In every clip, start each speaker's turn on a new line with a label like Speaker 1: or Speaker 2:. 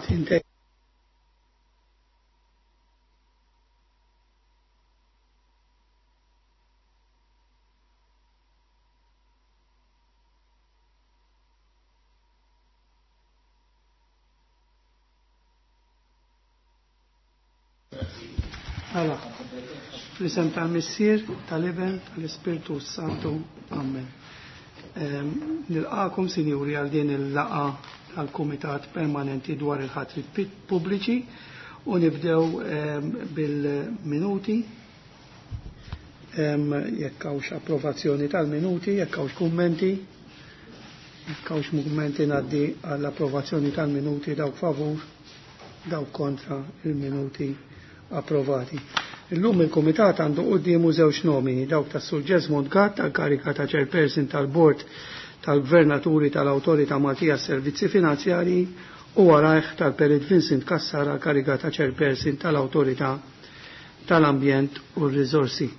Speaker 1: Inte Mela, fl-isem tal-Missier, tal-Iben, tal-Ispirtu Santu. Amen. Nilqakom, sinjuri, għal din il-laqa tal-Kumitat Permanenti dwar il-ħatri pubbliċi u nibdew bil-minuti. Jekk hawnx approvazzjoni tal-minuti, jekk hawnx kummenti, jekk hawnx kummenti ngħaddi għall-approvazzjoni tal-minuti dawk favur, dawk kontra il-minuti approvati. Illum il-Kumitat għandu quddiemu żewġ nomini, dawk tas Sur Jesmond Gatt għal-karika ta' Chairperson tal-Bord tal-Gvernaturi tal-Awtorità Maltija Servizzi Finanzjarji u warajh tal-Perit Vincent Cassara kariga ta' Chairperson tal-Awtorità tal-Ambjent u r-Riżorsi.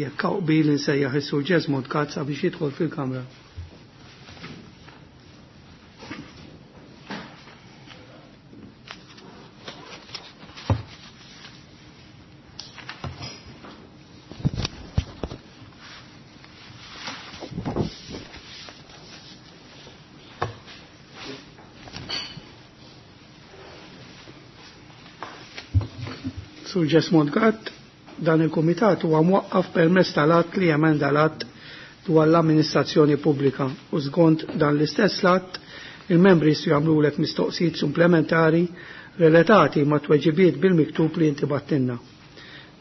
Speaker 1: Jekk hawn qbil insejjaħ is-Sur Jesmond Gatt sabiex jidħol fil-Kamra. Sur Jesmond Gatt, dan il-Kumitat huwa mwaqqaf permezz tal-att li jemenda l-att dwar l-amministrazzjoni pubblika u skont dan l-istess att il-membri jistgħu jagħmlulek mistoqsijiet supplementari relatati ma' tweġibiet bil-miktub li inti battinna.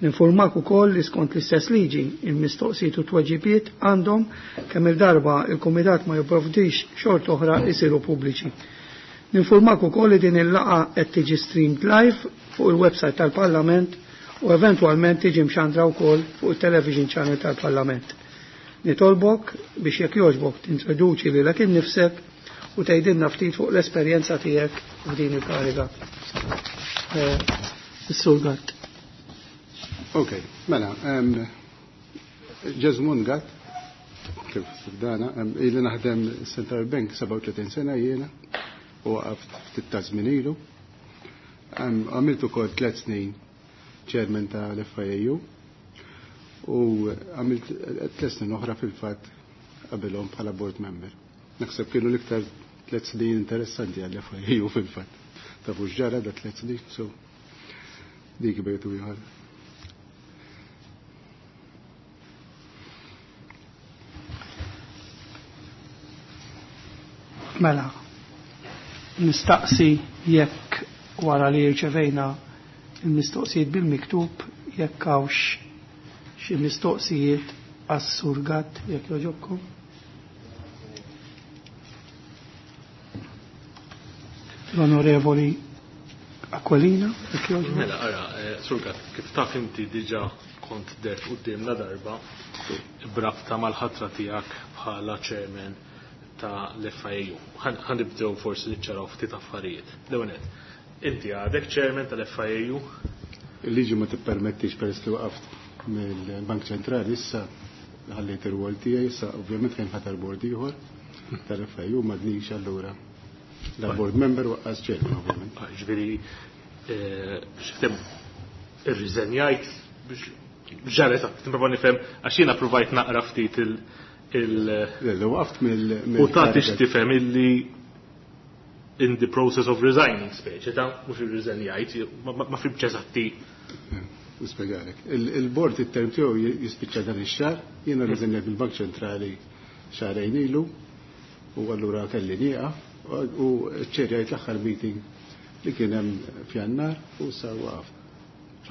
Speaker 1: Ninformak ukoll li skont l-istess liġi il-mistoqsijiet u tweġibiet għandhom kemm il-darba il-Kumitat ma jipprovdix xort oħra jsiru pubbliċi. Ninformak ukoll li din il-laqgħa qed tiġi streamed live fuq il-website tal-Parlament u eventwalment tiġi mxandra wkoll fuq il-television channel tal-Parlament. Nitolbok biex jekk jogħġbok tintroduċi lilek innifsek u tgħidilna ftit fuq l-esperjenza tiegħek f'din il-kariga. Is-Sur Gatt.
Speaker 2: Ok, mela, Jesmond Gatt, kif dana, ili naħdem Central Bank 37 sena jiena u waqaft ftit ta' żmien ilu. Għamilt ukoll 3 snin chairman tal-FIAU u għamilt 3 snin oħra fil-fatt qabilhom bħala board member. Naħseb kienu l-iktar 3 snin interessanti għall-FIAU fil-fatt. Tafu x'ġara da 3 snin, so dik bejtu ieħor.
Speaker 1: Mela, nistaqsi jekk wara li rċevejna il-mistoqsijiet bil-miktub jekk hawnx xi mistoqsijiet għas-Sur Gatt jekk jogħġobkom. L-Onorevoli Aquilina, jekk jogħġobkom.
Speaker 3: Mela, ara, Sur Gatt, kif taf inti diġà kont dert quddiemna darba brabta mal-ħatra tiegħek bħala chairman ta' l-FIAU. Ħanibdew forsi niċċaraw ftit affarijiet. L-ewwel nett, inti għadek chairman tal-FIAU?
Speaker 2: Il-liġi ma tippermettix peress li waqaft mill-Bank Ċentrali issa ħallejt ir-rwol tiegħi, issa ovvjament kien ħatar board ieħor tal-FIAU m'għadnix allura. La board member waqqas chairman ovvjament.
Speaker 3: Ġifieri, x'ftem irriżenjajt biex ġara eżatt, nipprova nifhem għax jiena provajt naqra ftit il- il-
Speaker 2: Le, le, waqaft mill-
Speaker 3: U tagħti x'tifhem illi in the process of resigning speċi ta' mhux irriżenjajt, ma fimx eżatti.
Speaker 2: Nispjegalek. Il-board it-term tiegħu jispiċċa dan ix-xahar, jiena rriżenjajt mill-Bank Ċentrali xahrejn ilu u allura kelli nieqaf u ċerjajt l-aħħar meeting li kien hemm f'Jannar u sa waqaf.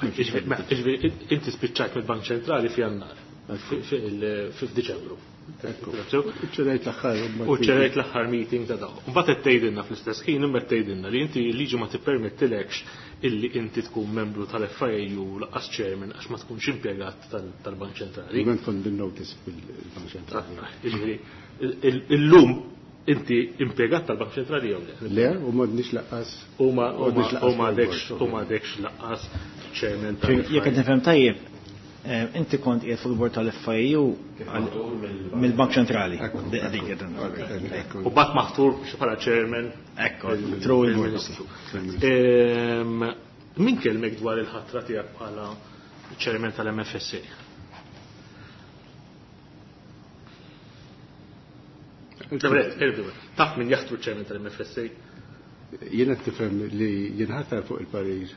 Speaker 3: Ġifieri, inti spiċċajt mill-Bank Ċentrali f'Jannar, f'Diċembru.
Speaker 2: Ċerajt l-aħħar
Speaker 3: U ċerajt l-aħħar meeting ta' daw. Mbagħad qed tgħidilna fl-istess ħin, imma qed tgħidilna li inti l-liġi ma tippermettilekx illi inti tkun membru tal-FIAU laqqas chairman għax ma tkunx impjegat tal-Bank Ċentrali.
Speaker 2: Ovvjament kont bin-notice fil-Bank Ċentrali.
Speaker 3: Jiġifieri, illum inti impjegat tal-Bank Ċentrali jew le?
Speaker 2: Le, u m'għadniex laqqas.
Speaker 3: U
Speaker 2: U m'għadniex laqqas fil-board,
Speaker 3: m'għadekx laqqas chairman tal-F I A U.
Speaker 4: Jekk qed nifhem tajjeb, Inti kont qiegħed fuq il-bord tal-FIU mill-Bank Ċentrali.
Speaker 3: U bat maħtur bħala chairman.
Speaker 4: Ekku, through il-Ministru.
Speaker 3: Min kellmek dwar il-ħatra tiegħek bħala chairman tal-MFSA? Taf min jaħtru chairman tal-MFSA?
Speaker 2: Jiena tifhem li jinħatar fuq il-parir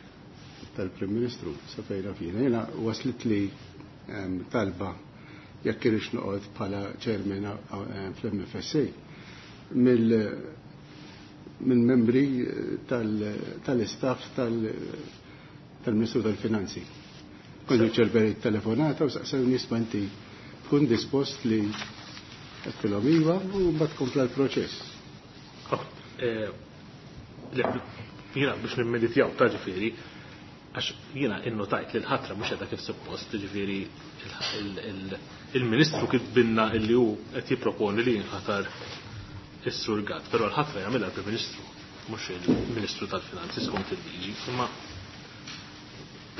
Speaker 2: tal-Prim Ministru sa fejna fina. Jiena waslit li talba jekk irix noqgħod bħala chairman fl-MFSA mill-membri tal-istaff tal-Ministru tal-Finanzi. Kont irċevejt telefonata u saqsewni isma' inti tkun dispost li għedtilhom iva u mbagħad kompla l-proċess.
Speaker 3: Jiena biex nimmeditjaw ta' ġifieri, għax jiena innotajt li l-ħatra mhux qiegħda kif suppost, ġifieri il-Ministru kitbinna illi hu qed jipproponi li jinħatar is-Sur Gatt, però l-ħatra jagħmilha l-Prim Ministru, mhux il-Ministru tal-Finanzi skont il-liġi, imma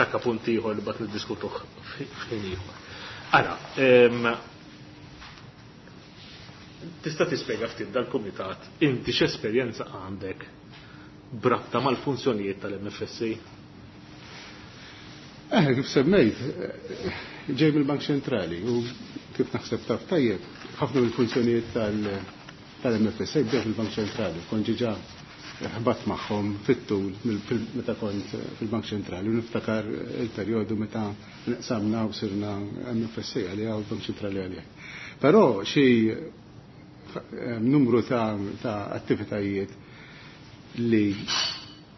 Speaker 3: dak punt ieħor li bat niddiskutuh f'ħin ieħor. Ara, tista' tispjega ftit dal-kumitat inti x'esperjenza għandek b'rabta mal-funzjonijiet tal-MFSA?
Speaker 2: Kif semmejt, ġej mill-Bank Ċentrali u kif naħseb taf tajjeb, ħafna mill-funzjonijiet tal-MFSA bdew fil-Bank Ċentrali, kont ġiġa ħbat magħhom fit-tul meta kont fil-Bank Ċentrali u niftakar il-perjodu meta nqsamna u sirna MFSA għalija u l-Bank Ċentrali għalija. Però xi numru ta' attivitajiet li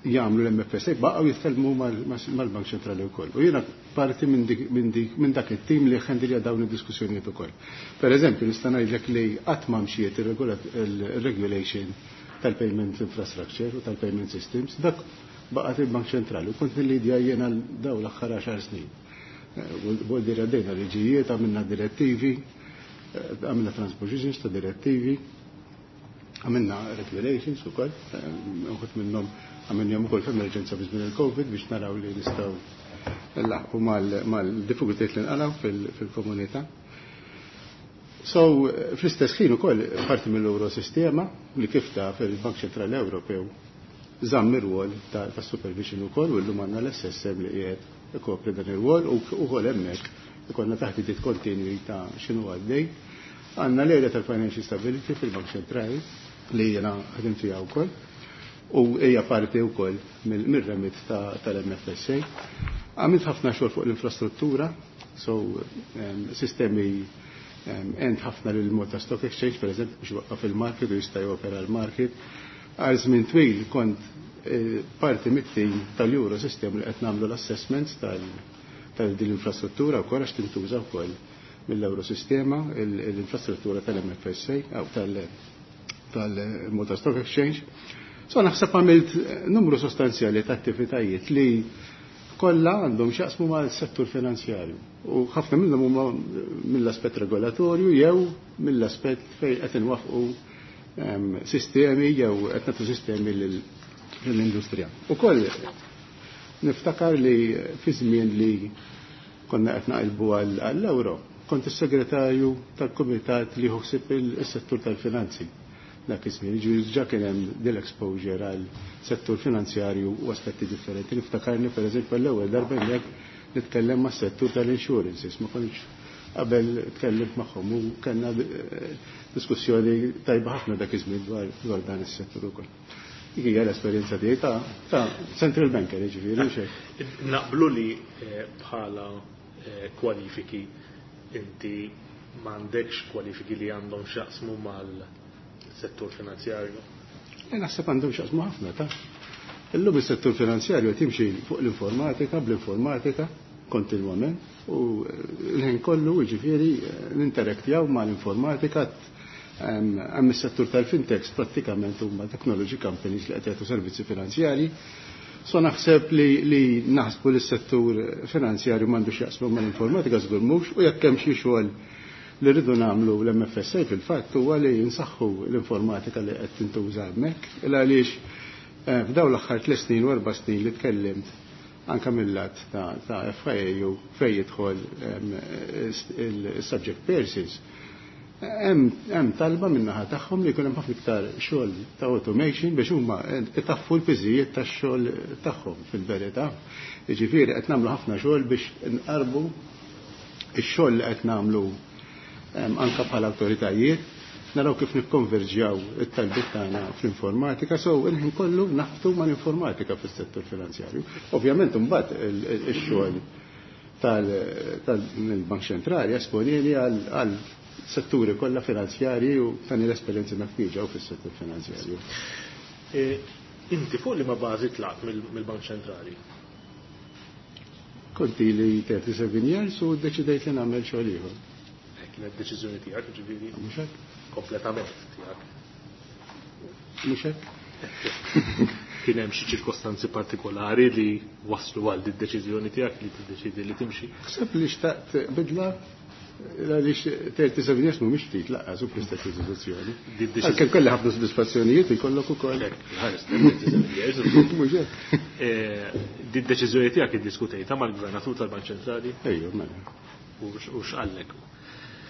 Speaker 2: jagħmlu l-MFSA baqgħu jitkellmu mal-Bank Ċentrali wkoll. U jiena parti minn dak it-tim li ħendilja dawn id-diskussjonijiet ukoll. Per eżempju, nista' ngħidlek li qatt ma mxiet il-regulation tal-payment infrastructure u tal-payment systems, dak baqgħet il-Bank Ċentrali u kont nillidja jiena dawn l-aħħar 10 snin. Vuol dire għaddejna liġijiet, għamilna direttivi, għamilna transpositions ta' direttivi, għamilna regulations ukoll, uħud minnhom għamilnihom ukoll f'emerġenza fi żmien il-Covid biex naraw li nistgħu nlaħqu mal-diffikultajiet li nqalgħu fil-komunità. So, fl-istess ħin ukoll parti mill-Eurosistema li kif taf il-Bank Ċentrali Ewropew żamm ir-rwol ta' supervision ukoll u llum għandna l-SSM li qiegħed ikopri dan ir-rwol u wkoll hemmhekk ikollna taħdidiet kontinwi ta' x'inhu għaddej. Għandna l-area tal-Financial Stability fil-Bank Ċentrali li jiena ħadim fiha wkoll u hija parti wkoll mir-remit tal-MFSA. Għamilt ħafna xogħol fuq l-infrastruttura, so sistemi għent ħafna lil Malta Stock Exchange, per eżempju, biex waqqaf il-market u jista' jopera l-market. Għal żmien twil kont parti mit-tim tal-Euro System li qed nagħmlu l-assessments tal din l-infrastruttura wkoll għax tintuża wkoll mill-Eurosistema l-infrastruttura tal-MFSA jew tal-Malta Stock Exchange. So naħseb għamilt numru sostanzjali ta' attivitajiet li kollha għandhom x'jaqsmu mal-settur finanzjarju. U ħafna minnhom huma mill-aspett regolatorju jew mill-aspett fejn qed inwaffqu sistemi jew qed nagħtu sistemi lill-industrija. Ukoll niftakar li fi żmien li konna qed naqilbu għall-euro, kont is-segretarju tal-kumitat li ħossib is-settur tal-finanzi. Dak iż-żmien, jiġifieri diġà kien hemm dil exposure għal settur finanzjarju u aspetti differenti. Niftakarni pereżempju l-ewwel darba hemmhekk nitkellem mas-settur tal-insurances, ma kontx qabel tkellimt magħhom u kellna diskussjoni tajba ħafna dak iż-żmien dwar dan is-settur ukoll. Dik hija l-esperjenza tiegħi ta' central banker, jiġifieri mhux hekk.
Speaker 3: Naqblu li bħala kwalifiki inti m'għandekx kwalifiki li għandhom x'jaqsmu mal-settur finanzjarju?
Speaker 2: Naħseb għandhom x'jaqsmu ħafna ta'. Illum is-settur finanzjarju qed jimxi fuq l-informatika, bl-informatika kontinwament u l-ħin kollu jiġifieri ninteraktjaw mal-informatika. Hemm is-settur tal-fintechs prattikament huma technology companies li qed jagħtu servizzi finanzjarji. So naħseb li naħsbu li s-settur finanzjarju m'għandux jaqsmu mal-informatika żgur mhux, u jekk hemm xi xogħol li rridu nagħmlu l-MFSA fil-fatt huwa li nsaħħu l-informatika li qed tintuża hemmhekk, il għaliex f'dawn l-aħħar 3 snin u 4 snin li tkellimt anka mill-lat ta' FIAU fejn jidħol il-subject persons. Hemm talba min-naħa tagħhom li jkun hemm ħafna iktar xogħol ta' automation biex huma itaffu l-piżijiet tax-xogħol tagħhom fil-verità. Jiġifieri qed nagħmlu ħafna xogħol biex nqarbu x-xogħol li qed nagħmlu anka bħala awtoritajiet, naraw kif nikkonverġjaw it-talbiet tagħna fl-informatika, so il-ħin kollu naħtu mal-informatika fis-settur finanzjarju. Ovvjament imbagħad ix-xogħol tal-Bank Ċentrali esponili għal setturi kollha finanzjarji u tani l-esperjenzi meħtieġa u fis-settur finanzjarju.
Speaker 3: Inti fuq li ma bażi tlaqt mill-Bank Ċentrali?
Speaker 2: Kont ili 37 years u ddeċidejt li nagħmel xogħol ieħor.
Speaker 3: Kienet deċiżjoni tiegħek, ġifieri?
Speaker 2: Mhux hekk?
Speaker 3: Kompletament tiegħek.
Speaker 2: Mhux hekk?
Speaker 3: Kien hemm xi ċirkostanzi partikolari li waslu għal din deċiżjoni tiegħek li tiddeċidi li timxi?
Speaker 2: Ħseb li xtaqt bidla għaliex 37 years mhumiex ftit laqqas u fl-istess istituzzjoni. Għalkemm kelli ħafna sodisfazzjonijiet ikollok ukoll.
Speaker 3: Ħares 37 years.
Speaker 2: Mhux hekk.
Speaker 3: Din deċiżjoni tiegħek iddiskutejtha mal-Gvernatur tal-Bank Ċentrali?
Speaker 2: Ejju, mela.
Speaker 3: U x'qallek?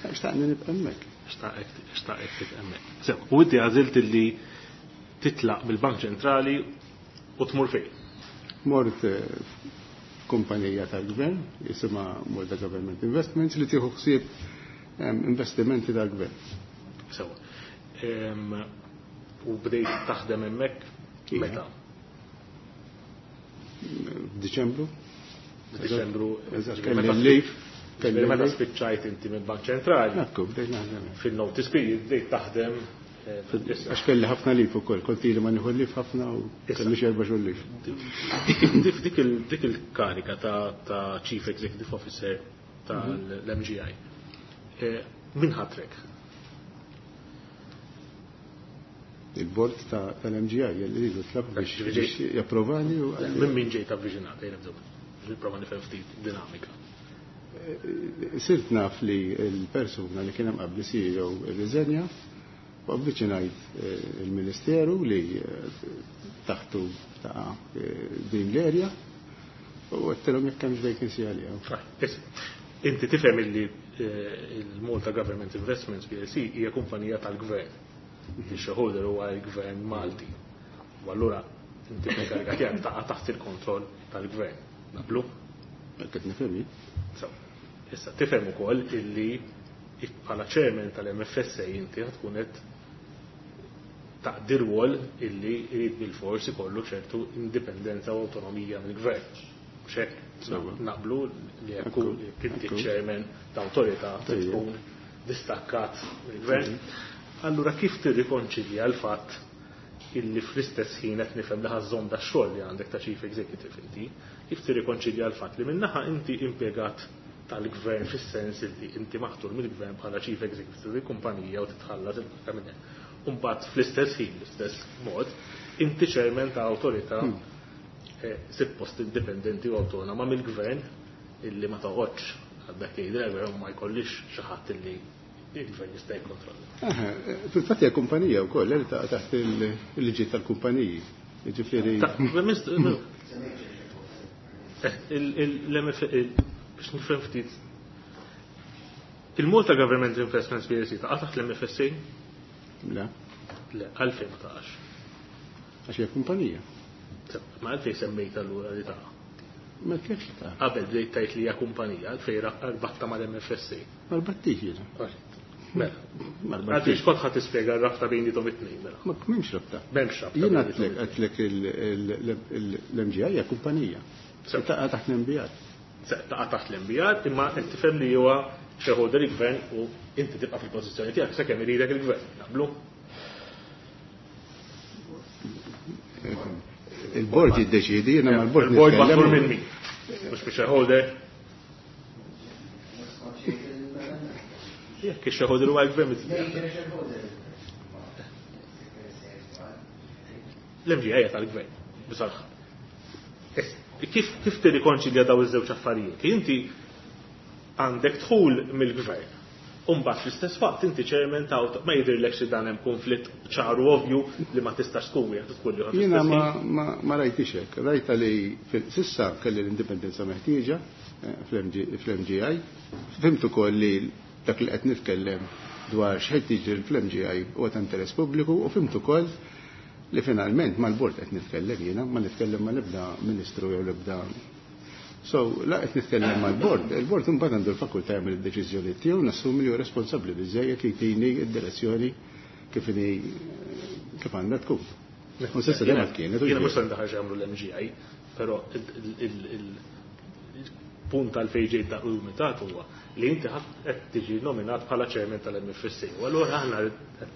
Speaker 2: Xtaqni nibqa' hemmhekk.
Speaker 3: Xtaqek tibqa' hemmhekk. Sew, u inti għażilt li titlaq mill-Bank Ċentrali u tmur fejn?
Speaker 2: Mort kumpanija tal-gvern, jisimha Malta Government Investments, li tieħu ħsieb investimenti tal-gvern.
Speaker 3: Sewa. U bdejt taħdem hemmhekk meta?
Speaker 2: F'Diċembru.
Speaker 3: F'Diċembru.
Speaker 2: Eżatt, kelli l-leave.
Speaker 3: Kelli meta spiċċajt inti mill-Bank Ċentrali.
Speaker 2: Ekku, bdejt naħdem.
Speaker 3: Fil-notice period bdejt taħdem.
Speaker 2: Għax kelli ħafna lif ukoll, kont ili ma nieħu lif ħafna u kelli xi erba' xhur lif.
Speaker 3: Dik il-karika ta' Chief Executive Officer tal-MGI. Min ħatrek?
Speaker 2: Il-bord tal-MGI, jelli ridu tlab biex japprovani u
Speaker 3: Minn min ġejt avviċinat, ejja nibdew. Nipprova nifhem ftit dinamika.
Speaker 2: Sirt naf li l-persuna li kien hemm qabli CEO irriżenja u avviċinajt il-Ministeru li taħtu ta' din l-erja u għedtilhom jekk hemmx vacancy għalija.
Speaker 3: Inti tifhem illi il-Malta Government Investments PLC hija kumpanija tal-gvern. Il-shareholder huwa l-gvern Malti. U allura inti fil-kariga tiegħek taqa' taħt il-kontroll tal-gvern. Naqblu?
Speaker 2: Qed nifhem jien.
Speaker 3: So, issa tifhem ukoll illi bħala chairman tal-MFSA inti tkun qed taqdi rwol illi jrid bil-fors ikollu ċertu indipendenza u awtonomija mill-gvern. Mhux hekk? Naqblu li jekk inti chairman ta' awtorità tkun distakkat mill-gvern. Allura kif tirrikonċilja l-fatt illi fl-istess ħin qed nifhem li ħażżomm da xogħol li għandek ta' chief executive inti, kif tirrikonċilja l-fatt li minnaħa inti impjegat tal-gvern fis-sens li inti maħtur mill-gvern bħala chief executive tal-kumpanija u titħallas il-barka minn hemm. U mbagħad fl-istess ħin, l-istess mod, inti chairman ta' awtorità suppost indipendenti u autonoma mill-gvern illi ma toqgħodx għaddek jgħidilek gvern ma jkollix xi ħadd illi il-gvern jista' jikkontrolla.
Speaker 2: Fil-fatt hija kumpanija wkoll li taqa' taħt il-liġi tal-kumpaniji. Jiġifieri
Speaker 3: Biex nifhem ftit. Il-Malta Government Investments PLC taqa' taħt l-MFSA?
Speaker 2: Le.
Speaker 3: Le, għalfejn ma taqax.
Speaker 2: Għax hija kumpanija.
Speaker 3: Ma għalfejn semmejt allura li taqa'.
Speaker 2: Ma kif taqa'?
Speaker 3: Qabel bdejt tgħid li hija kumpanija, għalfejn rbatta mal-MFSA.
Speaker 2: Ma rbattix jiena.
Speaker 3: Mela.
Speaker 2: Ma
Speaker 3: Għalfejn
Speaker 2: rbattix.
Speaker 3: x'kont ħadd tispjega r-rabta bejn dithom it-tnejn, mela.
Speaker 2: Ma m'hemmx rabta.
Speaker 3: M'hemmx rabta
Speaker 2: Jiena
Speaker 3: bejn dithom
Speaker 2: għedtlek l-MGI hija kumpanija. Taqa' taħt l-MBR.
Speaker 3: Taqa' taħt l-MBR, imma qed tifhem li huwa shareholder il-gvern u inti tibqa' fil-pożizzjoni tiegħek sakemm iridek il-gvern. Naqblu?
Speaker 2: Il-bord jiddeċidi, jiena mal-bord
Speaker 3: Il-bord
Speaker 2: nitkellem.
Speaker 3: maħtur minn min? Mhux biex shareholder. Jekk ix-shareholder huwa l-gvern. L-MGI hija tal-gvern, bisalħ. Kif tirrikonċilja daw iż-żewġ affarijiet? Inti għandek dħul mill-gvern. Umbagħad fl-istess waqt inti chairman ta' ma jidhirlekx li dan hemm konflitt ċaru ovvju li ma tistax tkun wieħed u tkun ieħor
Speaker 2: Jiena
Speaker 3: fl-istess ħin?
Speaker 2: ma rajtix hekk. Rajta li s'issa kelli l-indipendenza meħtieġa fl-MGI. Fhimt ukoll li dak li qed nitkellem dwar x'qed jiġri fl-MGI huwa ta' interess pubbliku u fhimt ukoll li finalment mal-bord qed nitkellem jiena, ma nitkellem mal-ebda ministru jew l-ebda. So, la qed nitkellem mal-bord, il-bord imbagħad għandu l-fakultà jagħmel id-deċiżjoni tiegħu, nassumi li hu responsabbli biżejjed li jtini d-direzzjoni kif inhi kif għandha tkun. U s'issa dejjem kienet.
Speaker 3: Jiena mhux se ndaħal x'jagħmlu l-MGI, però il-punt għalfejn ġejt dak il-kumitat huwa li inti qed tiġi nominat bħala chairman tal-MFSA. U allura aħna qed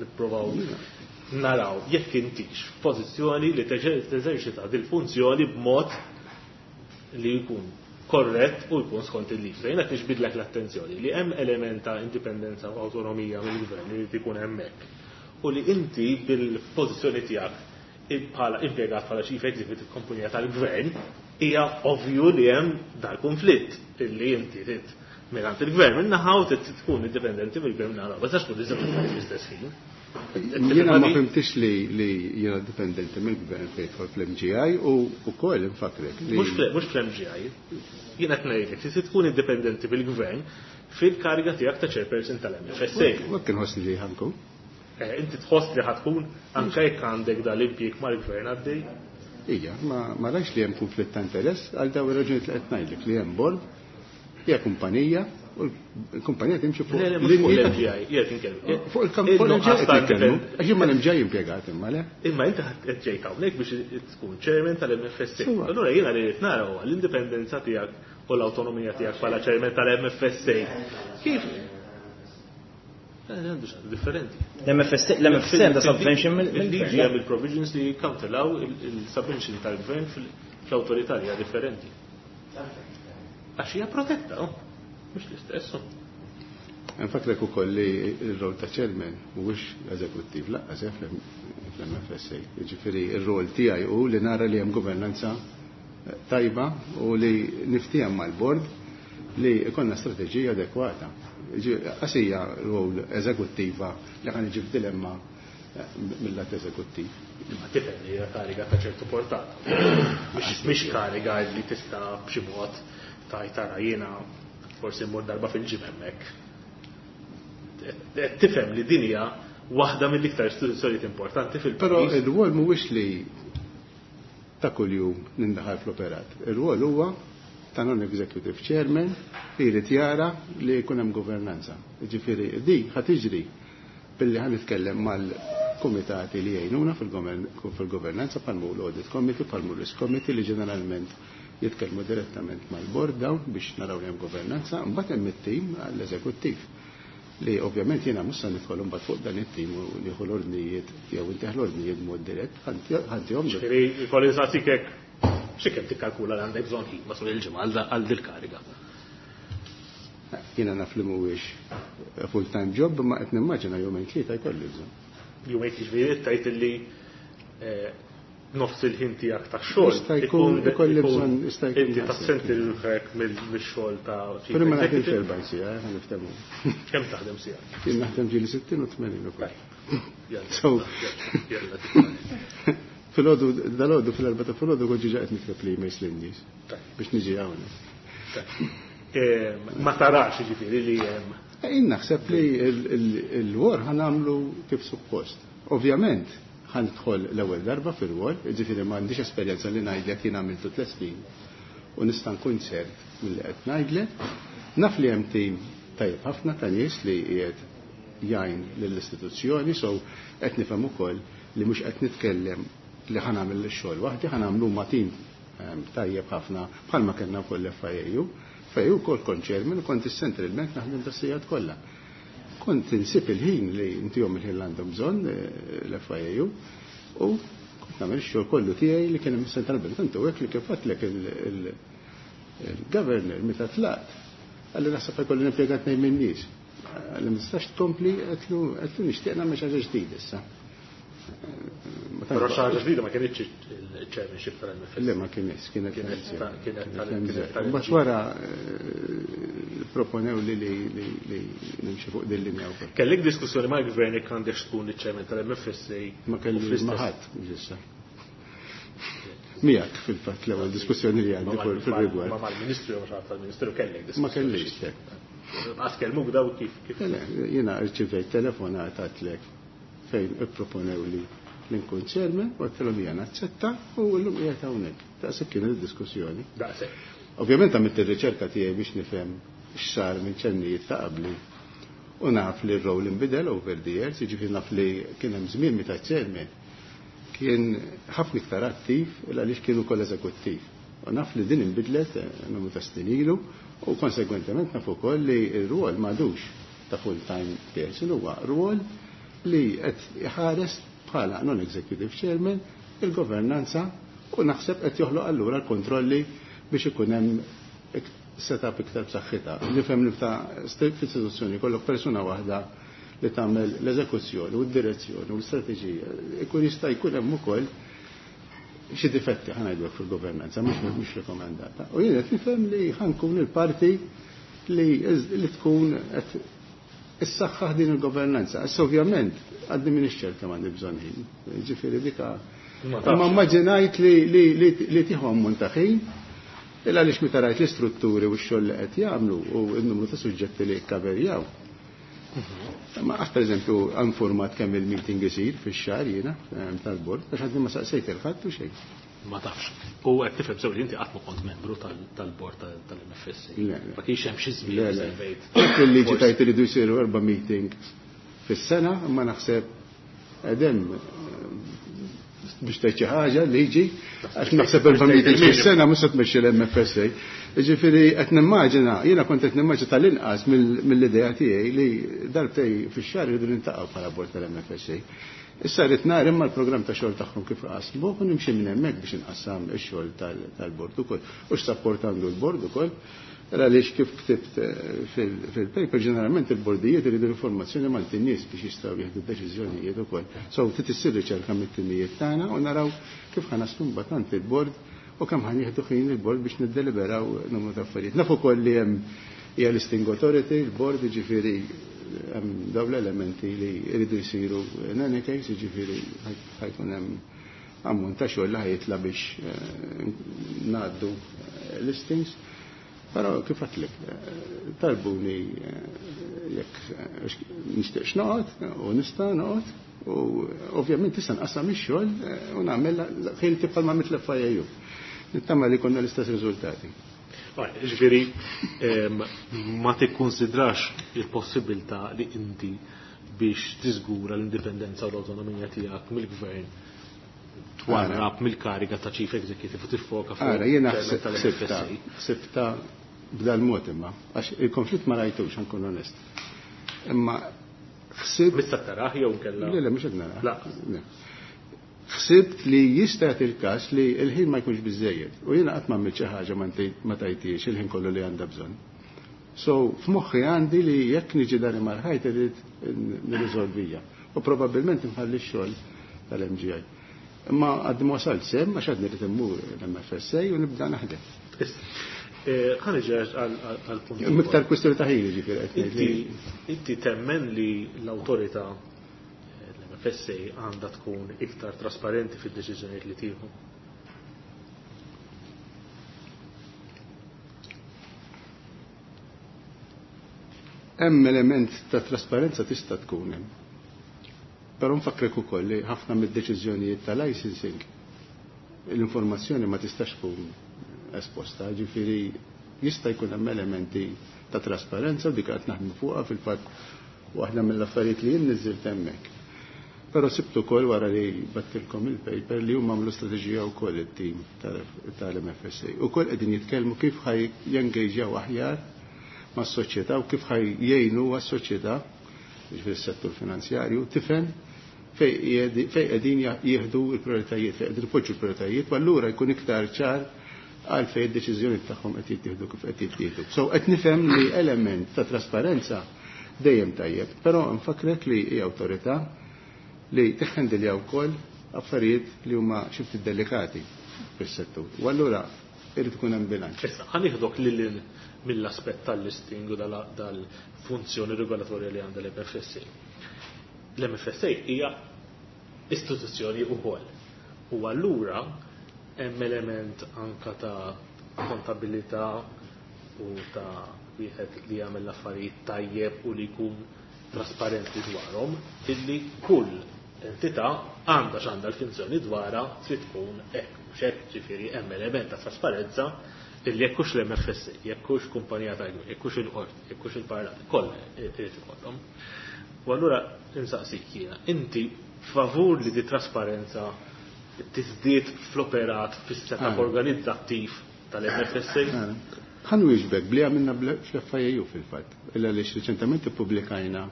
Speaker 3: nipprovaw naraw jekk intix f'pożizzjoni li teżerċita dil-funzjoni b'mod li jkun korrett u jkun skont il-liġi. Jiena qed niġbidlek l-attenzjoni li hemm element ta' indipendenza u awtonomija mill-gvern li jrid ikun hemmhekk. U li inti bil-pożizzjoni tiegħek bħala impjegat bħala chief executive kumpanija tal-gvern hija ovvju li hemm dal-konflitt illi inti trid mingħand il-gvern minnaħa u trid tkun indipendenti mill-gvern minnaħa. Ma tistax tkun iżgħar fl-istess ħin.
Speaker 2: Jiena ma fhimtix li jiena dipendenti mill-gvern fejn jidħol fl-MGI u wkoll infakrek li
Speaker 3: Mhux fl-MGI. Jiena qed ngħidlek li tkun indipendenti mill-gvern fil-kariga tiegħek ta' chairperson tal-MFSA.
Speaker 2: Ma kien ħossni li ħankun.
Speaker 3: Inti tħoss li ħatkun anke jekk għandek dal-impjieg mal-gvern għaddej?
Speaker 2: Ija, ma rajx li hemm konflitt ta' interess għal dawn ir-raġunijiet li qed ngħidlek li hemm bord, hija kumpanija u l-kumpanija timxi fuq
Speaker 3: Le, le, mhux fuq
Speaker 2: l-linji ta'
Speaker 3: l-MGI, jien inkellem.
Speaker 2: Fuq il-kamp, fuq
Speaker 3: Il-nuqqas
Speaker 2: l-MGI
Speaker 3: ta'
Speaker 2: qed nitkellmu.
Speaker 3: indipend-
Speaker 2: Għax jien mal-MGI impjegat imma le.
Speaker 3: Imma inti qed ġejt hawnhekk biex tkun chairman tal-MFSA.
Speaker 2: Sewwa.
Speaker 3: Allura jiena li rrid nara huwa l-indipendenza tiegħek u l-awtonomija tiegħek bħala chairman tal-MFSA. Kif? Għandu xi differenti.
Speaker 4: L-MFSA, l-MFSA għandha subvention
Speaker 3: Il-liġi
Speaker 4: mill-gvern.
Speaker 3: hemm il-provisions li jikkawtelaw il-subvention tal-gvern fl-awtorità li hija differenti. Għax hija protetta, oh. Mhux l-istess. Oh.
Speaker 2: Nfakrek ukoll li r-rol ta' chairman mhuwiex eżekuttiv laqqas fl-MFSA. Jiġifieri r-rol tiegħi hu li nara li hemm governanza tajba u li niftiehem mal-bord li jkollna strateġija adekwata. Qasija rol eżekuttiva li ħa niġi f'dilemma mill-lat eżekuttiv.
Speaker 3: Ma tifhem li hija kariga ta' ċertu portata. Mhix kariga li tista' b'xi mod tajt tara jiena forsi mmur darba fil-ġim hemmhekk. Qed tifhem li din hija waħda mill-iktar istituzzjonijiet importanti fil-pajjiż.
Speaker 2: Però ir-rwol mhuwiex li ta' kuljum nindaħal fl-operat. Ir-rwol huwa ta' non-executive chairman li jrid jara li jkun hemm governanza. Jiġifieri di ħa tiġri billi ħa nitkellem mal-kumitati li jgħinuna fil-governanza bħal l-audit committee, bħal risk committee li ġeneralment jitkellmu direttament mal-board dawn biex naraw li hemm governanza, mbagħad hemm it-tim għall-eżekuttiv li ovvjament jiena mhux se nidħol imbagħad fuq dan it-tim u nieħu l-ordnijiet jew inteħ l-ordnijiet b'mod dirett, ħantihom.
Speaker 3: Ġifieri jkolli nsaqsik hekk xi kemm tikkalkula li għandek bżonn ħin matul il-ġimgħa għal dil-kariga.
Speaker 2: Jiena naf li mhuwiex full-time job, imma qed nimmaġina jumejn tlieta jkolli bżonn.
Speaker 3: Jumejn jiġifieri tgħid illi nofs il-ħin tiegħek tax-xogħol
Speaker 2: Jista' jkun ikolli bżonn, jista' jkun
Speaker 3: inti
Speaker 2: naqseb.
Speaker 3: tassenti ruħek mix-xogħol ta' chief
Speaker 2: Però ma naħdimx
Speaker 3: executive.
Speaker 2: 40 siegħa, ħa niftehmu.
Speaker 3: Kemm taħdem siegħa?
Speaker 2: Jien naħdem ġieli 60 u 80 ukoll.
Speaker 3: Jalla,
Speaker 2: So,
Speaker 3: jalla.
Speaker 2: Filgħodu, dalgħodu fil-4 ta' filgħodu kont ġiġa qed nikteb li emails lin-nies biex niġi hawnhekk.
Speaker 3: Ma tarax jiġifieri li hemm.
Speaker 2: Jien naħseb li il-wor ħa nagħmlu kif suppost. Ovvjament, ħa nidħol l-ewwel darba fil-wol, jiġifieri ma għandix esperjenza li ngħidlek jien għamiltu 3 snin u nista' nkun ċert milli qed ngħidlek. Naf li hemm tim tajjeb ħafna ta' nies li qiegħed jgħin lill-istituzzjoni, so qed nifhem ukoll li mhux qed nitkellem li ħa nagħmel ix-xogħol waħdi, ħa nagħmlu ma' tim tajjeb ħafna bħalma kellna wkoll l-FIAU. FIAU wkoll kont chairman u kont is-Central Bank naħdem tas-sigħat kollha. Kont insib il-ħin li intihom il-ħin li għandhom bżonn l-FIAU u kont nagħmel ix-xogħol kollu tiegħi li kien hemm is-Central Bank. Tantu hekk li kif għedtlek il-governor meta tlaqt, qalli naħseb jkolli nimpjegat tnejn minn nies. Qalli ma tistax tkompli, għedtlu nixtieq nagħmel xi ħaġa ġdida issa. Ma
Speaker 3: Però xi ħaġa ġdida ma kienitx il-chairmanship tal-MFS.
Speaker 2: Le, ma kienx, kienet
Speaker 3: Kienet
Speaker 2: tal-MGI. Mbagħad wara proponew li li nimxi fuq din linja wkoll.
Speaker 3: Kellek diskussjoni mal-gvern jekk għandek tkun iċ-chairman tal-MFSA?
Speaker 2: Ma kelli ma ħadd issa. Miegħek fil-fatt l-ewwel diskussjoni li għandi fil-rigward.
Speaker 3: Ma mal-Ministru jew xi tal-Ministru kellek diskussjoni.
Speaker 2: Ma kellix.
Speaker 3: Għas kellmuk daw kif kif.
Speaker 2: Le, jiena rċivejt telefonata għedtlek fejn ipproponew li nkun chairman u għedtilhom jiena naċċetta u llum qiegħed hawnhekk. Daqshekk kienet id-diskussjoni.
Speaker 3: Daqshekk.
Speaker 2: Ovvjament għamilt ir-riċerka tiegħi biex nifhem x'sar minn chairmanijiet ta' qabli u naf li r-role inbidel over the years, jiġifieri naf li kien hemm żmien meta chairman kien ħafna iktar attiv għaliex kien ukoll eżekuttiv. U naf li din inbidlet numru ta' snin ilu u konsegwentement naf ukoll li r-rwol m'għadux ta' full-time person, huwa rwol li qed iħares bħala non-executive chairman il-governanza u naħseb qed joħloq allura l-kontrolli biex ikun hemm setup iktar b'saħħitha. Nifhem li ta' istituzzjoni kollok persuna waħda li tagħmel l-eżekuzzjoni u d-direzzjoni u l-istrateġija. Ikun jista' jkun hemm ukoll xi difetti ħa ngħidu fil-governanza, mhux rekomendata. U jien qed nifhem li ħa nkun il-parti li tkun qed issaħħaħ din il-governanza. Issa ovvjament għadni minn ċert kemm għandi bżonn ħin. Ġifieri dika. Ma immaġinajt li tieħu ammont ta' ħin, illa għaliex meta rajt l-istrutturi u x-xogħol li qed jagħmlu u n-numru ta' suġġetti li kkaverjaw. Ma għax per eżempju informat kemm il-meeting isir fix-xahar jiena tal-bord, għax għadni ma saqsejt il-ħadd u xejn.
Speaker 3: Ma tafx. U qed tifhem sew li inti qatt ma kont membru tal-bord tal-MFSA.
Speaker 2: Le, le.
Speaker 3: Ma kienx hemm xi żmien
Speaker 2: Le, le.
Speaker 3: servejt.
Speaker 2: Il-liġi tajt iridu jsiru 4 meeting fis-sena, imma naħseb qegħdem biex tgħid xi ħaġa liġi, għax naħseb 4 meetings fis-sena mhux se tmexxi l-MFSA. Ġifieri qed nimmaġina, jiena kont qed nimmaġina tal-inqas mill-idea tiegħi li darbtej fix-xahar iridu nintaqgħu bħala bord tal-MFSA. Issa rrid nara imma l-programm ta' xogħol tagħhom kif qasmu u nimxi minn hemmhekk biex inqassam ix-xogħol tal-bord ukoll. U x'sapport għandu l-bord ukoll. Għaliex kif ktibt fil-paper, ġeneralment il-bordijiet iridu l-informazzjoni mal nies biex jistgħu jieħdu deċiżjonijiet ukoll. So trid issir riċerka mit-timijiet tagħna u naraw kif ħa naslu mbagħad għand il-bord u kemm ħa nieħdu ħin il-bord biex niddeliberaw numru ta' affarijiet. Naf ukoll li hemm hija listing authority, il-bord jiġifieri hemm dawn l-elementi li jridu jsiru in any case, jiġifieri ħajkun hemm ammont ta' xogħol li ħajitla biex ngħaddu listings. Però kif għedtlek, talbuni jekk nixtieqx noqgħod u nista' noqgħod u ovvjament tista' nqassam ix-xogħol u nagħmel ħilti bħalma għamilt l-FIAU. Nittama li konna l-istess riżultati.
Speaker 3: Ġifieri, ma tikkonsidrax il-possibilità li inti biex tiżgura l-indipendenza u l-awtonomija tiegħek mill-gvern twarrab mill-kariga ta' Chief Executive u tiffoka fuq
Speaker 2: Ara, jiena
Speaker 3: il-chairman tal-MFSA.
Speaker 2: ħsibta b'dal-mod imma, għax il-konflitt ma rajtux, nkun onest. Imma ħsibt
Speaker 3: Mista taraħ jew nkella?
Speaker 2: Le, le, mhux qed naraħ.
Speaker 3: La.
Speaker 2: Le. Ħsibt li jista' jagħti il-każ li l-ħin ma jkunx biżejjed. U jiena qatt ma għamilt xi ħaġa ma tajtix il-ħin kollu li għandha bżonn. So, f'moħħi għandi li jekk niġi dari mal-ħajt irid nirriżolvija. U probabbilment nħalli x-xogħol tal-MGI. Imma għaddi ma wasalt sem, għax għadni rrid immur l-MFSA u nibda naħdem.
Speaker 3: Ħa niġi għal punt.
Speaker 2: Miktar kwistjoni ta' ħin, ġifieri, qed ngħid li
Speaker 3: Inti temmen li l-awtorità l-MFSA għandha tkun iktar trasparenti fid-deċiżjonijiet li tieħu?
Speaker 2: Hemm element ta' trasparenza tista' tkun hemm. Però nfakkrek ukoll li ħafna mid-deċiżjonijiet ta' licensing l-informazzjoni ma tistax tkun esposta, ġifieri jista' jkun hemm elementi ta' trasparenza u dik qed naħdmu fuqha fil-fatt waħda mill-affarijiet li jien niżilt hemmhekk. Però sibtu wkoll wara li battilkom il-paper li huma għamlu strateġija wkoll it-tim tal-MFSA. Ukoll qegħdin jitkellmu kif ħaj jengaġjaw aħjar mas-soċjetà u kif ħaj jgħinu għas-soċjetà, ġifieri s-settur finanzjarju, tifhem fej qegħdin jieħdu l-prijoritajiet, fej qegħdin ipoġġu l-prijoritajiet, u allura jkun iktar ċar għal fej id-deċiżjoni tagħhom qed jittieħdu kif qed jittieħdu. So qed nifhem li element ta' trasparenza dejjem tajjeb, però nfakrek li hija awtorità li tiħħendilja wkoll affarijiet li huma xi ftit delikati fis-settur. U allura irid ikun hemm bilanċ.
Speaker 3: Issa, ħa nieħdok lil mill-aspett tal-listing u dal-funzjoni regolatorja li għandha l-MFSA. L-MFSA hija istituzzjoni wkoll. U allura hemm element anka ta' kontabilità u ta' wieħed li jagħmel l-affarijiet tajjeb u li jkun trasparenti dwarhom, illi kull entità għandha x'għandha l-funzjoni dwarha trid tkun hekk, mhux hekk, ġifieri hemm element ta' trasparenza illi jekk hux l-MFSA, jekk hux kumpanija ta' jekk hux il-qorti, jekk hux il-parlament, kollha irid ikollhom. U allura insaqsik jiena, inti favur li di trasparenza tiżdied fl-operat fis-setup organizzattiv tal-MFSA?
Speaker 2: Ħa nwieġbek bli għamilna fl-FIAU fil-fatt, illa li reċentement ippubblikajna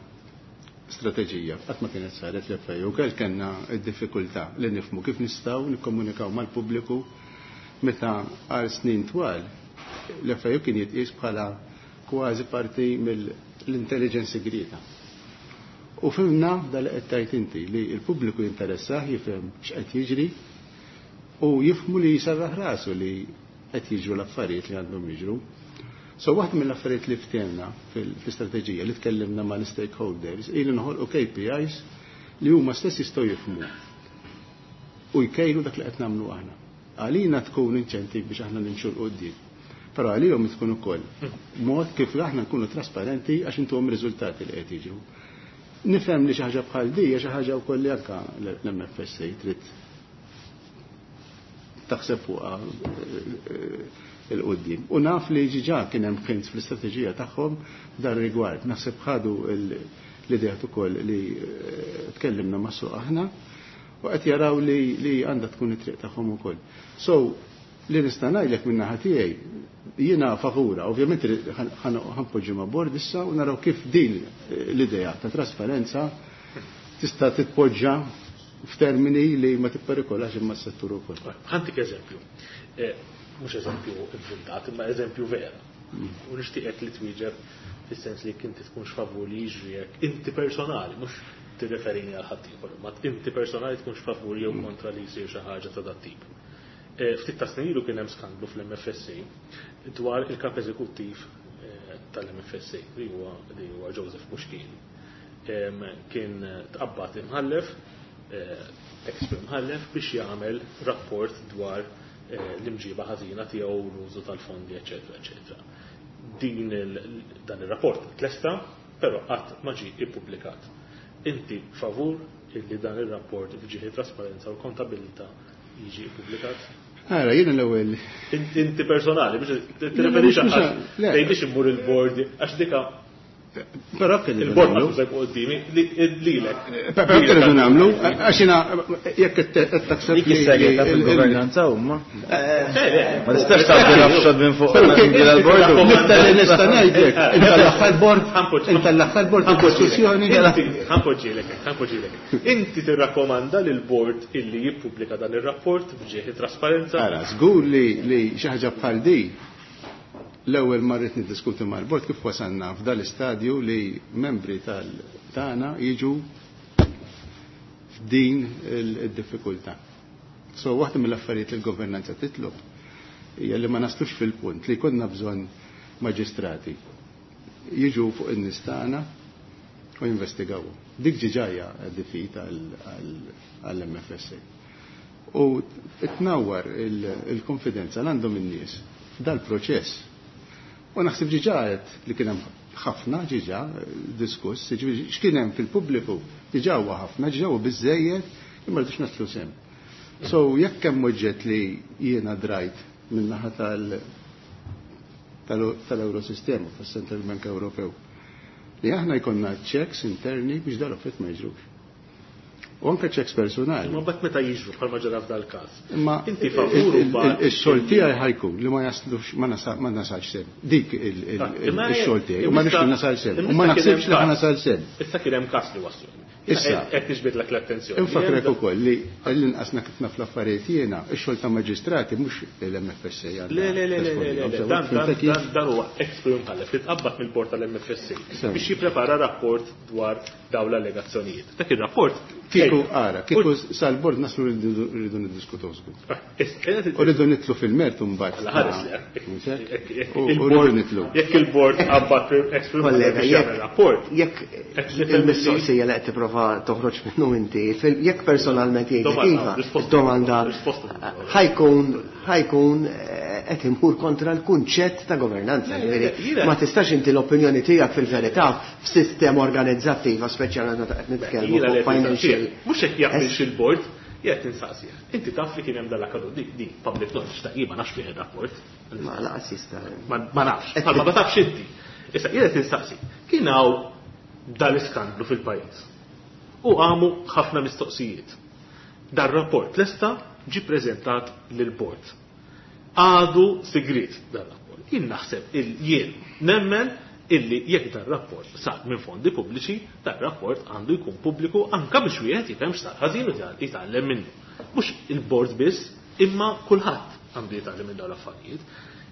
Speaker 2: strateġija, qatt ma kienet saret l-FIAU, kell kellna d-diffikultà li nifhmu kif nistgħu nikkomunikaw mal-pubbliku meta għal snin twal l-FIAU kien jitqies bħala kważi parti mill-intelligence segreta. U fhimna dal qed tgħid inti li l-pubbliku jinteressah jifhem x'qed jiġri u jifhmu li jserraħ rasu li qed jiġru l-affarijiet li għandhom jiġru. So waħda mill-affarijiet li ftehemna fil-istrateġija li tkellimna mal-stakeholders ili noħolqu KPIs li huma stess jistgħu jifhmu u jkejlu dak li qed nagħmlu aħna. Għalina tkun inċentiv biex aħna nimxu 'l quddiem. Però għalihom tkun ukoll mod kif aħna nkunu trasparenti għax intuhom riżultati li qed jiġru. Nifhem li xi ħaġa bħal di hija xi ħaġa wkoll li anke l-MFSA trid taħseb fuqha 'l quddiem. U naf li ġiġa kien hemm hints fl-istrateġija tagħhom dar rigward. Naħseb ħadu l-idea ukoll li tkellimna ma' suq aħna u qed jaraw li għandha tkun it-triq tagħhom ukoll. So, li nista' ngħidlek minn naħa tiegħi jiena favura, ovvjament ħa npoġġu ma' board issa u naraw kif din l-idea ta' trasparenza tista' titpoġġa f'termini li ma tipperikolax imma s-settur ukoll.
Speaker 3: Ħa ntik eżempju. Mhux eżempju inventat, imma eżempju vera. U nixtieqek li twieġeb fis-sens li inti tkunx favur li jiġri hekk inti personali, mhux tirreferini għal ħadd ieħor, ma inti personali tkunx favur jew kontra li jsir xi ħaġa ta' dat tip. Ftit ta' snin ilu kien hemm skandlu fl-MFSA dwar il-kap eżekuttiv tal-MFSA li huwa Joseph Muschini. Kien tqabbad imħallef, ex imħallef biex jagħmel rapport dwar l-imġiba ħażina tiegħu, l-użu tal-fondi, eċetera, eċetera. Dan ir-rapport tlesta, però qatt ma ġie ippubblikat. Inti favur illi dan ir-rapport f'ġieħi trasparenza u kontabilità jiġi ippubblikat?
Speaker 2: Ara, jiena l-ewwel.
Speaker 3: Inti personali, biex tirreferix għax tgħidix immur il-board, għax dika
Speaker 2: Però kien
Speaker 3: il-board ma tużek qudiemi lilek.
Speaker 2: Però kien irridu nagħmlu, għax jiena jekk qed taħseb
Speaker 4: Dik is-segreta fil-governanza huma. Ma tistax tagħti nafxod minn fuq l-board.
Speaker 2: L-iktar li nista' ngħidlek, inta l-aħħar board, inta l-aħħar board diskussjoni.
Speaker 3: Ħa npoġġilek, ħa npoġġilek. Inti tirrakkomanda lil board illi jippubblika dan ir-rapport b'ġieħi trasparenza?
Speaker 2: Ara, żgur li xi ħaġa bħal di l-ewwel ma rrid niddiskuti mal-bord kif wasalna f'dal-istadju li membri tal-tagħna jiġu f'din id-diffikultà. So waħda mill-affarijiet li l-governanza titlob hija li ma naslux fil-punt li konna bżonn maġistrati jiġu fuq in-nies tagħna u jinvestigaw. Dik ġiġajja defeat għall-MFSA. U tnawwar il-konfidenza l għandhom in-nies f'dal-proċess. U naħseb ġiġa li kien hemm ħafna ġiġa diskuss, ġifieri x'kien hemm fil-pubbliku diġà huwa ħafna, ġiġa huwa biżejjed imma rridux naslu sem. So jekk hemm oġġett li jiena drajt min-naħa tal-Eurosistema, tas-Central Bank Ewropew, li aħna jkollna checks interni biex dal-affarijiet ma jiġrux. U anke checks personali.
Speaker 3: Ma bat meta jiġru bħalma ġara f'dal-każ.
Speaker 2: Imma
Speaker 3: Inti favur mbagħad
Speaker 2: ix-xogħol tiegħi ħa jkun li ma jaslux ma nasalx s'hemm. Dik ix-xogħol tiegħi u ma nix nasal s'hemm. U ma naħsibx li ħa nasal s'hemm.
Speaker 3: Issa kien hemm każ li waslu.
Speaker 2: Issa,
Speaker 3: Qed niġbidlek l-attenzjoni.
Speaker 2: Infakrek ukoll li l-inqasna kif naf l-affarijiet jiena, ix-xogħol ta' maġistrati mhux l-MFSA għandha.
Speaker 3: Le, le, le, le, le, le, le, dan, dan,
Speaker 2: Fimtek kif?
Speaker 3: dan, dan huwa ex-Prim Mħallef li tqabbad mill-bord tal-MFSA
Speaker 2: Sew.
Speaker 3: biex jipprepara rapport dwar dawn l-allegazzjonijiet. Dak ir-rapport
Speaker 2: Kieku ara, kieku sal-bord naslu rridu niddiskutu żgur. U rridu nitlu fil-mertu mbagħad.
Speaker 3: Alla ħares li
Speaker 2: Mhux hekk? U rridu nitlu.
Speaker 3: Jekk il-bord qabad ex-Prim Mħallef
Speaker 5: Kollega,
Speaker 3: biex jagħmel rapport,
Speaker 5: jekk il-mistoqsija li qed tipprova toħroġ minnu inti, jekk personalment jgħidlek
Speaker 3: Domanda,
Speaker 5: iva,
Speaker 3: risposta.
Speaker 5: domanda
Speaker 3: Risposta.
Speaker 5: ħajkun qed imur kontra l-kunċett ta' governanza.
Speaker 3: Le, le,
Speaker 5: Ġifieri,
Speaker 3: jiena-
Speaker 5: Ma tistax inti l-opinjoni tiegħek fil-verità f'sistema organizzattiva, speċjalment meta qed nitkellmu
Speaker 3: Jiena li
Speaker 5: fuq
Speaker 3: qed
Speaker 5: financial.
Speaker 3: insaqsih. Mhux hekk jaqbilx il-bord, jgħid insaqsih. Inti taf li kien hemm dal-akkadut di di public knowledge ta' jien ma nafx fih ir-rapport.
Speaker 5: Ma laqas jista'
Speaker 3: Ma nafx, bħalma ma tafx inti. Issa jien qed insaqsi. Kien hawn dal-iskandlu fil-pajjiż. U għamu ħafna mistoqsijiet. Dar-rapport lesta ġi preżentat lill-bord. Għadu sigrit dar-rapport. Jien naħseb jien nemmen illi jekk dar-rapport sar minn fondi pubbliċi, dar-rapport għandu jkun pubbliku anka biex wieħed jifhem x'sar ħażin u jitgħallem minnu. Mhux il-bord biss, imma kulħadd għandu jitgħallem minn dawn l-affarijiet.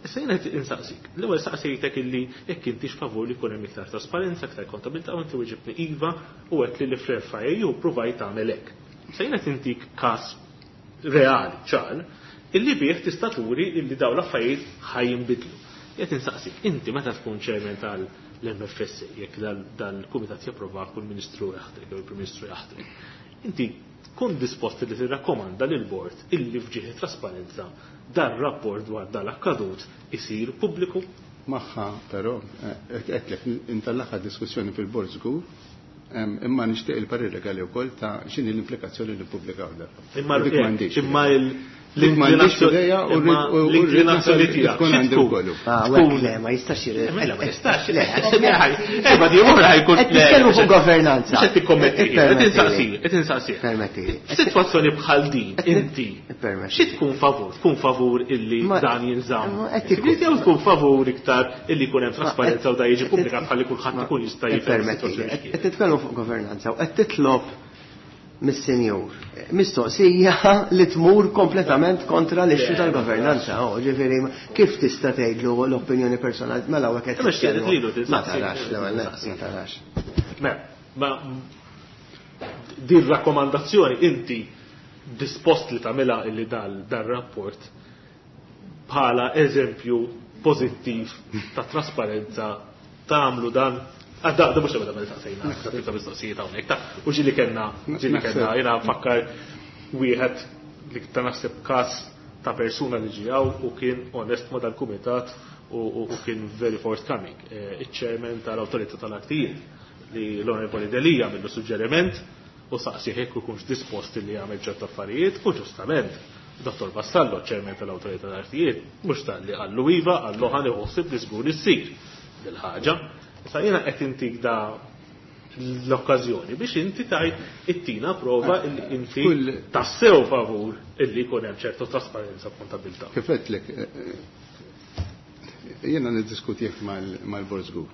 Speaker 3: Issa jiena qed insaqsik. L-ewwel saqsejtek illi jekk intix favur li jkun hemm iktar trasparenza, iktar kontabilità, u inti wieġibni iva u għedt li l-FIAU provajt tagħmel hekk. Issa jiena qed intik każ reali, ċar, illi bih tista' turi illi dawn l-affarijiet ħajinbidlu. Jekk insaqsik, inti meta tkun chairman tal-MFSA, jekk dal-kumitat japprova kull ministru jaħtrek jew il-Prim Ministru jaħtrek, inti tkun dispost li tirrakkomanda lil bord illi fġieħ trasparenza dar-rapport dwar dal-akkadut isir pubbliku?
Speaker 2: Magħha, però, għedtlek, intallaħħa diskussjoni fil-bord żgur, imma nixtieq il-parir legali wkoll ta' x'inhi l-implikazzjoni li ppubblikaw dar.
Speaker 3: Imma
Speaker 2: Dik m'għandix.
Speaker 3: imma
Speaker 2: Dik m'għandix idea u rrid nasal
Speaker 3: l-inklinazzjoni
Speaker 2: li
Speaker 3: tiegħek
Speaker 2: tkun
Speaker 3: xi
Speaker 2: għandi
Speaker 3: tkun?
Speaker 2: wkoll.
Speaker 5: Ah,
Speaker 3: Tkun-
Speaker 5: le, ma jistax jir.
Speaker 3: Mela, ma jistax.
Speaker 5: Le,
Speaker 3: Eh, ma di ora jkun.
Speaker 5: Qed nitkellmu fuq governanza.
Speaker 3: Mhux qed tikkommetti, qed
Speaker 5: Ippermettili.
Speaker 3: insaqsi, qed insaqsi.
Speaker 5: Permettili.
Speaker 3: F'sitwazzjoni bħal din, inti,
Speaker 5: Ippermettili.
Speaker 3: xi tkun favur? Tkun favur illi
Speaker 5: Ma-
Speaker 3: dan jinżamm?
Speaker 5: ma qed ikun-
Speaker 3: Jew tkun favur iktar illi jkun hemm trasparenza u da jiġi
Speaker 5: qed-
Speaker 3: pubblikat ħalli kulħadd ikun jista' jifhem
Speaker 5: Ippermettili.
Speaker 3: is-sitwazzjoni
Speaker 5: Qed
Speaker 3: x'kienet.
Speaker 5: nitkellmu fuq governanza u qed titlob mis-senjur. Mistoqsija li tmur kompletament kontra l-issue tal-governanza. Oh, ġifieri, kif tista' tgħidlu l-opinjoni personali mela hawnhekk qed
Speaker 3: Imma x'tgħid
Speaker 5: titkellmu.
Speaker 3: lilu,
Speaker 5: Ma
Speaker 3: tinsaqsi.
Speaker 5: tarax, l-ewwel nett, ma tarax.
Speaker 3: Mela, ma din rakkomandazzjoni inti dispost li tagħmilha illi dal rapport bħala eżempju pożittiv ta' trasparenza tagħmlu dan. Ah, da mhux ebda meta saqsejna, ta' mistoqsijiet hawnhekk. Ta' u ġieli kellna, ġieli kellna, jiena nfakkar wieħed li ta' naħseb każ ta' persuna li ġijaw u kien onest ma' dal-kumitat u kien very forthcoming. Il-chairman tal-Awtorità tal-Artijiet li l-Onorevoli Delia millu suġġeriment u saqsi jekk ikunx dispost li jagħmel ċertu affarijiet u ġustament Dr. Vassallo, chairman tal-Awtorità tal-Artijiet, mhux talli qallu iva, qallu ħa nieħu li żgur issir dil-ħaġa. Issa jiena qed intik da l-okkażjoni biex inti tajt ittina prova illi inti tassew favur illi jkun hemm ċertu trasparenza u kontabilità.
Speaker 2: Kif għedtlek, jiena niddiskutih mal-bord żgur.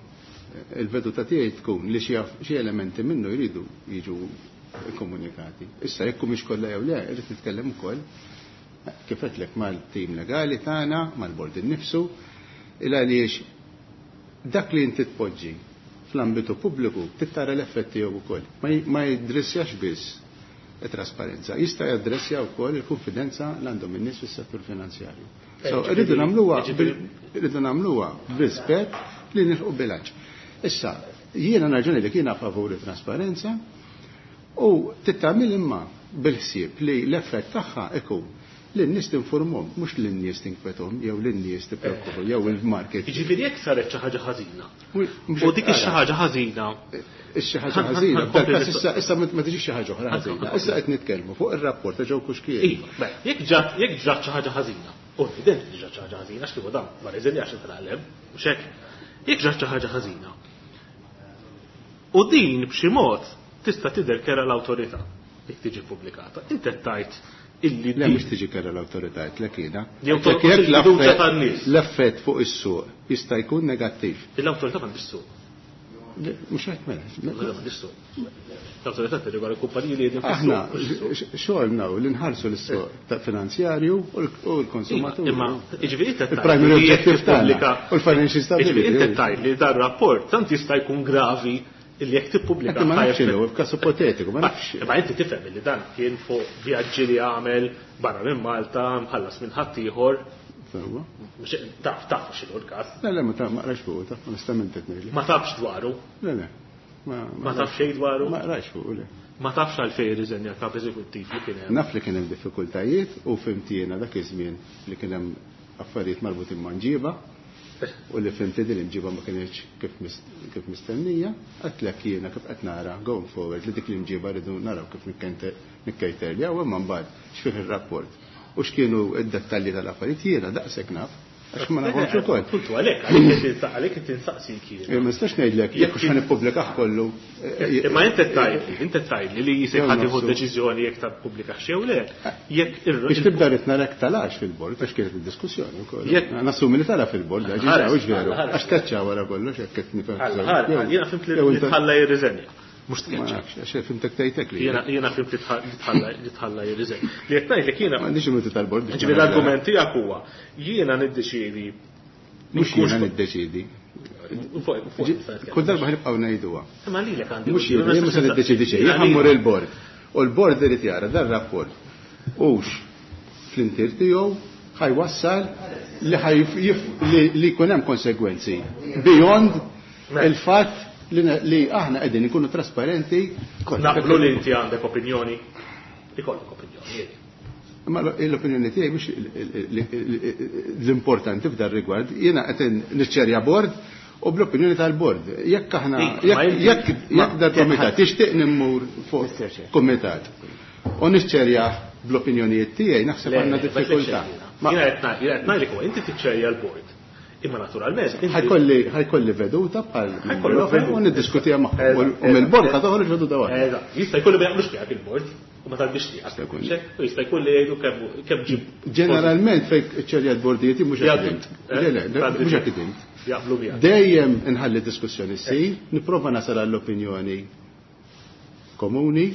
Speaker 2: Il-veduta tiegħi tkun li xi elementi minnu jridu jiġu komunikati. Issa jekk mhix kollha jew le, irrid nitkellem ukoll kif għedtlek mal-tim legali tagħna, mal-bord innifsu, il għaliex dak li inti tpoġġi fl-ambitu pubbliku tittara l-effetti tiegħu wkoll. Ma jidressjax biss it-trasparenza, jista' jaddressja wkoll il-konfidenza li għandhom in-nies fis-settur finanzjarju. So, rridu nagħmluha b'rispett li nilħqu bilanċ. Issa, jiena raġuni li kiena favuri trasparenza u tittamil imma bil-ħsieb li l-effett tagħha ikun li n-nies tinformhom, mhux li n-nies tinkwethom jew li n-nies tippreokkupaw jew il-market.
Speaker 3: Jiġifieri jekk saret xi ħaġa ħażina. U dik ix-xi ħaġa ħażina.
Speaker 2: Ix-xi ħaġa ħażina, f'dal-każ issa ma tiġix xi ħaġa oħra ħażina. Issa qed nitkellmu fuq ir-rapport ta' Joe Cuschieri.
Speaker 3: Iva, jekk ġat jekk ġrat xi ħaġa ħażina, u evidenti li ġrat xi ħaġa ħażina għax kieku dan ma rreżenjax intalgħalem, mhux hekk. Jekk ġrat xi ħaġa ħażina. U din b'xi mod tista' tidher kera l-awtorità jekk tiġi pubblikata. Inti qed tgħid illi
Speaker 2: Le, mhux tiġi kera l-awtorità, lek jiena.
Speaker 3: Jew
Speaker 2: Jekk
Speaker 3: tonqos
Speaker 2: jekk
Speaker 3: il-fiduċja tan-nies.
Speaker 2: l-effett fuq is-suq jista' jkun negattiv.
Speaker 3: L-awtorità m'għandix suq.
Speaker 2: Mhux hekk mela.
Speaker 3: Mela m'għandix suq. L-awtorità tirregola l-kumpaniji li qegħdin
Speaker 2: Aħna xogħolna hu li nħarsu l-suq finanzjarju u l-konsumatur.
Speaker 3: Imma jiġifieri inti
Speaker 2: Il-primary objective tagħna u l-financial stability.
Speaker 3: Jiġifieri inti tgħid li dan rapport tant jista' jkun gravi illi jekk tippubblika.
Speaker 2: Ma nafx inhu, f'każ ipotetiku, ma nafx.
Speaker 3: Imma inti tifhem li dan kien fuq vjaġġi li għamel barra minn Malta, mħallas minn ħaddieħor.
Speaker 2: Sewwa.
Speaker 3: Taf, taf x'inhu l-każ.
Speaker 2: Le, le, ma qrajtx fuq, taf, onestament qed ngħidlek.
Speaker 3: Ma tafx dwaru?
Speaker 2: Le, le.
Speaker 3: Ma tafx xejn dwaru?
Speaker 2: Ma qrajtx fuq, le.
Speaker 3: Ma tafx għalfejn irriżenja l-kap eżekuttiv li kien hemm?
Speaker 2: Naf li kien hemm diffikultajiet u fhimt jiena dak iż-żmien li kien hemm affarijiet marbutin ma' mġiba u li fhimt li din l-imġiba ma kinitx kif mistennija. Għedtlek jiena kif qed nara going forward li dik l-imġiba rridu naraw kif nikkejterjaw, imma mbagħad x'fih ir-rapport u x'kienu d-dettalji tal-affarijiet jiena daqshekk naf. Għax ma nafhomx ukoll.
Speaker 3: Puntu għalhekk, għalhekk qed insaqsik jien.
Speaker 2: Ma nistax ngħidlek jekk hux ħa nippubblikah kollu.
Speaker 3: Imma inti qed tgħidli, inti qed tgħidli li jisek ħadd jieħu deċiżjoni jekk tappubblikax jew le. Jekk ir-
Speaker 2: Biex tibda rrid narek talax fil-bord għax kienet id-diskussjoni wkoll. Nassumi li tala fil-bord, għax hux veru. Għax tkeċċa wara kollox hekk qed nifhem.
Speaker 3: Jiena fhimt li tħalla jirriżenja. Mhux tkeċċa.
Speaker 2: Ma nafx, għax fhimtek tgħidlek li.
Speaker 3: Jiena fhimt li tħalla jirriżenja. Li qed ngħidlek jiena.
Speaker 2: M'għandix il-minuti tal-bord biex
Speaker 3: Ġifieri l-argument tiegħek huwa jiena niddeċiedi.
Speaker 2: Mhux jiena niddeċiedi. Kull darba ħnibqgħu ngħiduha.
Speaker 3: Imma lilek għandi.
Speaker 2: Mhux jiena, jien mhux se niddeċiedi xejn, jien ħammur il-bord. U l-bord irid jara dan rapport hux fl-intier tiegħu ħajwassal li li jkun hemm konsegwenzi beyond il-fatt li aħna qegħdin ikunu trasparenti.
Speaker 3: Naqblu li inti għandek opinjoni. Ikollok opinjoni.
Speaker 2: Ma l-opinjoni tiegħi mhux l-importanti f'dan rigward, jiena qed niċċerja bord u bl-opinjoni tal-bord. Jekk aħna, jekk jekk dal kumitat tixtieq nimmur fuq kumitat u niċċerja bl-opinjonijiet tiegħi naħseb għandna diffikultà.
Speaker 3: Jiena qed ngħidlek huwa inti tiċċerja l-bord. Imma naturalment, inti
Speaker 2: Ħajkolli veduta bħal
Speaker 3: Ħajkollok veduta.
Speaker 2: U niddiskutiha magħhom. U mill-bord ħa toħroġ veduta waħda.
Speaker 3: Eżatt. Jista' jkun li ma jaqblux miegħek il-bord u ma talbix tiegħek.
Speaker 2: Jista' jkun.
Speaker 3: Xek, u jista' jkun li jgħidu kemm ġib.
Speaker 2: Ġeneralment fejn iċċerja l-bordijiet mhux hekk
Speaker 3: Jgħaddu.
Speaker 2: int. Le, le,
Speaker 3: Tgħaddi.
Speaker 2: mhux hekk int.
Speaker 3: Jaqblu miegħek.
Speaker 2: Dejjem inħalli diskussjoni ssir, nipprova nasal għall-opinjoni komuni.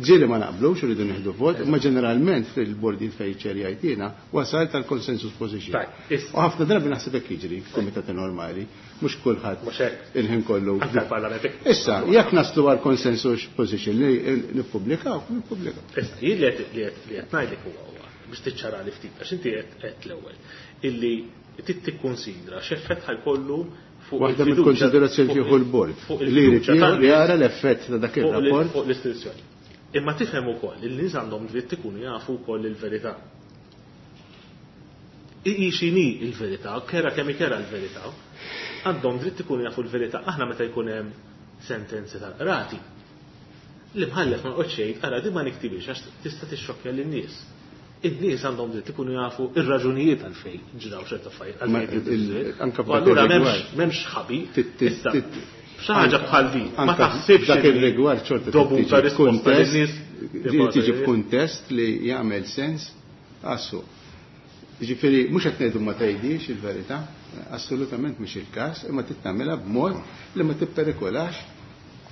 Speaker 2: Ġieli ma naqblux, rridu nieħdu vot, imma ġeneralment fil-bordijiet fejn ċerjajt jiena wasal tal-consensus position.
Speaker 3: Tajb, issa.
Speaker 2: U ħafna drabi naħseb hekk jiġri f'kumitati normali, mhux kulħadd
Speaker 3: Mhux hekk.
Speaker 2: il-ħin kollu.
Speaker 3: Anke l-Parlament hekk.
Speaker 2: Issa, jekk naslu għal consensus position li nippubblikaw, nippubblikaw.
Speaker 3: Issa, jien li qed ngħidlek huwa biex tiċċarali ftit, għax inti qed l-ewwel illi trid tikkunsidra x'effett ħajkollu fuq
Speaker 2: Waħda
Speaker 3: il-fiduċja
Speaker 2: mill-konsiderazzjoni
Speaker 3: fuq
Speaker 2: jieħu l-bord
Speaker 3: fuq
Speaker 2: li jrid
Speaker 3: il-fiduċja tan-nies
Speaker 2: jara l-effett ta' dak ir-rapport.
Speaker 3: fuq l-istituzzjoni. Imma tifhem ukoll li n-nies għandhom dritt ikunu jafu wkoll il-verità. Hi x'inhi l-verità, kera kemm ikera l-verità, għandhom dritt ikunu jafu l-verità. Aħna meta jkun hemm sentenzi tal-qrati, l-imħallef ma joqgħodx jgħid ara din ma niktibix għax tista' tixxokkja lin-nies. In-nies għandhom dritt ikunu jafu ir-raġunijiet għalfejn ġraw ċerta affarijiet, għalfejn
Speaker 2: Ma
Speaker 3: ġraw
Speaker 2: anke
Speaker 3: U allura
Speaker 2: f'dak ir-rigward.
Speaker 3: m'hemmx ħabi.
Speaker 2: Tit-,
Speaker 3: Issa,
Speaker 2: tit-,
Speaker 3: xi ħaġa bħal din, ma
Speaker 2: anke
Speaker 3: taħsibx
Speaker 2: dak
Speaker 3: li
Speaker 2: ir-rigward xorta
Speaker 3: dovuta
Speaker 2: tiġi
Speaker 3: risposta
Speaker 2: f'kuntest,
Speaker 3: lin-nies
Speaker 2: tiġi f'kuntest li jagħmel sens għas-suq. Ġifieri mhux qed ngħidu ma tgħidix il-verità, assolutament mhux il-każ, imma trid tagħmilha b'mod li ma tipperikolax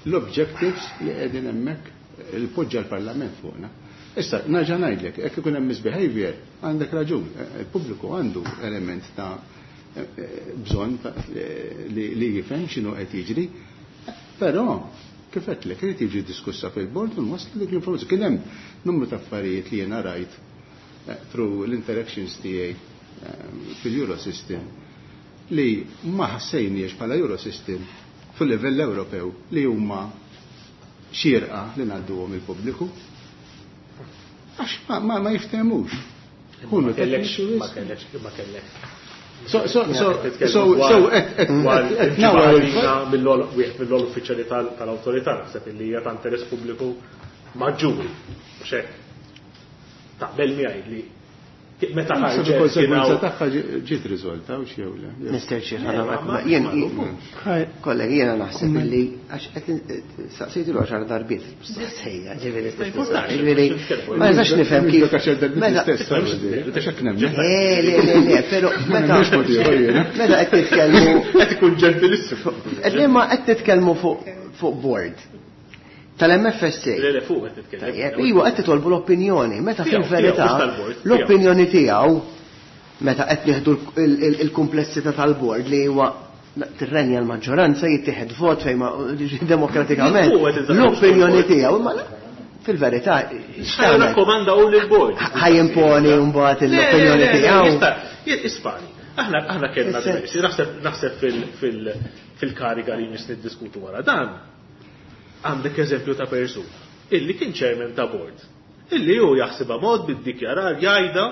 Speaker 2: l-objectives li qegħdin hemmhekk li poġġa l-Parlament fuqna. Issa, nerġa' ngħidlek, jekk ikun hemm misbehavior, għandek raġun, il-pubbliku għandu element ta' bżonn li jifhem x'inhu qed jiġri, però kif għedtlek, irid jiġi diskussa fil-bord u nwasslu dik l-informazzjoni. Kien hemm numru ta' affarijiet li jiena rajt through l-interactions tiegħi fil-Eurosystem li ma ħassejniex bħala Eurosystem fil-livell Ewropew li huma xierqa li ngħadduhom il-pubbliku. Għax ma jiftehmux. Kunu
Speaker 3: Ma kellekx,
Speaker 2: tekniċi
Speaker 3: ma
Speaker 2: wisq.
Speaker 3: kellekx, ma kellekx.
Speaker 2: So, so, so,
Speaker 3: Titkellmu
Speaker 2: so, so, et, et,
Speaker 3: dwar
Speaker 2: et, et,
Speaker 3: il-ġimgħa
Speaker 2: nawar il-
Speaker 3: ħażina wieħed mill-ol uffiċjali tal-awtorità, naħseb illi hija ta' interess pubbliku maġġuri. Mhux hekk. Taqbel miegħi li Meta
Speaker 2: Naħseb
Speaker 3: ħarġet
Speaker 2: il-konsegwenza
Speaker 3: kien hawn-
Speaker 2: tagħha ġiet riżolta u xew le.
Speaker 5: Mr. Chair, ħana ma jien kollegi jiena naħseb illi għax qed saqsejtu l-għaxar darbiet sejja, ġifieri
Speaker 3: importax,
Speaker 5: ġifieri ma nistax nifhem kif.
Speaker 2: Dak għaxar darbiet
Speaker 5: meta-
Speaker 2: l-istess, għax hekk nemmen.
Speaker 5: Eh, le, le, le, però
Speaker 2: Ma
Speaker 5: meta
Speaker 2: nemmenx mod ieħor jiena.
Speaker 5: meta qed nitkellmu
Speaker 3: Qed ikun ġentilissimu.
Speaker 5: qed li ma qed nitkellmu fuq fuq board tal-MFSA.
Speaker 3: Le, le, fuq qed nitkellem.
Speaker 5: Tajjeb, iwa qed titolbu l-opinjoni, meta
Speaker 3: Tiegħu,
Speaker 5: fil-verità
Speaker 3: tiegħu, mhux tal-bord, tiegħu.
Speaker 5: l-opinjoni tiegħu meta qed nieħdu il-kumplessità tal-bord li huwa tirrenja l-maġġoranza jittieħed vot fejn ma demokratikament.
Speaker 3: Fuq qed inżammu
Speaker 5: L-opinjoni
Speaker 3: l-bord.
Speaker 5: tiegħu imma fil-verità
Speaker 3: Ħaj
Speaker 5: x'tagħmel?
Speaker 3: rakkomanda u lill-bord.
Speaker 5: Ħajimponi mbagħad l-opinjoni tiegħu.
Speaker 3: Ispani. Aħna aħna kellna
Speaker 5: Issa-
Speaker 3: diversi, naħseb naħseb fil-kariga li jmiss niddiskutu wara dan. Għandek eżempju ta' persuna illi kien chairman ta' board. Illi hu jaħsibha mod bid-dikjarar jgħidha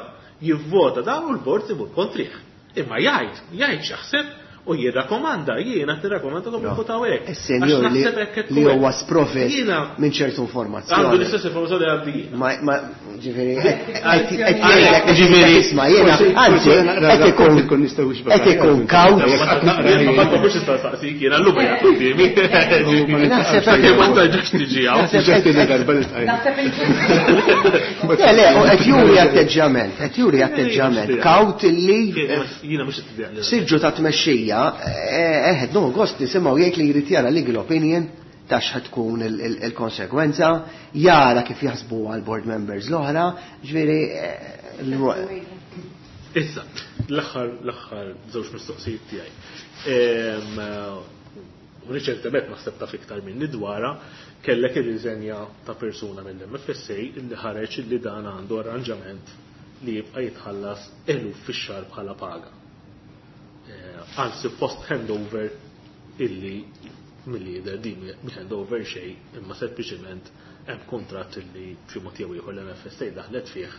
Speaker 3: jivvota dan u l-board imur kontrih. Imma jgħid, jgħid x'jaħseb u jirrakkomanda, jiena tirrakkomanda kom votaw hekk.
Speaker 5: Is-senjur
Speaker 3: Għax
Speaker 5: li
Speaker 3: naħseb hekk qed
Speaker 5: li
Speaker 3: tkun
Speaker 5: huwa
Speaker 3: hekk.
Speaker 5: sprovvist
Speaker 3: Jiena
Speaker 5: minn ċertu
Speaker 3: għandu
Speaker 5: informazzjoni.
Speaker 3: l-istess informazzjoni għandi jiena.
Speaker 5: Ma, ma, ġifiri, qed jgħidlek,
Speaker 4: Ġifieri,
Speaker 5: isma' jiena,
Speaker 2: forsi-
Speaker 5: anzi,
Speaker 2: forsi naqra
Speaker 5: qed ikun
Speaker 2: rapport ikun nistgħu wixbek
Speaker 5: qed ikun
Speaker 2: aħjar.
Speaker 5: kawt.
Speaker 3: Ma ma mhux tista' staqsik jiena llum hija quddiemi.
Speaker 5: Naħseb
Speaker 3: Sakemm ma tarġax tiġi hawn.
Speaker 5: Naħseb
Speaker 2: Ġa tieni darba li tqajjem.
Speaker 6: Naħseb il-
Speaker 5: Le, le, u qed juri atteġġjament, qed juri atteġġjament kawt illi
Speaker 3: Jiena mhux qed
Speaker 5: siġġu ta' tmexxija, eħed no gost nisimgħu jgħid li jrid jara legal opinion ta' x'ħad tkun il-konsegwenza, jara kif jaħsbu għal board members l-oħra, ġifieri
Speaker 3: Issa, l-aħħar l-aħħar żewġ mistoqsijiet tiegħi. Riċentement naħseb taf iktar minni dwarha kellek ir-riżenja ta' persuna mill-MFSA illi ħareġ illi dan għandu arranġament li jibqa' jitħallas eluf fix-xahar bħala paga. Anzi post handover illi mill-lider din mi handover xejn imma sempliċement hemm kuntratt illi b'xi mod jew ieħor l-MFSA daħlet fih.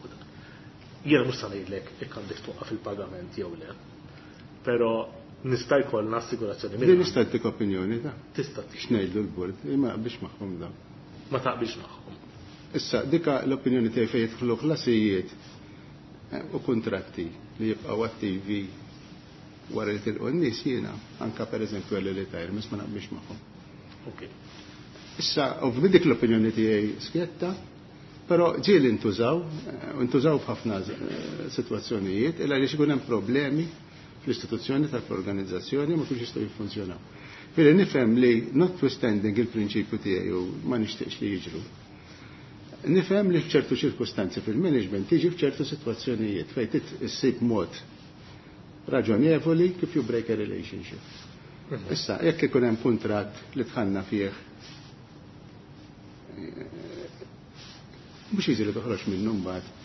Speaker 3: U dan. Jiena mhux se ngħidlek jekk għandek twaqqaf il-pagament jew le. Però nista' jkollna assigurazzjoni
Speaker 2: Din
Speaker 3: minn
Speaker 2: nista' ntik opinjoni ta'
Speaker 3: tista' tix
Speaker 2: x'ngħidlu l-bord, imma biex magħhom dawn.
Speaker 3: ma taqbilx magħhom.
Speaker 2: Issa, dika l-opinjoni tiegħi fejn jidħlu ħlasijiet u kontratti li jibqgħu attivi wara li tilqu n-nies jiena, anka pereżempju għal retirements ma naqbilx magħhom.
Speaker 3: Ok.
Speaker 2: Issa, ovvjament dik l-opinjoni tiegħi skjetta, però ġieli ntużaw, ntużaw f'ħafna sitwazzjonijiet, illa għaliex ikun hemm problemi fl-istituzzjoni tal-organizzazzjoni ma kunx jistgħu jiffunzjonaw. Firri nifhem li notwithstanding il-prinċipju tiegħi u ma nixtieqx li jiġru. Nifhem li f'ċertu ċirkustanzi fil-management tiġi f'ċertu sitwazzjonijiet fejn trid issib mod raġonevoli kif you break a relationship. Issa, jekk ikun hemm kuntratt li tħanna fih mhux jiġri toħroġ minnu mbagħad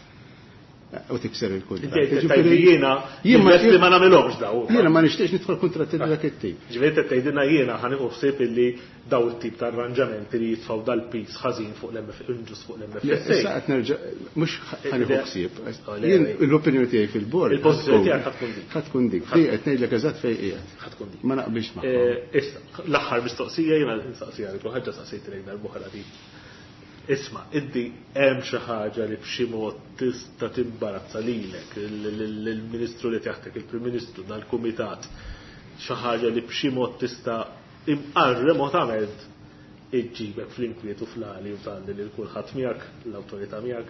Speaker 2: u tikser il-kuntratt.
Speaker 3: Inti qed tgħidli jiena
Speaker 2: Jien ma-
Speaker 3: jien li ma nagħmilhomx daw.
Speaker 2: Jiena ma nixtieqx nidħol kuntratti ta' dak it-tip.
Speaker 3: Ġifieri qed tgħidilna jiena ħa nieħu ħsieb illi daw it-tip ta' arranġamenti li jitfgħu dal-pis ħażin fuq l-MF inġust fuq
Speaker 2: Issa
Speaker 3: l-MFSA.
Speaker 2: qed nerġa' mhux ħanieħu ħsieb.
Speaker 3: Le,
Speaker 2: Jien
Speaker 3: le.
Speaker 2: l-opinjoni tiegħi fil-bord.
Speaker 3: Il-pożizzjoni tiegħek ħa tkun dik.
Speaker 2: Ħa tkun dik. Di qed ngħidlek eżatt fejn qiegħed.
Speaker 3: Ħa tkun dik.
Speaker 2: Ma naqbilx magħhom.
Speaker 3: Issa, l-aħħar mistoqsija jiena nistaqsija li ħaġa saqsejt lejn darb'oħra di. Isma', inti hemm xi ħaġa li b'xi mod tista' timbarazza lilek, il-Ministru li taħtek, il-Prim Ministru, dal-Kumitat, xi ħaġa li b'xi mod tista' imqar remotament iġġibek fl-inkwiet u fl-għali u tgħalli lil kulħadd miegħek, l-awtorità miegħek.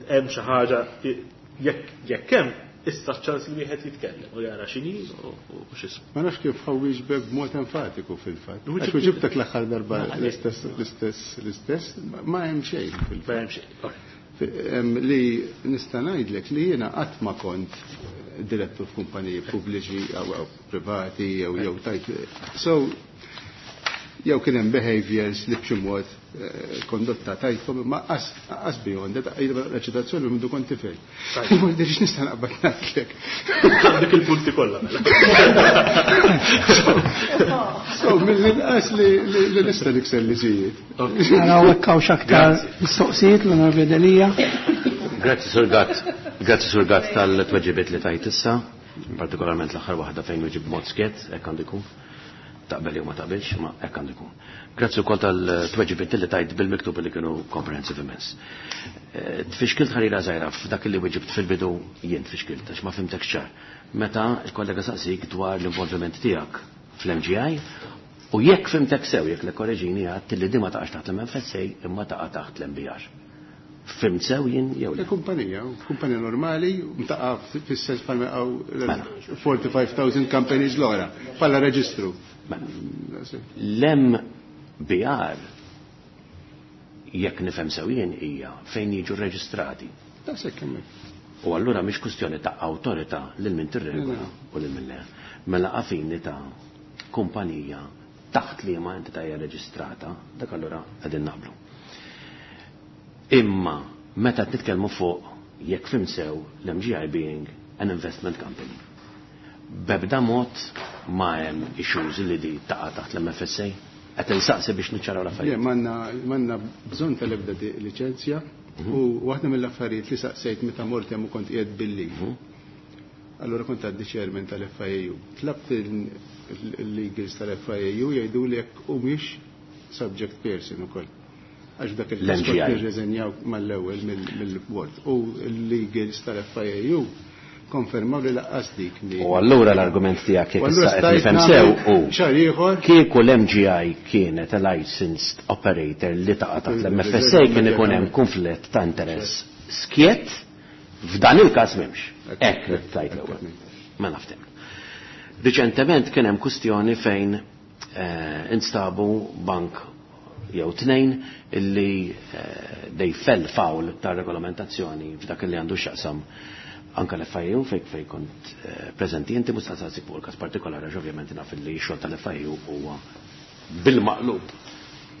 Speaker 3: Hemm xi ħaġa jekk hemm issa ċ-ċans li wieħed jitkellem u jara x'inhi u x'ismu.
Speaker 2: Ma nafx kif ħawieġbek b'mod enfatiku fil-fatt.
Speaker 3: Wieġeb-
Speaker 2: Għax weġibtek l-aħħar darba l-istess, l-istess, l-istess, ma hemm xejn
Speaker 3: Ma
Speaker 2: fil-fatt.
Speaker 3: hemm xejn. Alright.
Speaker 2: Li nista' ngħidlek li jiena qatt ma kont direttur f'kumpaniji pubbliċi jew privati jew tajt. So jew kien hemm behaviors li b'xi mod kondotta tajtkom imma qas beyond that reċitazzjoni minn kont tifel. Ma dirix nista' naqbad ngħidlek.
Speaker 3: Għandek il-punti kollha mela.
Speaker 2: So mill-inqas li nista' nikser liġijiet.
Speaker 1: Naraw hekk hawn x'aktar mistoqsijiet l-Onorevoli Delia.
Speaker 4: Grazzi Sur Gatt. Grazzi Sur Gatt tal-tweġibiet li tajt issa, partikolarment l-aħħar waħda fejn weġib mod skett, hekk għandu jkun.
Speaker 7: Taqbel jew ma taqbilx, ma hekk għandu jkun. Grazzi wkoll tal-tweġibiet li tajt bil-miktub li kienu comprehensive immens. Tfixkilt ħarira żgħira f'dak li weġibt fil-bidu, jien tfixkilt għax ma fhimtekx ċar. Meta l-kollega saqsik dwar l-involviment tiegħek fl-MGI u jekk fhimtek sew, jekk le korreġini, għedt li di ma taqax taħt l-MFSA imma taqa' taħt l-MBR. Fhimt sew jien jew le?
Speaker 2: Kumpanija, kumpanija normali, taqa' fis-sens bħalma 45,000 companies l-oħra, bħala reġistru.
Speaker 7: L-MBR, jekk nifhem sew jien, hija fejn jiġu reġistrati.
Speaker 2: Daqshekk hemmhekk.
Speaker 7: U allura mhix kwistjoni ta' awtorità lil min tirregola u lil min le. Mela għafini ta' kumpanija taħt li ma entità hija reġistrata, dak allura qegħdin naqblu. Imma meta nitkellmu fuq, jekk fhimt sew, l-MGI being an investment company, b'ebda mod ma hemm issues li di taqa' taħt l-MFSA? Qed insaqsi biex niċċaraw l-affarijiet.
Speaker 2: Le, m'għandna bżonn tal-ebda liċenzja u waħda mill-affarijiet li saqsejt meta mort hemm u kont qiegħed bil-leave. Allura kont għaddi chairman tal-FIAU. Tlabt il-legals tal-FIAU jgħidu li jekk humiex subject person ukoll. Għax dak il-każ
Speaker 7: L-MGI.
Speaker 2: nirreżenjaw mal-ewwel mill-board. U l-legals tal-FIAU konfermaw li lanqas dik mi.
Speaker 7: U allura l-argument tiegħek, jekk
Speaker 2: U allura
Speaker 7: issa qed
Speaker 2: stajt
Speaker 7: nifhem sew
Speaker 2: nagħmel
Speaker 7: u
Speaker 2: xahar ieħor.
Speaker 7: kieku l-MGI kienet a licensed operator li taqa' taħt l-MFSA, kien ikun hemm konflitt ta' interess skjett, f'dan il-każ m'hemmx. Hekk li tajt l-ewwel. Ma naftem. Riċentement kien hemm kwistjoni fejn instabu bank jew tnejn illi they fell foul ta' regolamentazzjoni f'dak li għandu x'jaqsam anka l-FIU fej kont preżenti inti. Mhux saqsik fuq il-każ partikolari għax ovvjament naf li x-xogħol tal-FIU huwa bil-maqlub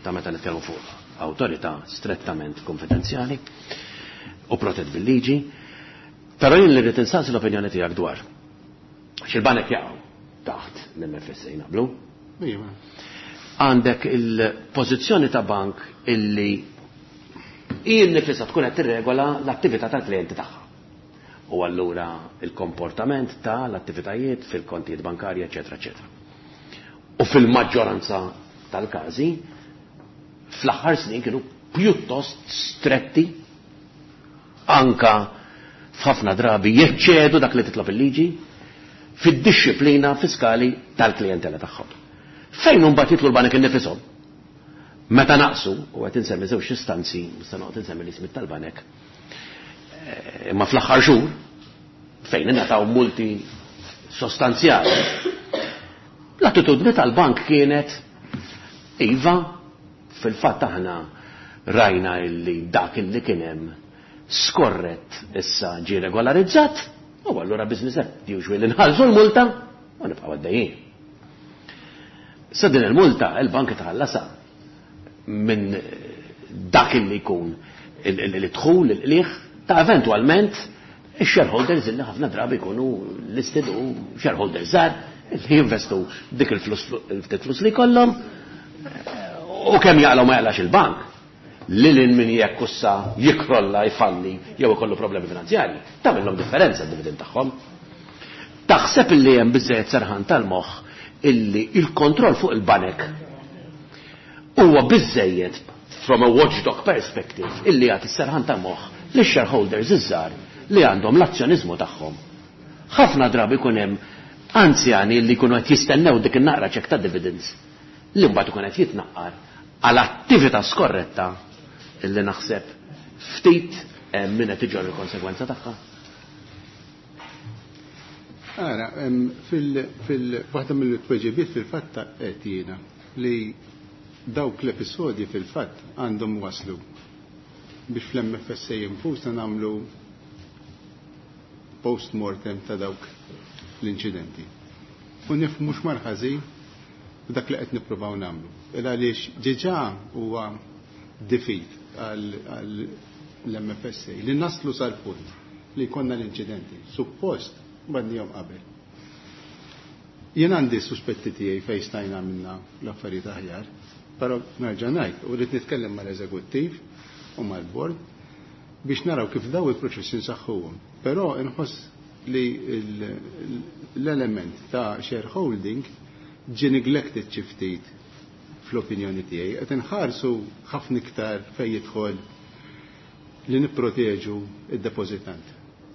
Speaker 7: ta' meta nitkellmu fuq awtorità strettament konfidenzjali u protett bil-liġi. Però jien li rrid insaqsi l-opinjoni tiegħek dwar x'il-banek jaqgħu taħt l-MFSA, naqblu?
Speaker 2: Iva.
Speaker 7: Għandek il-pożizzjoni ta' bank illi hi nifisha tkun qed tirregola l-attività tal-klijenti tagħha. U allura il-komportament ta' l-attivitajiet fil-kontijiet bankarji, eċetera, eċetera. U fil-maġġoranza tal-każi, fl-aħħar snin kienu pjuttost stretti, anka f'ħafna drabi jeċċedu dak li titlob il-liġi fid-disciplina fiskali tal-klijentela tagħhom. Fejn mbagħad jidħlu l-banek innifisom? Meta naqsu, u qed insemmi żewġ istanzi, nista' noqgħod insemmi l-ismi tal-banek, imma fl-aħħar xhur fejn ingħataw multi sostanzjali, l-attitudni tal-bank kienet: iva, fil-fatt aħna rajna illi dak illi kien hemm skorret issa ġie regolarizzat, u allura business as usual, inħallsu l-multa u nibqgħu għaddejjin. Sa din il-multa il-bank tħallasa minn dak illi jkun il-dħul, il-qliħ ta' eventualment il-shareholders illi ħafna drabi jkunu listed u shareholders żgħar li jinvestu dik il-flus, il-ftit flus li jkollhom, u kemm jaqlaw ma jaqlax il-bank. Lil min jekk issa jikrolla, jfalli jew ikollu problemi finanzjarji, tagħmilhom differenza d-dividend tagħhom. Taħseb illi hemm biżejjed serħan tal-moħħ illi il-kontroll fuq il-banek huwa biżejjed from a watchdog perspective illi jagħti serħan tal-moħħ li shareholders iż-żgħar li għandhom l-azzjoniżmu tagħhom? Ħafna drabi jkun hemm anzjani li jkunu qed jistennew dik in-naqra ċek ta' dividends li mbagħad ikun qed jitnaqqar għal attività skorretta illi naħseb ftit min qed iġorr il-konsegwenza tagħha.
Speaker 2: Ara, fil-waħda mill-tweġibiet fil-fatt qed jiena li dawk l-episodji fil-fatt għandhom waslu biex fl-MFSA infusna nagħmlu post-mortem ta' dawk l-inċidenti. U nifhmu x'mar ħażin dak li qed nippruvaw nagħmlu. Il għaliex diġà huwa defeat għall-MFSA li naslu sal-punt li konna l-inċidenti. Suppost badnihom qabel. Jien għandi suspetti tiegħi fejn stajna minna l-affarijiet aħjar, però nerġa' ngħid u rrid nitkellem mal-eżekuttiv u mal-bord biex naraw kif daw il-proċessi nsaħħuhom. Però inħoss li l-element ta' shareholding ġie neglected xi ftit fl-opinjoni tiegħi. Qed inħarsu ħafna iktar fejn jidħol li nipproteġu id-depożitant.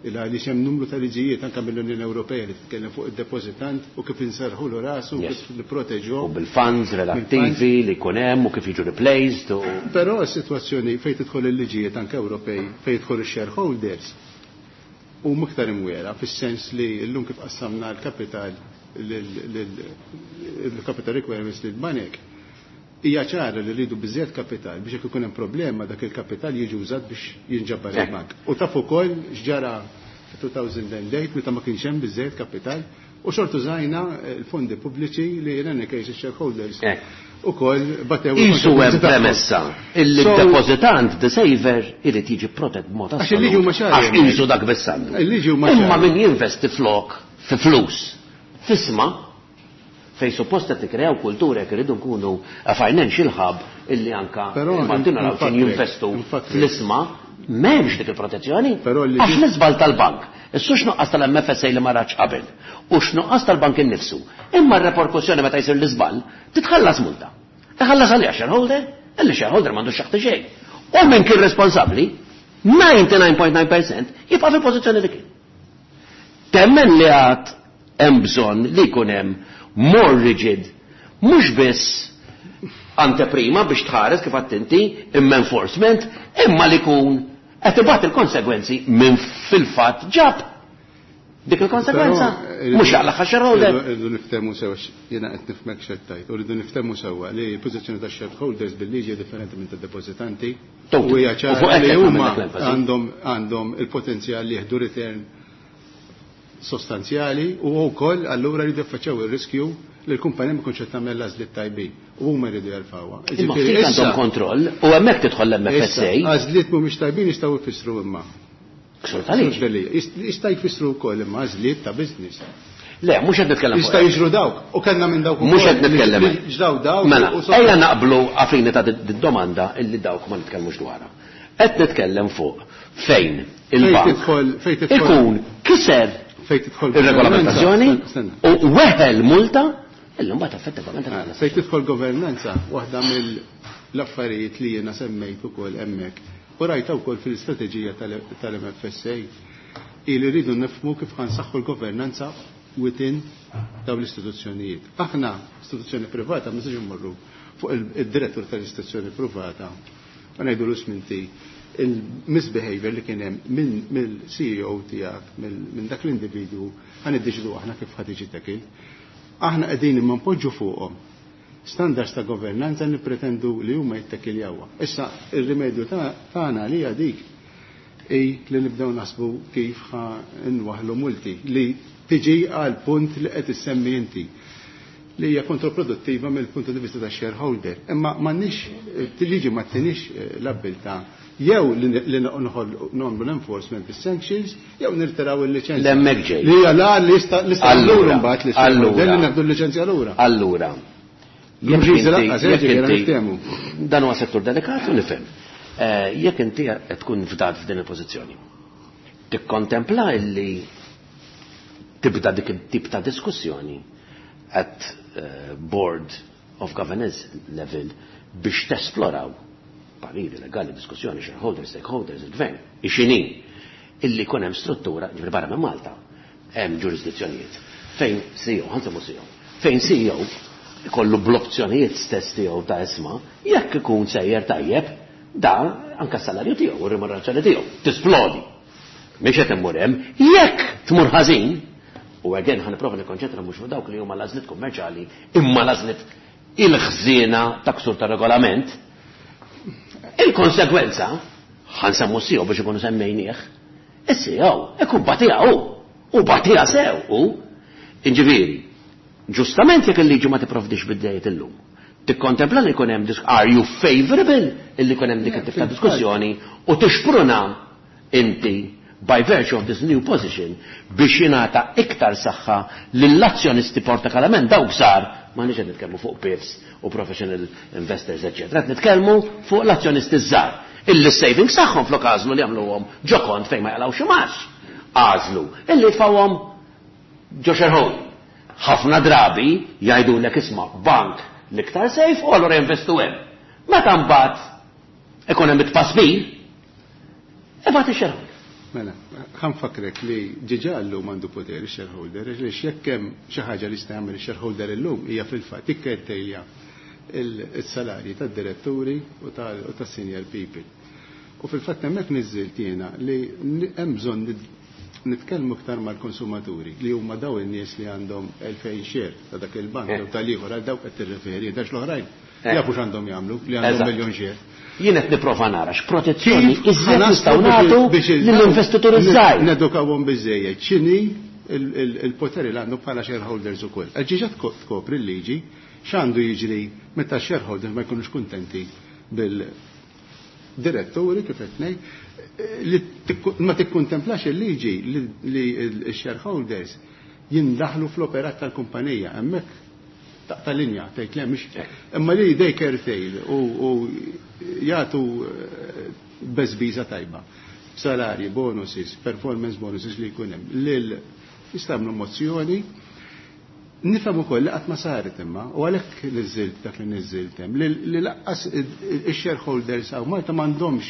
Speaker 2: Il għaliex hemm numru ta' liġijiet anke mill-Unjoni Ewropea li titkellem fuq id-depożitant u kif inserħulu rasu u kif nipproteġuh.
Speaker 7: U bil-funds relattivi li jkun hemm u kif jiġu replaced u.
Speaker 2: Però s-sitwazzjoni fejn tidħol il-liġijiet anke Ewropej fejn jidħol ix-shareholders huma iktar imwiegħra fis-sens li llum kif qassamna l-kapital il-capital requirements lill-banek hija ċara li rridu biżżejjed kapital biex jekk ikun hemm problema dak il-kapital jiġi użat biex jinġabar il-bank. U taf ukoll x'ġara fi-2008 meta ma kienx hemm biżżejjed kapital u xorta użajna l-fondi pubbliċi li in any case shareholders ukoll batew.
Speaker 7: Isu hemm premessa illi d-depożitant, the saver, irid jiġi protett b'mod
Speaker 2: Għax il-liġi huma ċari.
Speaker 7: Għax isu dak biss għandu.
Speaker 2: Il-liġi huma
Speaker 7: Imma min jinvesti flok fi flus f'ishma fejn suppost qed tikkreaw kultura jekk iridu nkunu a financial hub illi anka il-Maltin naraw x'in jinvestu fl-ishma, m'hemmx dik il-protezzjoni. Għax l-iżball tal-bank, issu x'nuqqas tal-MFSA li ma ratx qabel u x'nuqqas tal-bank innifsu. Imma r-reperkussjoni meta jsir l-iżball titħallas multa. Tħallas għalija shareholder, illi shareholder m'għandux xaħti xejn. U min kien responsabbli, 99.9% jibqa' fil-pożizzjoni li kien. Temmen li għad hemm bżonn li jkun hemm more rigid, mhux biss anteprima biex tħares kif attenti, imma enforcement, imma li jkun qed ibati il-konsegwenzi minn fil-fatt ġab dik il-konsegwenza. Mhux jaqlaħ shareholder.
Speaker 2: Irridu niftehmu sewa, jiena qed nifhmek x'qed tgħid, u rridu niftehmu sewwa li l-pożizzjoni tax shareholders bil-liġi differenti minn tad-depożitanti. U hija ċara li huma għandhom il-potenzjal li jieħdu return sostanzjali u wkoll allura jridu jaffaċċjaw ir-riskju li l-kumpanija ma jkunx qed tagħmel l-għażliet tajbin u huma jridu jerfgħuha.
Speaker 7: Imma ftit għandhom kontroll u hemmhekk tidħol l-MFSA.
Speaker 2: Għażliet mhumiex tajbin jistgħu jfissru imma.
Speaker 7: Ksur tal-liġi.
Speaker 2: Jista' jfissru wkoll imma għażliet ta' business.
Speaker 7: Le, mhux qed nitkellem.
Speaker 2: Jista' jiġru dawk u kellna minn dawk.
Speaker 7: Mhux qed nitkellem.
Speaker 2: Ġdaw dawk.
Speaker 7: Mela, ejja naqblu għafini ta' domanda illi dawk ma nitkellmux dwarha. Qed nitkellem fuq fejn il-bank ikun kiser il-regolamentazzjoni u weħel multa illi mbagħad effettivament.
Speaker 2: Fejn tidħol governanza, waħda mill-affarijiet li jiena semmejt ukoll hemmhekk u rajta wkoll fil-istrateġija tal-MFSA ili rridu nifhmu kif ħa nsaħħu l-governanza within dawn l-istituzzjonijiet. Aħna istituzzjoni privata ma nistax immorru fuq il-direttur tal-istituzzjoni privata u ngħidu sminti il-misbehavior li kien hemm mill-CEO tiegħek, minn dak l-individwu, ħa niddeċidu aħna kif ħa tiġi tackled. Aħna qegħdin imma npoġġu fuqhom standards ta' governanza nippretendu li huma jittekiljawha. Issa ir-rimedju tagħna li hija dik i li nibdew naħsbu kif ħa nwaħlu multi li tiġi għal punt li qed issemmi inti li hija kontraproduttiva mill-punt di vista ta' shareholder. Imma m'għandniex liġi ma ttinix l-abbiltà jew li nagħmlu l-enforcement bis-sanctions jew nirtiraw il-liċenzja.
Speaker 7: L-hemmhekk ġej.
Speaker 2: Li hija la li jista' lura mbagħad li li nieħdu l-liċenzja lura.
Speaker 7: Allura. Dan huwa settur delikat u nifhem. Jekk inti qed tkun fdat f'din il-pożizzjoni, tikkontempla illi tibda dik it-tip ta' diskussjoni at board of governance level biex tesploraw pariri legali, diskussjoni, shareholders, stakeholders, il-gvern, ixini, illi kun hemm struttura, ġifieri barra minn Malta, hemm ġurisdizzjonijiet fejn CEO, ħa nsemmu CEO, fejn CEO ikollu bl-opzjonijiet stess tiegħu ta' ishma, jekk ikun sejjer tajjeb, da anka s-salarju tiegħu u r-remunerazzjoni tiegħu tisplodi. Mhix qed immur hemm, jekk tmur ħażin, u again ħa nipprova nikkonċentra mhux fuq dawk li huma l-għażliet kummerċjali, imma l-għażliet il-ħżiena ta' ksur ta' regolament, il-konsegwenza, ħa nsemmu CEO biex ikunu semmejnieh, is-CEO ikun batija hu, u batija sew u, inġifieri, ġustament jekk il-liġi ma tipprovdix biddejiet illum. Tikkontempla li jkun hemm, are you favorable illi jkun hemm dik it-tip ta' diskussjoni u tixpruna inti by virtue of this new position biex jingħata iktar saħħa lill-azzjonisti partikolarment dawk żgħar, ma nix qed nitkellmu fuq PIFs u professional investors, eccetera, qed nitkellmu fuq l-azzjonisti żgħar. Illi savings tagħhom flok għażlu li jagħmluhom ġo kont fejn ma jaqlgħux imgħax. Għażlu illi jitfgħuhom ġo shareholding. Ħafna drabi jgħidulek isma' bank l-iktar safe u allura jinvestu hemm. Meta mbagħad ikun hemm it-tpaspir, ibgħat ix-shareholder.
Speaker 2: Mela, ħa nfakkrek li diġà llum għandu poter ix-shareholder, għaliex jekk hemm xi ħaġa li jista' jagħmel ix-shareholder illum hija fil-fatt jikkettilja il-salarji tad-diretturi u tas-senior people. U fil-fatt hemmhekk niżżilt jiena li hemm bżonn nitkellmu iktar mal-konsumaturi li huma daw in-nies li għandhom 2000 share ta' dak il-bank jew tal-ieħor, għal dawk qed tirreferi, għax l-oħrajn jafu x'għandhom jagħmlu li għandhom miljun share.
Speaker 7: Jien qed nipprova nara x'protezzjoni iżjed nistgħu nagħtu lill-investituri żgħir.
Speaker 2: Nedukawhom biżejjed x'inhi il-poteri li għandhom bħala shareholders ukoll. Diġà tkopri l-liġi x'għandu jiġri meta shareholders ma jkunux kuntenti bil-diretturi, kif qed ngħid, li ma tikkontemplax il-liġi li l-shareholders jindaħlu fl-operat tal-kumpanija. Hemmhekk taqta' linja, tgħid le mhix. Imma li they curtail u jagħtu beżbiża tajba. Salari, bonuses, performance bonuses li jkun hemm. Lil jistgħu mozzjoni. Nifhem ukoll li qatt ma saret imma, u għalhekk niżilt dak li niżilt hemm, li lanqas ix-shareholders hawn Malta m'għandhomx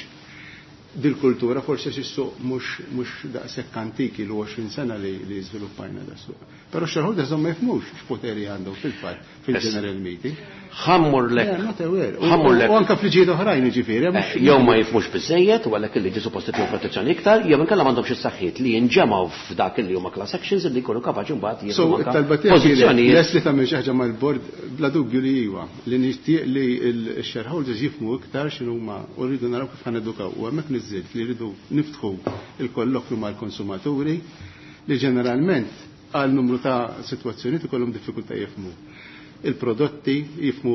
Speaker 2: dil-kultura, forsi s-suq mhux daqshekk antiki l 20 sena li żviluppajna da suq. Però shareholders ma jifhmux x'poteri għandhom fil-fatt fil-general meeting.
Speaker 7: Ħammur lek.
Speaker 2: Not aware.
Speaker 7: Ħammur lek.
Speaker 2: U anke fliġijiet oħrajn, ġifieri.
Speaker 7: Jew ma jifhmux biżejjed u għalhekk il-liġi suppost titlu protezzjoni iktar, jew inkella m'għandhomx is-saħħiet li jinġemgħu f'dak li huma class actions li jkunu kapaċi mbagħad
Speaker 2: jieħdu pożizzjonijiet. Les li tagħmel xi ħaġa mal-bord, bla dubju li iwa, li nixtieq li l-shareholders jifhmu iktar x'inhuma u rridu naraw kif ħa nedukaw. U hemmhekk niżilt li rridu niftħu il-kollokju mal-konsumaturi li ġeneralment għal numru ta' situazzjoni ikollhom diffikultà jifhmu il-prodotti, jifhmu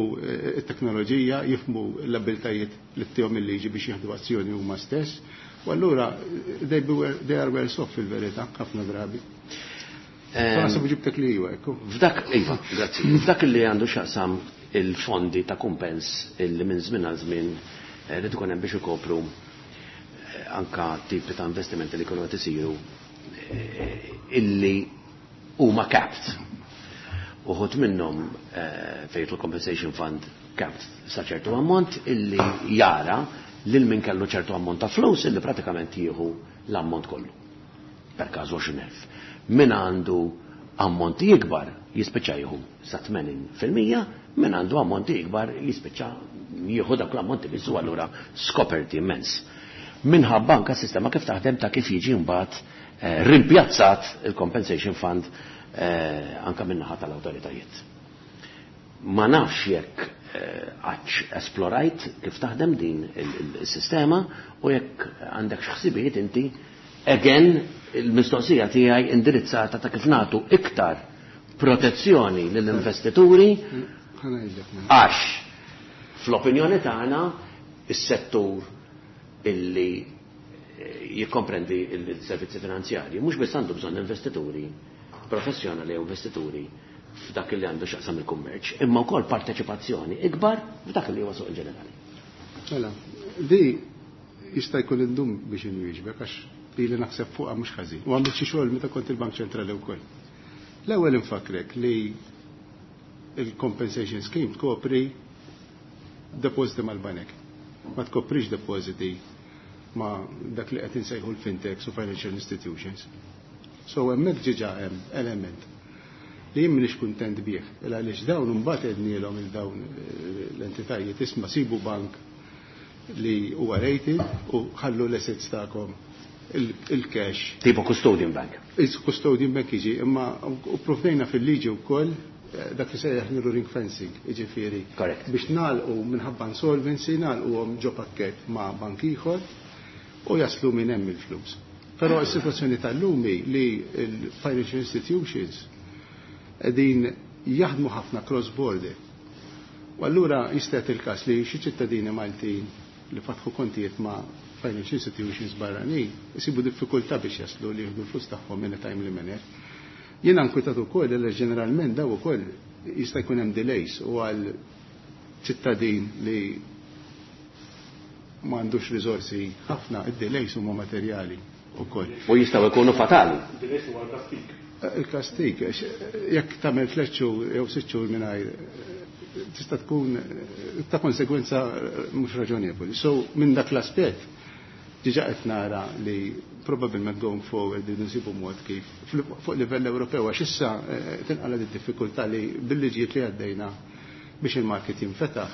Speaker 2: it-teknoloġija, jifhmu l-abiltajiet li ttihom il-liġi biex jieħdu azzjoni huma stess. U allura they are worse off fil-verità ħafna drabi. Naħseb ġibtek li iwa, ekku.
Speaker 7: F'dak, iva, grazzi. F'dak li għandu x'jaqsam il-fondi ta' kumpens illi minn żmien għal żmien li tkun hemm biex ikopru anka tipi ta' investimenti li kienu qed isiru illi huma capped. Uħud minnhom fejn il-compensation fund capped sa ċertu ammont illi jara lil min kellu ċertu ammont ta' flus illi pratikament jieħu l-ammont kollu. Per każ 20,000. Min għandu ammonti ikbar jispiċċa jieħu sa 80%, min għandu ammonti ikbar jispiċċa jieħu dak l-ammonti biss u allura skoperti immens. Minħabba anka sistema kif taħdem ta' kif jiġi mbagħad rimpjazzat il-compensation fund anka min-naħa tal-awtoritajiet. Ma nafx jekk għadx esplorajt kif taħdem din il-sistema u jekk għandek x'ħsibijiet inti, again, il-mistoqsija tiegħi indirizzata ta' kif nagħtu iktar protezzjoni lill-investituri, għax fl-opinjoni tagħna is-settur illi jikkomprendi il-servizzi finanzjarji mhux biss għandu bżonn investituri professjonali u investituri f'dak li għandu x'jaqsam il-kummerċ, imma wkoll parteċipazzjoni ikbar f'dak li huwa suq in ġenerali.
Speaker 2: Mela, di jista' jkun indum biex inwieġbek għax li naħseb fuqha mhux ħażin. U għamilt xi xogħol meta kont il-Bank Ċentrali wkoll. L-ewwel infakrek li il-compensation scheme tkopri depositi mal-banek. Ma tkoprix depositi ma dak li qed insejħu l-fintechs u financial institutions. So hemmhekk diġà hemm element li jien m'iniex kuntent bih, għaliex dawn imbagħad għednielhom il dawn l-entitajiet, isma', sibu bank li huwa rated u ħallu l-assets tagħkom, il-cash.
Speaker 7: Tipo custodian bank.
Speaker 2: Il-custodian bank jiġi, imma u provdejna fil-liġi wkoll dak li sejjaħ ring fencing, jiġifieri. Biex nagħlqu minħabba insolvency, nagħlquhom ġo pakket ma' bank ieħor u jaslu minn hemm il-flus. Però s-sitwazzjoni tal-lum hi li l-financial institutions qegħdin jaħdmu ħafna cross-border. U allura jista' il-każ li xi ċittadini Maltin li fatħu kontijiet ma' financial institutions barranin isibu diffikultà biex jaslu li jieħdu l-flus tagħhom in a timely manner. Jiena nkwitat ukoll li ġeneralment daw ukoll jista' jkun hemm delays u għal ċittadin li m'għandux riżorsi ħafna, id-delays huma materjali ukoll.
Speaker 7: U jistgħu jkunu fatali.
Speaker 3: Delays huwa kastig.
Speaker 2: Il-kastig, jekk tagħmel 3 xhur jew 6 xhur mingħajr, tista' tkun ta' konsegwenza mhux raġonevoli. So minn dak l-aspett diġà qed nara li probabbilment going forward nsibu mod kif fuq livell Ewropew, għax issa tinqala d-diffikultà li bil-liġijiet li għaddejna biex il-market jinfetaħ,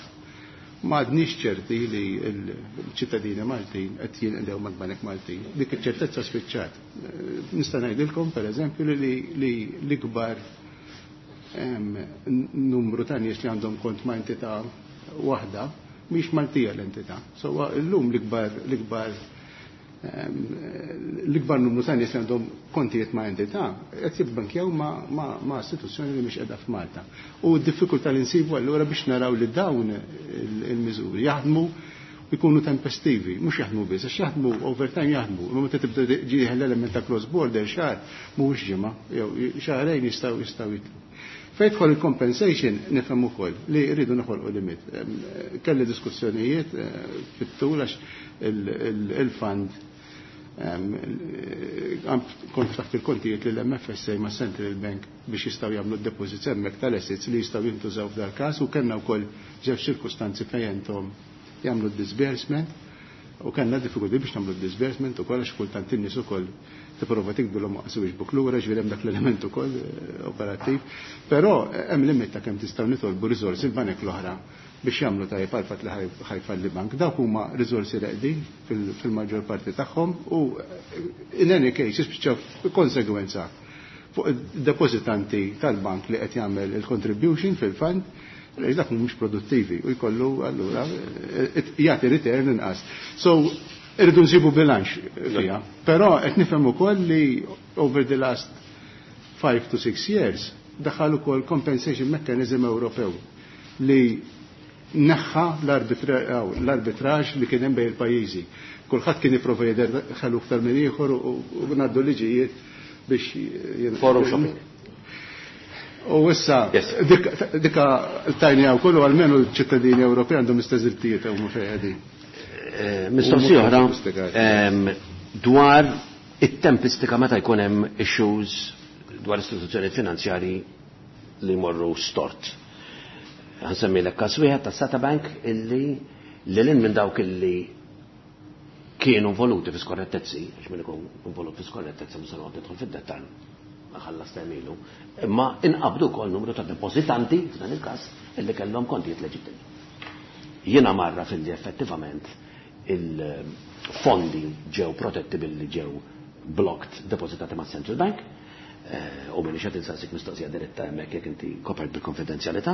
Speaker 2: ma għadniex ċerti li l-ċittadini Maltin qed jinqdew mal-Banek Maltin. Dik iċ-ċertezza spiċċat. Nista' ngħidilkom, pereżempju, li l-ikbar numru ta' nies li għandhom kont ma' entità waħda mhix Maltija l-entità. So llum l-ikbar numru ta' nies li għandhom kontijiet ma' entità qed jibbankjaw ma' istituzzjoni li mhix qiegħda f'Malta. U d-diffikultà li nsibu allura biex naraw li dawn il-miżuri jaħdmu u jkunu tempestivi, mhux jaħdmu biss, għax jaħdmu over time jaħdmu. Imma meta tibda ġieħel l-element ta' cross border, xahar mhuwiex ġimgħa, jew xahrejn jistgħu jitlu. Fejn tidħol il-compensation, nifhem ukoll li rridu noħolqu limit. Kelli diskussjonijiet fit-tul għax il-fund kont ftaħt il-kontijiet lill-MFSA ma' Central Bank biex jistgħu jagħmlu deposits hemmhekk tal-assets li jistgħu jintużaw f'dal każ, u kellna wkoll ġew ċirkustanzi fejn intom jagħmlu disbursement u kellna diffikulti biex nagħmlu disbursement ukoll, għax kultant in-nies ukoll tipprova tikdulhom waqsu biex lura, ġifieri hemm dak l-element ukoll operattiv. Però hemm limit ta' kemm tistgħu nitolbu riżorsi l-banek l-oħra biex jagħmlu tajjeb għal fatt li ħajfalli bank. Dawk huma riżorsi reqdin fil-maġġor parti tagħhom u in any case jispiċċaw konsegwenza fuq id-depożitanti tal-bank li qed jagħmel il-contribution fil-fund, għaliex dak mhumiex produttivi u jkollu allura jagħti return inqas. So irridu nsibu bilanċ fiha. Però qed nifhem ukoll li over the last 5 to 6 years daħal ukoll compensation mechanism Ewropew li neħħa l-arbitraġ li kien hemm bejn il-pajjiżi. Kulħadd kien jipprova jidher ħelu aktar minn ieħor u ngħaddu liġijiet biex
Speaker 7: Forum shopping.
Speaker 2: U issa dika tajni għaw kollu, għalmenu l-ċittadini Ewropej għandhom istess drittijiet huma fejn qegħdin.
Speaker 7: Mistoqsija oħra dwar it-tempistika meta jkun hemm issues dwar istituzzjoni finanzjari li jmorru stort. Ħa nsemmilek każ wieħed ta' Sata Bank illi lil minn dawk illi kienu involuti fi skorrettezzi, għax min ikun involut fi skorrettezza mhux se noqgħod nidħol fid-dettall, ħallas temilu, imma inqabdu wkoll numru ta' depożitanti f'dan il-każ illi kellhom kontijiet leġittimi. Jiena marra fil-li effettivament il-fondi ġew protetti billi ġew blocked, depositati ma' Central Bank, u minni xed insaqsik mistoqsija diretta hemmhekk jekk inti kopert bil-konfidenzjalità,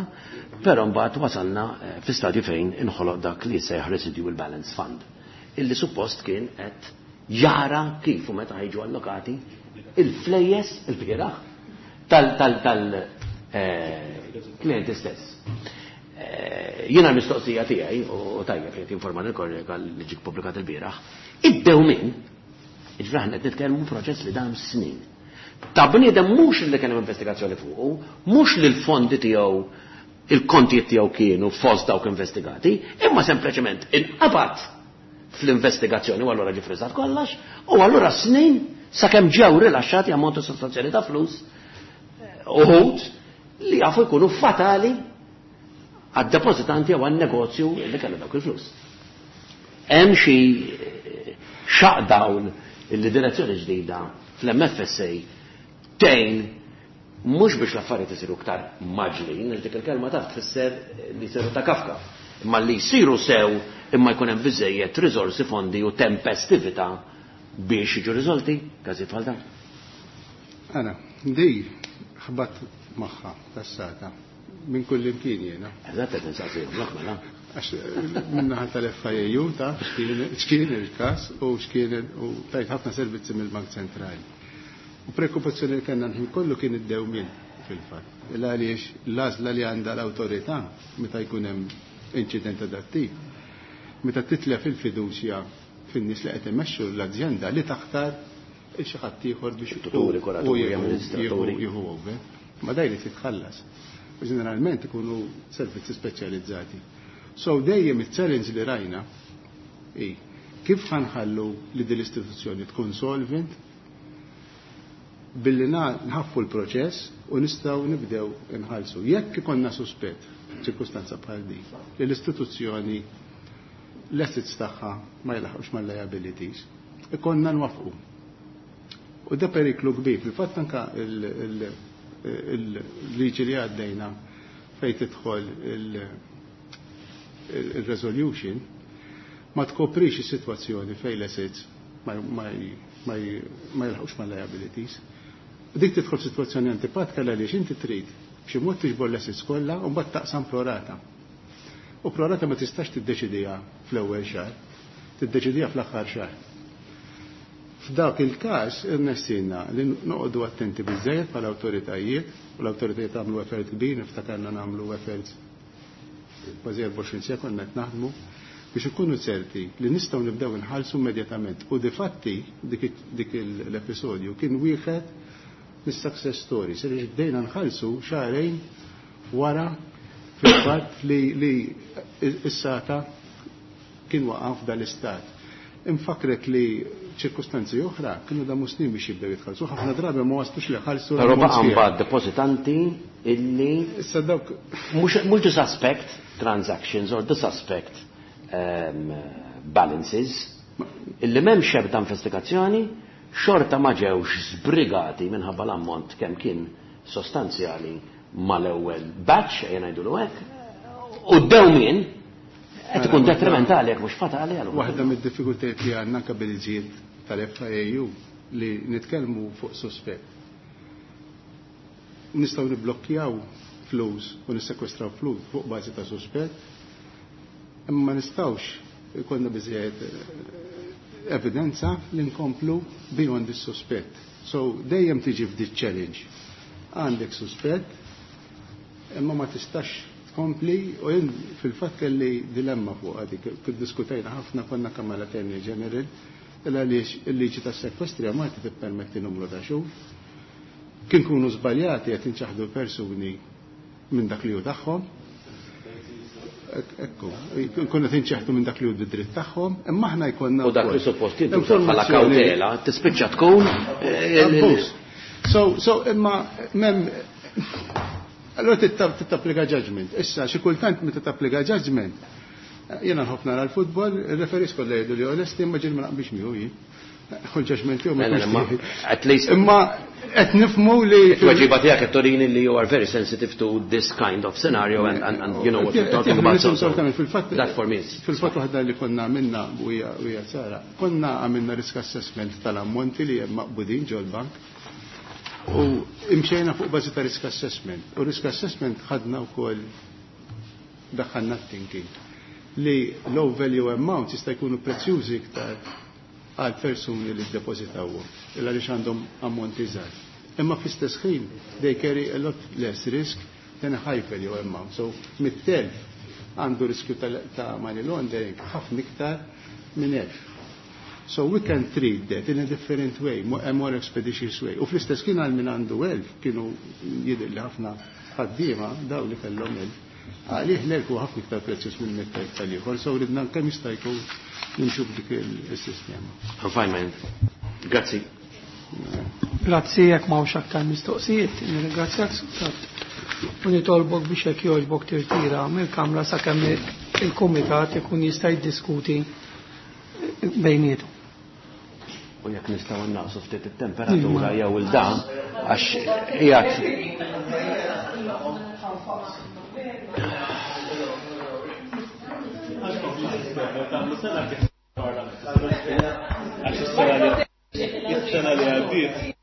Speaker 7: però mbagħad wasalna fi stadju fejn inħoloq dak li jsejjaħ Residual Balance Fund, illi suppost kien qed jara kif u meta ħajġu allokati il-flejjes il-bieraħ tal-klienti stess. Jiena l-mistoqsija tiegħi, u tajjeb li tinforma l-kollega li ġik pubblikat il-bieraħ, iddew min, ġifieri aħna qed nitkellmu proċess li dam snin. Ta' bniedem mhux li kien hemm investigazzjoni fuqu, mhux li l-fondi tiegħu, il-kontijiet tiegħu kienu fost dawk investigati, imma sempliċement inqabad fl-investigazzjoni u allura ġie friżat kollox, u allura snin sakemm ġew rilaxxati ammontu sostanzjali ta' flus uħud li jafu jkunu fatali għad-depozitanti jew għan-negozju li kellu dawk il-flus. Hemm xi xaq dawn illi direzzjoni ġdida fl-MFSA tgħin mhux biex l-affarijiet isiru iktar maġlin, għax dik il-kelma taf tfisser li jsiru ta' kafka, imma li jsiru sew, imma jkun hemm biżejjed riżorsi, fondi u tempestività biex jiġu riżolti każijiet bħal dan.
Speaker 2: Ara, di ħbat magħha tas-Sata minn kull imkien jiena.
Speaker 7: Eżatt, qed insaqsihom lok mela.
Speaker 2: Għax minnaħa tal-FIAU ta' x'kien il-każ u x'kien u tajt ħafna servizzi mill-Bank Ċentrali. U preokkupazzjoni li kellna nħin kollu kien id-dewmien fil-fatt. Illa għaliex l-għażla li għandha l-awtorità meta jkun hemm inċident adattiv, meta titlef il-fiduċja fin-nies li qed imexxu l-azjenda, li taħtar il xi ħadd ieħor biex
Speaker 7: Tuturi, kuraturi, amministraturi.
Speaker 2: jieħu over. Ma daj li titħallas. U ġeneralment ikunu servizzi speċjalizzati. So dejjem il-challenge li rajna i kif ħanħallu li din l-istituzzjoni tkun solvent. Billi nħaffu l-proċess u nistgħu nibdew inħallsu. Jekk ikollna suspett, ċirkustanza bħal din, li l-istituzzjoni l-assets tagħha ma jlaħqux mal-liabilities, ikollna nwaffqu. U da periklu kbir, fil-fatt anka il-liġi li għaddejna fejn tidħol il-resolution ma tkoprix is-sitwazzjoni fejn l-assets ma jilħqux mal-liabilities. U dik tidħol f'sitwazzjoni antipatika għaliex inti trid b'xi mod tiġbor l-assets kollha u mbagħad taqsam prorata. U prorata ma tistax tiddeċidiha fl-ewwel xahar, tiddeċidiha fl-aħħar xahar. F'dak il-każ irnexxielna li noqogħdu attenti biżejjed bħala awtoritajiet, u l-awtoritajiet għamlu effort kbir, niftakarna nagħmlu efforts kważi 24 siegħa konna qed naħdmu biex ikunu ċerti li nistgħu nibdew inħallsu immedjatament. U difatti dik l-episodju kien wieħed mis-success stories, għaliex bdejna nħallsu xahrejn wara fil-fatt li s-sata kien waqaf dal-istat. Infakrek li ċirkustanzi oħra kienu damu snin biex jibdew jitħallsu, ħafna drabi ma waslux li ħallsu.
Speaker 7: Però baqa' mbagħad depożitanti illi
Speaker 2: Issa dawk
Speaker 7: mhux the suspect transactions or the suspect balances illi m'hemmx ebda investigazzjoni, xorta ma ġewx żbrigati minħabba l-ammont kemm kien sostanzjali mal-ewwel batch, ejja ngħidulu hekk, u d-dewmien qed ikun detrimentali jekk mhux fatali għal.
Speaker 2: Waħda mid-diffikultajiet li għandna anke bil-liġijiet tal-FIAU li nitkellmu fuq suspett. Nistgħu niblokkjaw flus u nissekwestraw flus fuq bażi ta' suspett, imma ma nistgħux ikollna biżejjed evidenza li nkomplu beyond is-suspett. So dejjem tiġi f'di challenge. Għandek suspett, imma ma tistax tkompli, u jien fil-fatt kelli dilemma fuq għadi, kif diskutajna ħafna konna kemm mal-Attorney General, illa għaliex il-liġi tas-sekwestri Malti tippermetti numru ta' xhur. Kien kunu żbaljati qed inċaħdu persuni minn dak li hu tagħhom. Ekku, konna tinċeħdu minn dak li hu d-dritt tagħhom, imma aħna jkollna
Speaker 7: U dak li suppost jintuża bħala kawtela, tispiċċa tkun,
Speaker 2: Abbuż. So, imma mem allora tittapplika judgment. Issa xi kultant meta tapplika judgment, jiena nħobb nara l-futbol, il-referees kollha jgħidu li onesti, imma ġieli ma naqbilx miegħu jien. U l-judgment tiegħu ma
Speaker 7: Le, le,
Speaker 2: jkunx
Speaker 7: ma
Speaker 2: tiegħi.
Speaker 7: at least
Speaker 2: Imma qed nifhmu li
Speaker 7: It-tweġiba tiegħek qed turini li you are very sensitive to this kind of scenario and you know what you're talking about. So that for me is
Speaker 2: Fil-fatt waħda li konna għamilna u hija ċara, konna għamilna risk assessment tal-ammonti li hemm maqbudin ġol-bank u imxejna fuq bażi ta' risk assessment. U risk assessment ħadna wkoll daħħalna thinking li low value amounts jista' jkunu prezzjużi iktar għal persuni li ddepożitawhom, illa għaliex għandhom ammonti żgħar. Imma fl-istess ħin they carry a lot less risk than a high value amount. So mit-telf għandu riskju ta' money laundering ħafna iktar minn 1000. So we can treat that in a different way, a more expeditious way. U fl-istess kien għal min għandu 1000, kienu jidher li ħafna ħaddiema daw li kellhom 1000. Għalih l-1000 huwa ħafna iktar prezzjuż minn 100,000 tal-ieħor, so ridna kemm jista' jkun nimxu b'dik il-sistema.
Speaker 7: I'm fine, man. Grazzi.
Speaker 1: Grazzi, jekk m'hawnx aktar mistoqsijiet, nirringrazzjak Sultat. U nitolbok biex jekk jogħġbok tirtira mill-Kamra sakemm il-Kumitat ikun jista' jiddiskuti bejnietu.
Speaker 7: U jekk nistgħu naqsu ftit it-temperatura jew il-da, għax qiegħed
Speaker 3: Għax is-sena li għaddiet.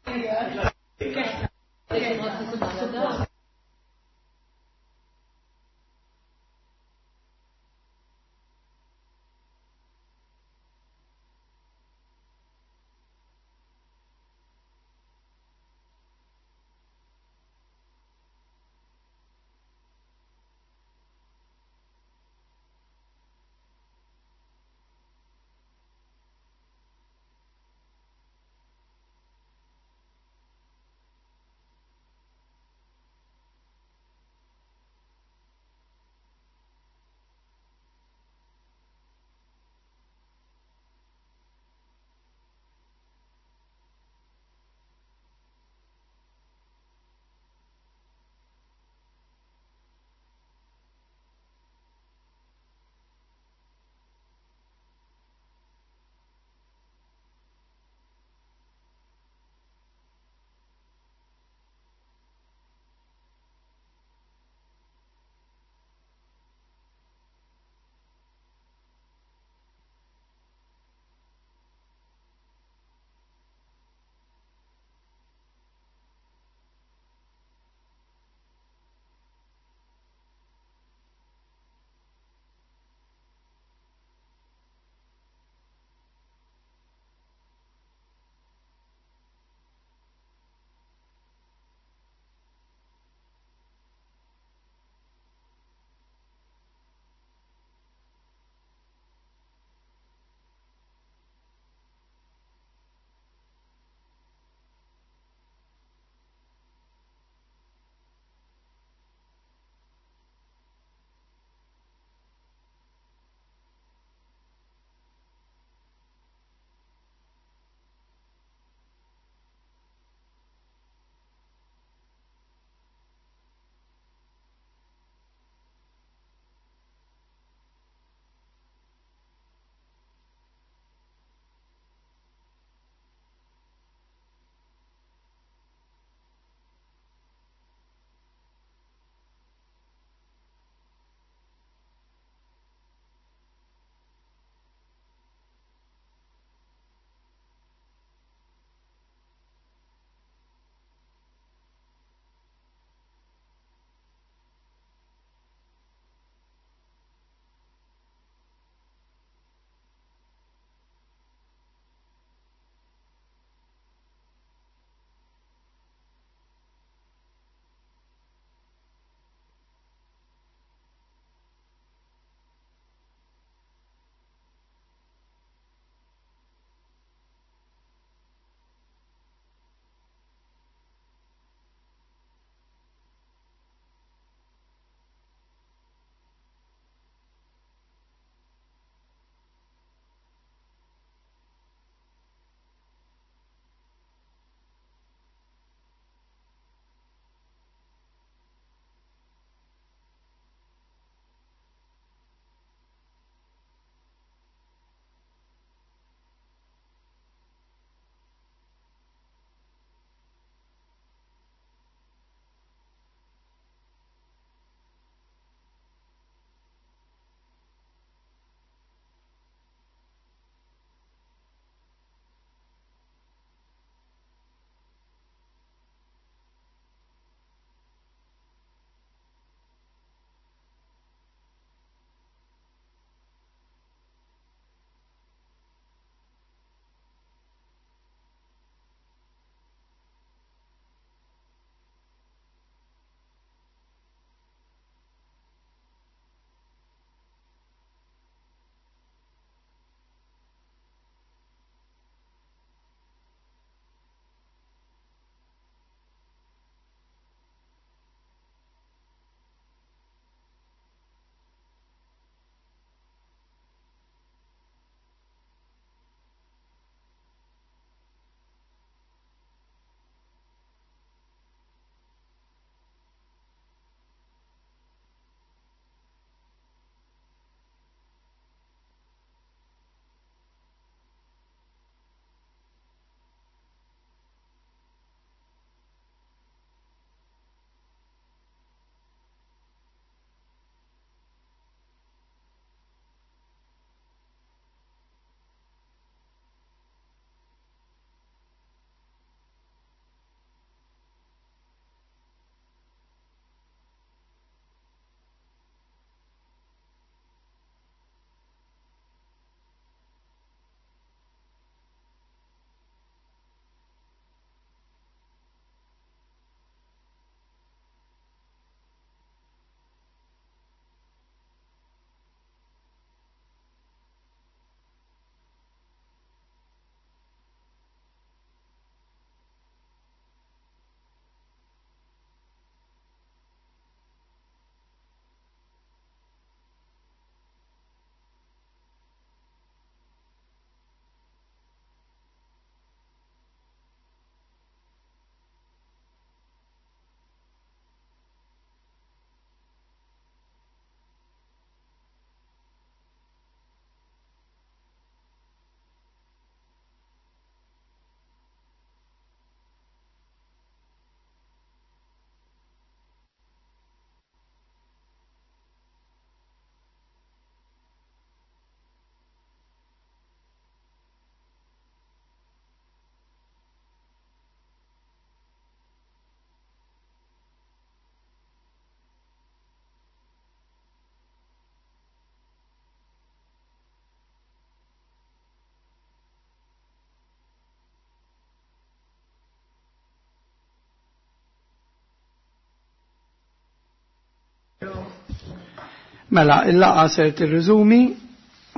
Speaker 1: Mela, il-laqgħa ser tirriżumi.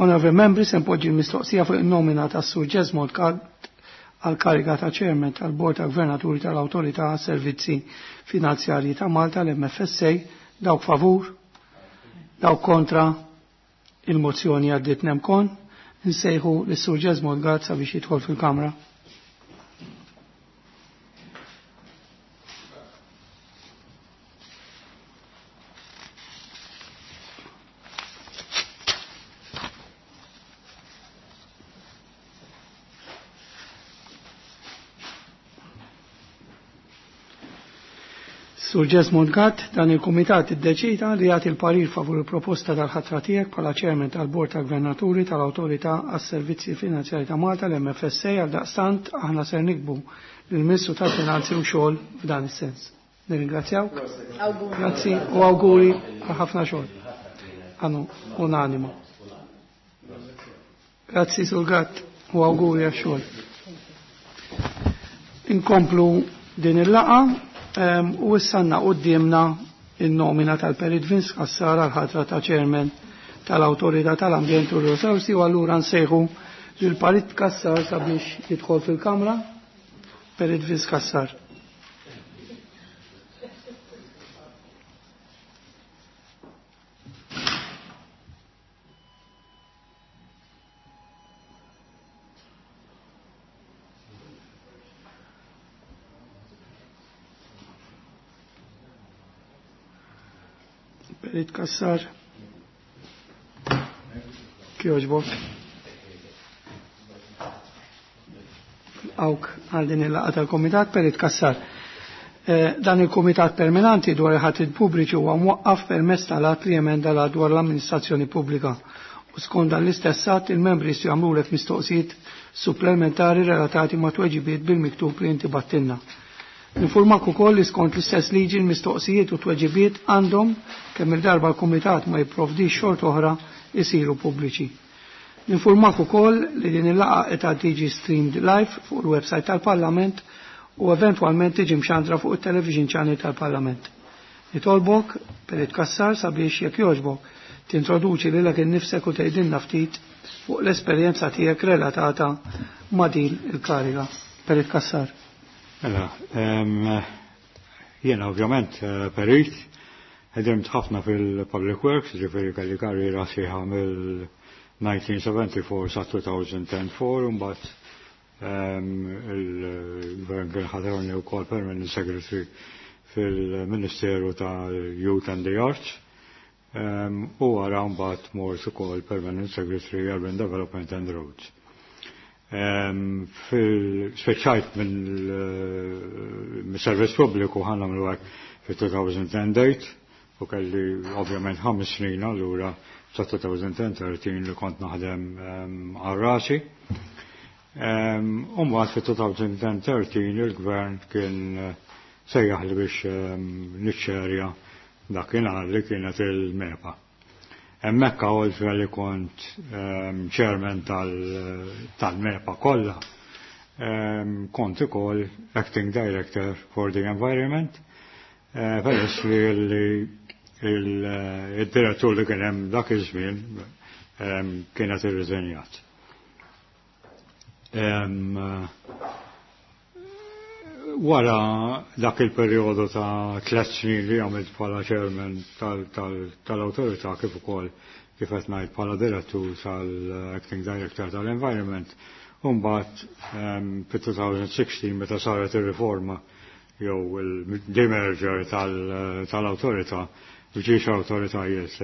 Speaker 1: Onorevoli membri, se npoġġi l-mistoqsija fuq in-nomina tas-Sur Jesmond Gatt għal kariga ta' Chairman tal-Bord ta' Gvernaturi tal-Awtorità Servizzi Finanzjarji ta' Malta l-MFSA. Dawk favur, dawk kontra, il-mozzjoni għaddiet nemkon. Nsejħu lis-Sur Jesmond Gatt sabiex jidħol fil-Kamra. Sur Jesmond Gatt, dan il-Kumitat iddeċida li jagħti l-parir favur il-proposta tal-ħatra tiegħek bħala Chairman tal-Bord ta' Gvernaturi tal-Awtorità għas-Servizzi Finanzjari ta' Malta l-MFSA. Għal daqstant aħna ser nikbu lill-Ministru tal-Finanzi u xogħol f'dan is-sens. Nirringrazzjawk. Grazzi u awguri għal ħafna xogħol. Għanu unanimo. Grazzi Sur Gatt u awguri għal xogħol. Inkomplu din il-laqa. U issa għandna quddiemna in-nomina tal-Perit Vince Cassar għal ħatra ta' Chairman tal-Awtorità tal-Ambjent u r-Risorsi u allura nsejħu lil Perit Cassar sabiex jidħol fil-Kamra. Perit Vince Cassar. Perit Cassar. Kjoġbok. Awk għal din il-laqgħa tal-Komitat Perit Cassar. Dan il-Komitat Permanenti dwar il-ħatrid pubbliċi huwa mwaqqaf permezz tal-att li jemenda l dwar l-amministrazzjoni pubblika. U skont dan l-istess att il-membri jistgħu jagħmlulek mistoqsijiet supplementari relatati ma' tweġibiet bil-miktub li inti battilna. Informak ukoll li skont l-istess liġi l-mistoqsijiet u tweġibiet għandhom kemm il-darba l-Kumitat ma jipprovdix xort oħra isiru pubbliċi. Informak ukoll li din il-laqgħa qed tiġi streamed live fuq il-website tal-Parlament u eventwalment tiġi mxandra fuq it-television channel tal-Parlament. Nitolbok Perit Cassar sabiex jekk jogħġbok tintroduċi lilek innifsek u tgħidilna ftit fuq l-esperjenza tiegħek relatata ma' din il-kariga. Perit Cassar.
Speaker 6: Mela, jiena ovvjament perit, ħedimt ħafna fil-Public Works, ġifieri kelli karriera sħiħa mill-1974 sa 2004, u mbagħad il-Gvern kien ħatarni wkoll Permanent Secretary fil-Ministeru tal-Youth and the Arts, u wara mbagħad mort ukoll Permanent Secretary Urban Development and Roads. Speċajt mill-servizz pubbliku ħa nagħmlu hekk fit-2008 u kelli ovvjament 5 snin allura sa 2013 li kont naħdem għal rasi. U mbagħad fit-2013 il-gvern kien sejjaħ li biex niċċerja dakinhar li kienet il-MEPA. Hemmhekk oltre li kont chairman tal-MEPA kollha, kont ukoll acting director for the environment, peress li il-direttur li kien hemm dak iż-żmien kienet irriżenjat. Wara dak il-perjodu ta' 3 snin li għamilt bħala chairman tal-awtorità kif ukoll kif qed ngħid bħala direttur tal-acting director tal-environment, u mbagħad fit-2016 meta saret ir-riforma jew il-demerger tal-awtorità b'ġiex awtoritajiet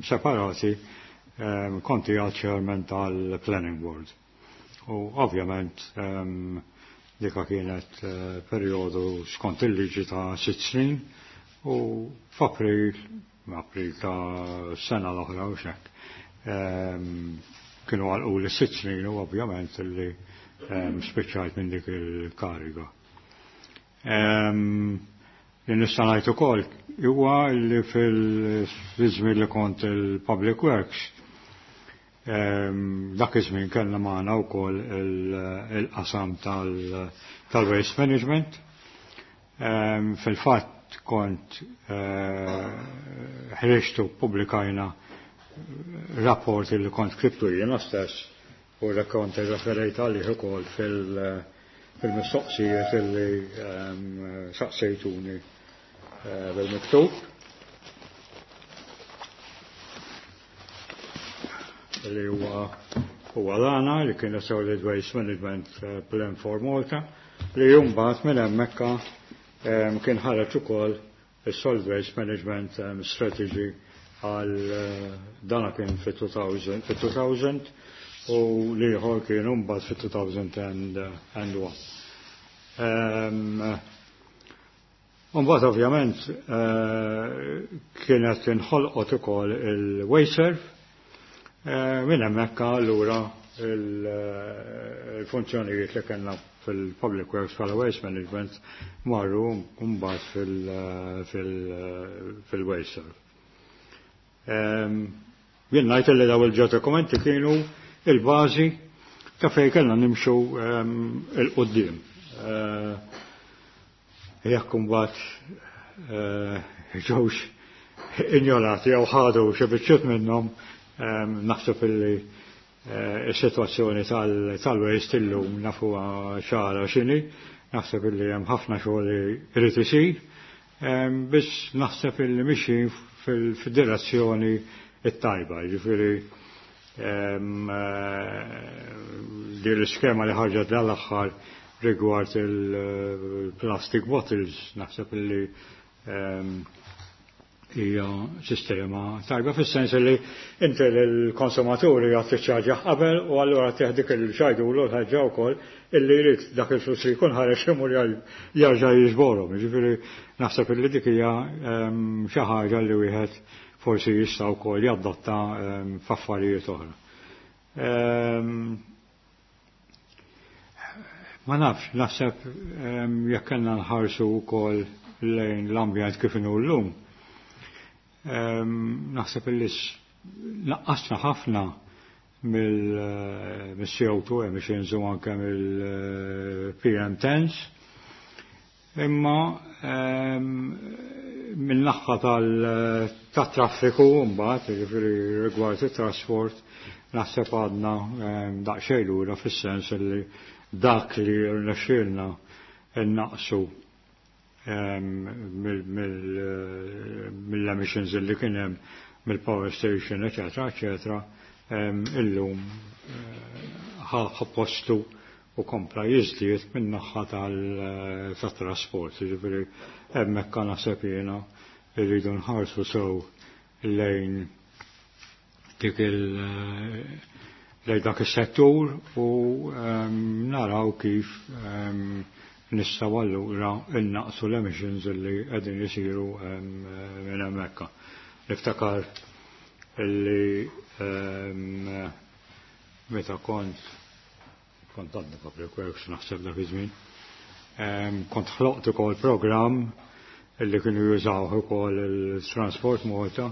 Speaker 6: separati, konti għal chairman tal-planning board. U ovvjament dika kienet perjodu skont il-liġi ta' 6 snin u f'April, April ta' sena l-oħra u xek, kienu għalqu li 6 snin u ovvjament li spiċċajt minn dik il-kariga. Li nista' ngħid ukoll huwa li fil-żmien li kont il-Public Works, dak iż-żmien kellna magħna wkoll il-qasam tal-waste management. Fil-fatt Fil-fatt kont ħriġtu pubblikajna rapport li kont kriptu jiena stess u li kont irreferejt għalih ukoll fil-mistoqsijiet li saqsejtuni bil-miktub. Li huwa l-għana li kien Solid Waste Management Plan for Malta li mbagħad minn hemmhekk kien ħareġ ukoll is-Solid Waste Management Strategy għal dana kien fit-2000 u l-ieħor kien mbagħad fit-2001. Mbagħad ovvjament kienet inħolqot ukoll il-WasteServ minn hemmhekk allura il-funzjonijiet li kellna fil-Public Works bħala Waste Management marru mbagħad fil-WasteServ. Jien ngħid li daw il-ġew dokumenti kienu il-bażi ta' fejn kellna nimxu il-qudiem. Jekk imbagħad ġewx injorati jew ħadu xi biċċiet minnhom, naħseb illi is-sitwazzjoni tal-waste illum nafuha ċara x'inhi, naħseb illi hemm ħafna xogħol li jrid isir, biss naħseb illi mixjin fil-direzzjoni it-tajba, jiġifieri din l-iskema li ħarġet dal-aħħar rigward il-plastic bottles, naħseb illi hija sistema tajba fis-sens li inti l-konsumaturi għad tiċċarġja qabel u allura tieħ dik il-ċajdu u l-ħaġa wkoll illi jrid dak il-flus li jkun ħareġ imur jarġa' jiġborhom. Jiġifieri naħseb illi dik hija xi ħaġa li wieħed forsi jista' wkoll jaddotta f'affarijiet oħra. Ma nafx, naħseb jekk kellna nħarsu wkoll lejn l-ambjent kif inhu llum. Naħseb illi naqqasna ħafna mill-CO2 emissions u anke mill-PM10s, imma mill-naħa tat-traffiku mbagħad, jiġifieri rigward it-trasport, naħseb għadna daqsxejn lura fis-sens li dak li rnexxielna innaqsu mill-emissions li kien hemm mill-power station, eccetera, eccetera, illum ħa postu u kompla jiżdied min-naħa tat-trasport. Jiġifieri hemmhekk naħseb jiena irridu nħarsu sew lejn dik il lejn dak is-settur u naraw kif nistgħu allura innaqsu l-emissions li qegħdin isiru minn hemmhekk. Niftakar illi meta kont għadni Public Works naħseb dak iż-żmien, kont ħloqt ukoll programm illi kienu jużaw ukoll il-Transport Malta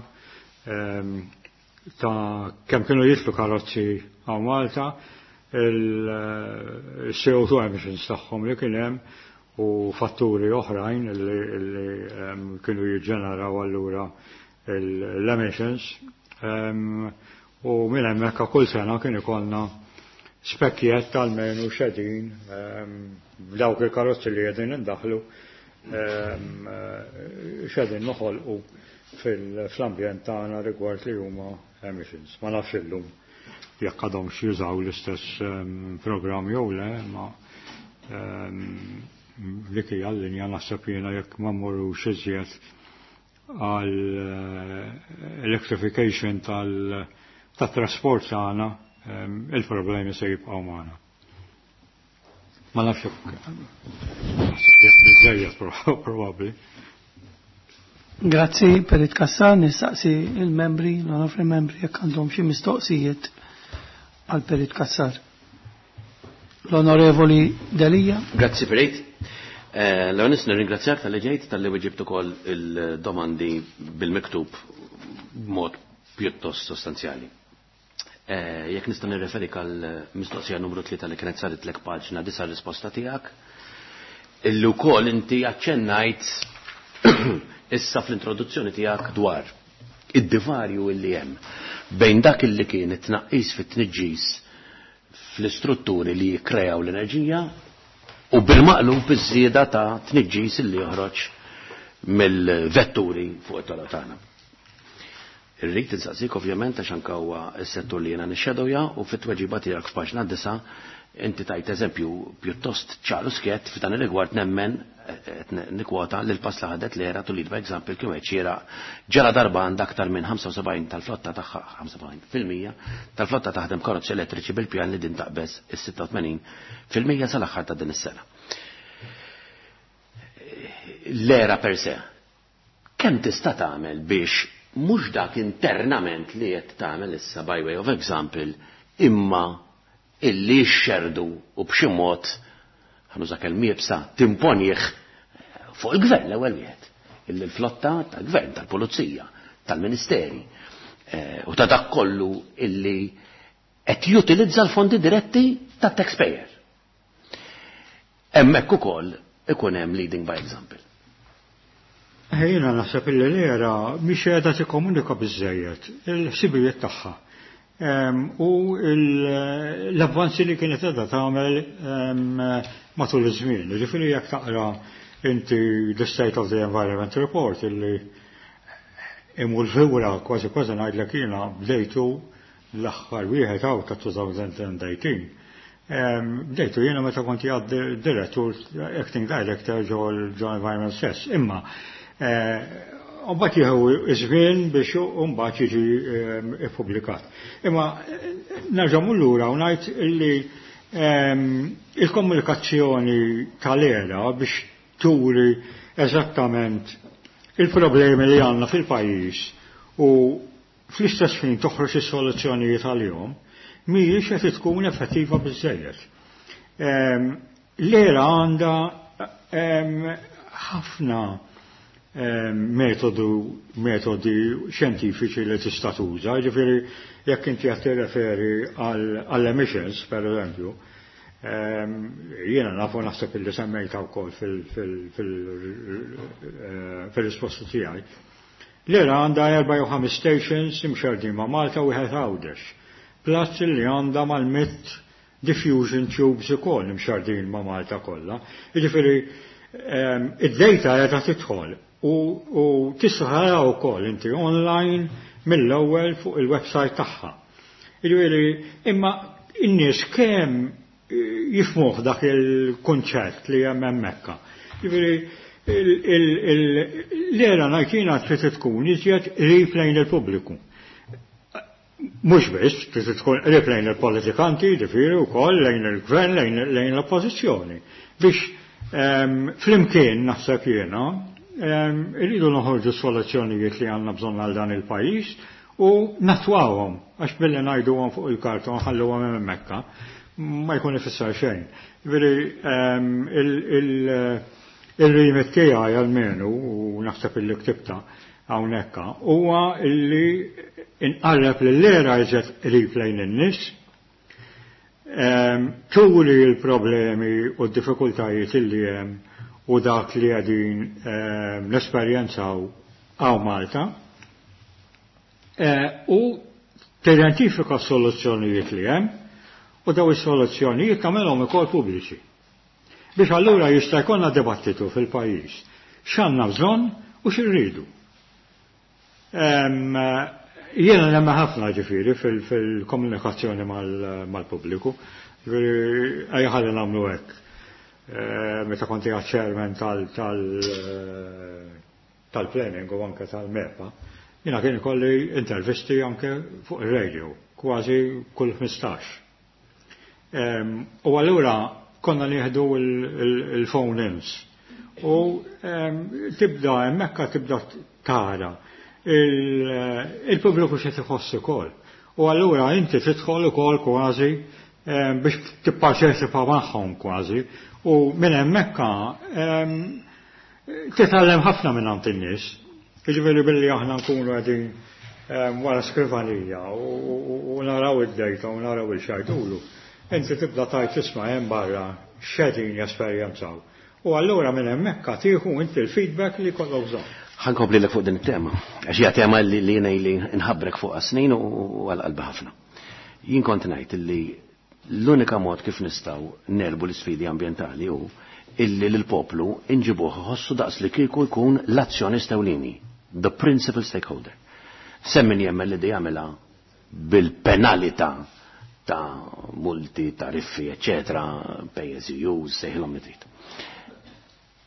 Speaker 6: ta' kemm kienu jitlu karozzi għaw Malta, il-CO2 emissions tagħhom li kien hemm u fatturi oħrajn li kienu jiġġeneraw allura l-emissions. U minn hemmhekk kull sena kien ikollna spekkijiet tal-menu xedin b'dawk il-karozzi li qegħdin indaħlu xedin noħolqu fl-ambjent tagħna rigward li huma emissions. Ma nafx illum jekk għadhomx jużaw l-istess programm jew le, ma dik hija l-linja naħseb jiena jekk ma mmorrux iżjed għal electrification tat-trasport tagħna, il-problemi se jibqgħu magħna. Ma nafx jekk naħseb li għandi biżżejjed probabbli.
Speaker 1: Grazzi Perit Cassar, nistaqsi il-membri, l-onorevoli membri jekk għandhom xi mistoqsijiet għal Perit Cassar. L-Onorevoli Delia.
Speaker 7: Grazzi Perit. L-għonis nirringrazzjak tal-li ġejt, tal-li weġibt ukoll il-domandi bil-miktub b'mod pjuttost sostanzjali. Jekk nista' nirreferik għal mistoqsija numru 3 li kienet saret lek paġna disa' risposta tiegħek, illi wkoll inti aċċennajt Issa fl-introduzzjoni tiegħek dwar id-divarju illi hemm bejn dak illi kien it-tnaqqis fit-tniġġis fl-istrutturi li jikkreaw l-enerġija u bil-maqlub iż-żieda ta' tniġġis illi joħroġ mill-vetturi fuq it-toroq tagħna. Irrid insaqsik ovvjament għax anke huwa s-settur li jiena nixxedowja u fit-tweġiba tiegħek f'paġna 9 inti tajt eżempju pjuttost ċar u skjett f'dan ir-rigward. Nemmen, qed nikkwota, li l-pass li ħadet l-ERA to lead by example kien wieħed xieraq ġara darba għandha aktar minn 75 tal-flotta tagħha, 75% tal-flotta taħdem karozzi elettriċi bil-pjan li din taqbeż is-86% sal-aħħar ta' din is-sena. L-ERA per se, kemm tista' tagħmel biex mhux dak internament li qed tagħmel issa by way of example, imma illi xxerdu u b'xi mod, ħa nuża kelma iebsa, timponih fuq il-gvern l-ewwel wieħed, illi l-flotta tal-gvern, tal-pulizija, tal-ministeri u ta' dak kollu illi qed jutilizza l-fondi diretti tat-taxpayer, hemmhekk ukoll ikun hemm leading by example?
Speaker 6: Jiena naħseb illi l-ERA mhix qiegħda tikkomunika biżejjed il-ħsibijiet tagħha u l-avvanzi li kienet qiegħda tagħmel matul iż-żmien. Ġifieri jekk taqra inti the State of the Environment Report, illi imur lura kważi kważi ngħidlek jiena bdejtu l-aħħar wieħed hawn ta' 2018. Bdejtu jiena meta kont għad direttur, acting director ġo Environment stess. Imma mbagħad jieħu iż-żmien biex mbagħad jiġi ippubblikat. Imma nerġa' lura u ngħid illi il-komunikazzjoni tal-ERA biex turi eżattament il-problemi li għandna fil-pajjiż u fl-istess ħin toħroġ is-soluzzjonijiet għalihom mhijiex qed tkun effettiva biżejjed. L-ERA għandha ħafna metodi xjentifiċi li tista' tuża, ġifieri jekk inti qed tirreferi għall-emissions, per eżempju, jiena nafu, naħseb illi semmejta wkoll fil-risposta tiegħi. L-ERA għandha erba' jew ħames stations imxerdin ma' Malta u wieħed Għawdex. Plus li għandha mal-100 diffusion tubes ukoll imxerdin ma' Malta kollha. Jiġifieri id-data qiegħda tidħol u tista' tara wkoll inti online mill-ewwel fuq il-website tagħha. Jiġifieri imma in-nies kemm jifhmuh dak il-kunċett li hemm hemmhekk? Jiġifieri l-ERA ngħid jiena trid tkun iżjed qrib lejn il-pubbliku. Mhux biss, trid tkun qrib lejn il-politikanti, ġifieri wkoll lejn il-gvern, lejn l-oppożizzjoni. Biex flimkien, naħseb jiena, irridu noħorġu soluzzjonijiet li għandna bżonn għal dan il-pajjiż u nattwawhom, għax billi ngħiduhom fuq il-karta u nħalluhom hemmhekk ma jkun ifisser xejn. Ġifieri il-remit tiegħi almenu, u naħseb illi ktibta hawnhekk, huwa illi inqarreb lill-ERA iżjed qrib lejn in-nies, turi l-problemi u d-diffikultajiet illi hemm u dak li qegħdin nesperjenzaw hawn Malta u tidentifika soluzzjonijiet li hemm u daw is-soluzzjonijiet tagħmelhom ukoll pubbliċi. Biex allura jista' jkollna dibattitu fil-pajjiż x'għandna bżonn u x'irridu. Jiena nemmen ħafna ġifieri fil-komunikazzjoni mal-pubbliku. Ġifieri ejja ħalli nagħmlu hekk. Meta kont qiegħed chairman tal-planning u anke tal-MEPA, jiena kien ikolli intervisti anke fuq ir-radio, kważi kull 15. U allura konna nieħdu il-phone ins. U tibda hemmhekk tibda tara il-pubbliku x'qed iħoss ukoll. U allura inti tidħol ukoll kważi biex tipparteċipa magħhom kważi. U minn hemmhekk titgħallem ħafna minn għand in-nies. Jiġifieri billi aħna nkunu qegħdin wara skrivanija u naraw id-data u naraw il-xajdulu. Inti tibda tgħid, "Isma', hemm barra x'qegħdin jesperjenzaw." U allura minn hemmhekk tieħu inti l-feedback li jkollok bżonn.
Speaker 7: Ħa nkomplilek fuq din it-tema. Għax hija tema li jiena li nħabbrek fuq snin u għal qalbi ħafna. Jien kont ngħid li l-unika mod kif nistgħu negħlbu l-isfidi ambjentali hu illi l-poplu inġibuh iħossu daqs li kieku jkun l-azzjonista ewlieni, the principal stakeholder. Hemm min jemmen li di jagħmilha bil-penalità ta' multi, tariffi, eccetera, pay as you use, sejħilhom li trid.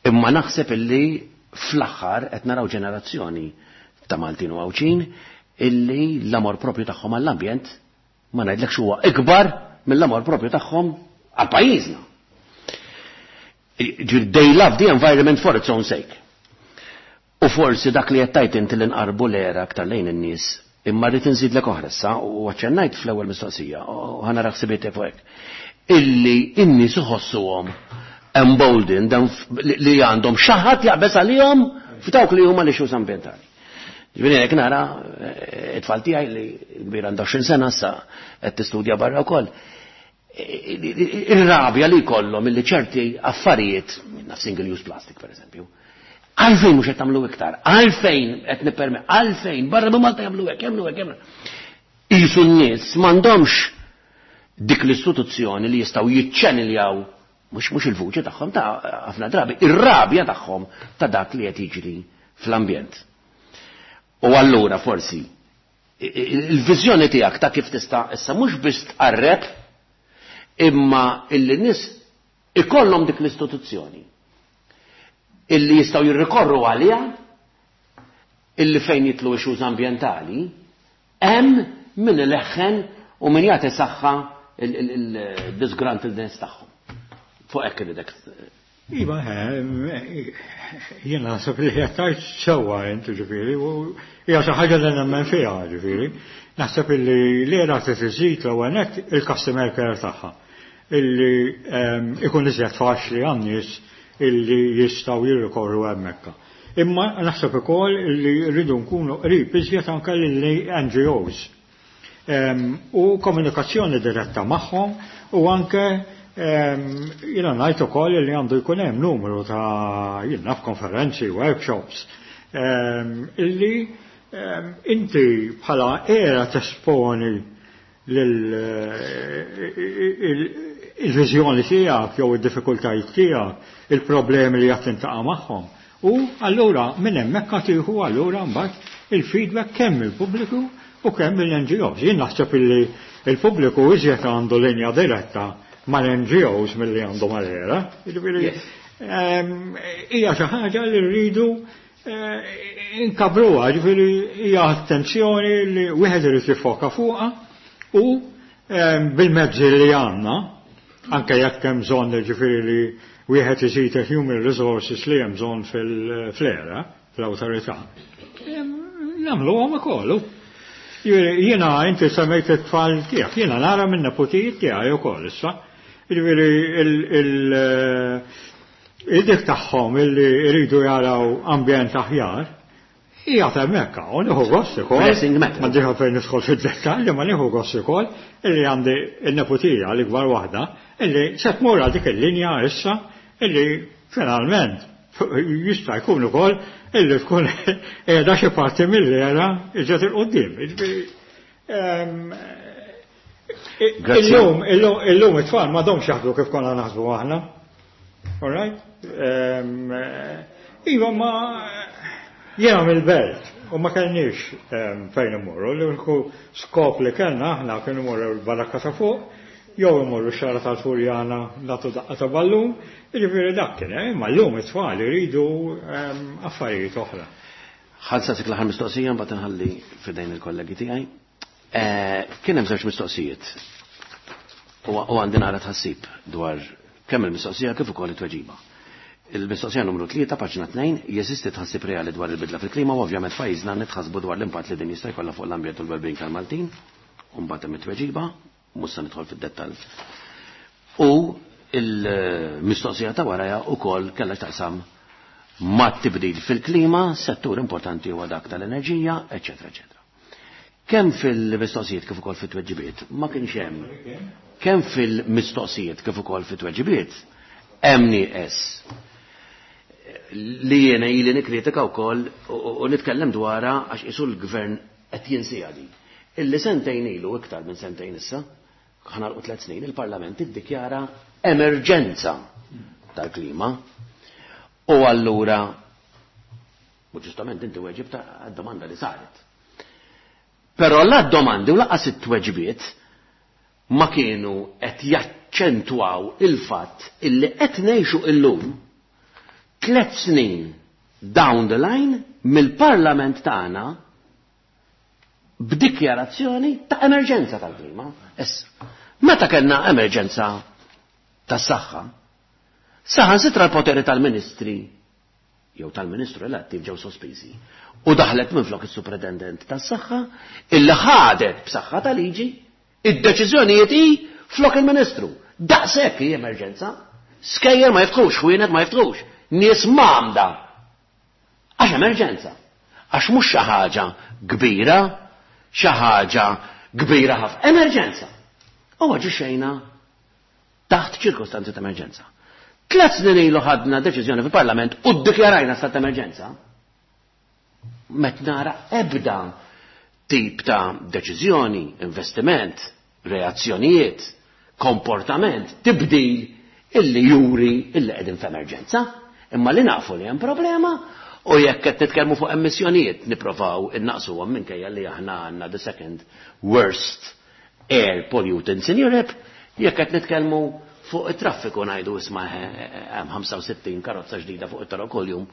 Speaker 7: Imma naħseb illi fl-aħħar qed naraw ġenerazzjoni ta' Maltin u Għawdxin illi l-amor propju tagħhom għall-ambjent ma ngħidlekx huwa ikbar mill-amor propju tagħhom għal pajjiżna. They love the environment for its own sake. U forsi dak li qed inti li nqarbu l-ERA aktar lejn in-nies, imma rrid inżidlek oħra issa u aċċennajt fl-ewwel mistoqsija u ħa nara ħsibiet fuq hekk. Illi in-nies iħossuhom emboldened li għandhom xi ħadd jaqbeż għalihom f'dawk li huma l-issues ambjentali. Ġifieri jekk nara it-tfal tiegħi li kbir għandha 20 sena issa qed tistudja barra wkoll. Ir-rabja li jkollhom illi ċerti affarijiet, naf single use plastic per eżempju, għalfejn mhux qed tagħmlu iktar, għalfejn qed nipperme, għalfejn barra minn Malta jagħmlu hekk, jagħmlu hekk, jagħmlu. Qisu n-nies m'għandhomx dik l-istituzzjoni li jistgħu jiċċeniljaw mhux il-vuċi tagħhom ta' ħafna drabi, ir-rabja tagħhom ta' dak li qed jiġri fl-ambjent. U allura forsi il-viżjoni tiegħek ta' kif tista' issa mhux biss tqarreb imma illi nies ikollhom dik l-istituzzjoni illi jistgħu jirrikorru għaliha illi fejn jidħlu issues ambjentali hemm min ileħħen u min jagħti saħħa il-disgruntledness tagħhom. Fuq hekk iridek.
Speaker 6: Iva, jiena naħseb li qed sewwa inti ġifieri, u hija xi ħaġa li nemmen fiha ġifieri. Naħseb li l-ERA trid iżid l-ewwel nett il-customer care tagħha. Illi ikun iżjed faċli għan-nies illi jistgħu jirrikorru hemmhekk. Imma naħseb ukoll illi rridu nkunu qrib iżjed anke lill-NGOs. U komunikazzjoni diretta magħhom u anke jiena ngħid ukoll li għandu jkun hemm numru ta' jien naf konferenzi, workshops, illi inti bħala ERA tesponi il-viżjoni tiegħek jew id-diffikultajiet tiegħek, il-problemi li qed tintaqa' magħhom. U allura minn hemmhekk tieħu allura mbagħad il-feedback kemm il-pubbliku u kemm il-NGOs. Jien naħseb illi il-pubbliku iżjed għandu linja diretta mal-NGOs milli għandu mal-ERA. Jiġifieri, hija xi ħaġa li rridu inkabruha, ġifieri hija attenzjoni li wieħed irid jiffoka fuqha u bil-mezzi li għandna, anke jekk hemm bżonn ġifieri li wieħed iżid human resources li hemm bżonn fil-ERA, fl-awtorità. Nagħmluhom ukoll. Jiena inti semmejt it-tfal tiegħek, jiena nara minn neputijiet tiegħi wkoll issa. Jiġifieri il-dik tagħhom illi jridu jaraw ambjent aħjar, hija hemmhekk u nieħu gost ukoll.
Speaker 7: Pressing matter.
Speaker 6: Ma diħa fejn nidħol fid-dettalji, ma nieħu gost ukoll illi għandi n-neputija l-ikbar waħda illi se tmur għal dik il-linja issa illi finalment jista' jkun ukoll illi tkun qiegħda xi parti mill-ERA iżjed 'il quddiem. Jiġifieri,
Speaker 7: Grazzi.
Speaker 6: Illum it-tfal m'għadhomx jaħdmu kif konna naħsbu aħna. All right? Iva, ma jiena mill-belt u ma kellniex fejn immorru. L-uniku skop li kellna aħna kien imorru l-barakka ta' fuq, jew imorru xara tal-Furjana nagħtu daqqa ta' ballun, jiġifieri dak kien, imma llum it-tfal iridu affarijiet oħra.
Speaker 7: Ħa nsaqsik l-aħħar mistoqsija mbagħad inħalli f'idejn il-kollegi tiegħi. Kien hemm żewġ mistoqsijiet. U għandi nara tħassib dwar kemm il-mistoqsija kif ukoll it-tweġiba. Il-mistoqsija numru 3, paġna 2, jeżisti tħassib reali dwar il-bidla fil-klima u ovvjament pajjiżna nitħassbu dwar l-impatt li din jista' jkollha fuq l-ambjent u l-wellbeing tal-Maltin. U mbagħad hemm it-tweġiba, mhux se nidħol fid-dettall. U il-mistoqsija ta' warajha ukoll kellha x'taqsam ma' tibdil fil-klima, settur importanti huwa dak tal-enerġija, eċċetera, eċċetera. Kemm fil-mistoqsijiet kif ukoll fit-tweġibiet ma kienx hemm. Kemm fil-mistoqsijiet kif ukoll fit-tweġibiet hemm nieqes. li jiena ili nikkritika wkoll u nitkellem dwarha għax qisu l-gvern qed jinsiha din. Illi sentejn ilu, iktar minn sentejn issa, ħa nagħlqu 3 snin, il-Parlament iddikjara emerġenza tal-klima. U allura, u ġustament inti weġibt għad-domanda li saret. Però la d-domandi u lanqas it-tweġibiet ma kienu qed jaċċentwaw il-fatt illi qed ngħixu illum 3 snin down the line mill-Parlament tagħna b'dikjarazzjoni ta' emerġenza tal-klima. Issa, meta kellna emerġenza tas-saħħa, saħansitra l-poteri tal-ministri jew tal-ministru elettiv ġew sospiżi u daħlet minflok is-Superintendent tas-Saħħa illi ħadet b'saħħa ta' liġi id-deċiżjonijiet hi flok il-Ministru. Daqshekk hi emerġenza. Skejjel ma jiftħux, ħwienet ma jiftħux, nies mgħammda. Għax emerġenza. Għax mhux xi ħaġa kbira, xi ħaġa kbira ħafna. Emerġenza. U aġixxejna taħt ċirkostanzi ta' emerġenza. 3 snin ilu ħadna deċiżjoni fil-Parlament u ddikjarajna stat ta' emerġenza. Met nara ebda tip ta' deċiżjoni, investiment, reazzjonijiet, komportament, tibdil illi juri illi qegħdin f'emerġenza. Imma li nafu li hemm problema u jekk qed nitkellmu fuq emissjonijiet nipprovaw innaqsuhom minkejja li aħna għandna the second worst air pollutants in Europe, jekk qed nitkellmu fuq it-traffiku ngħidu isma' hemm 65 karozza ġdida fuq it-toroq kuljum,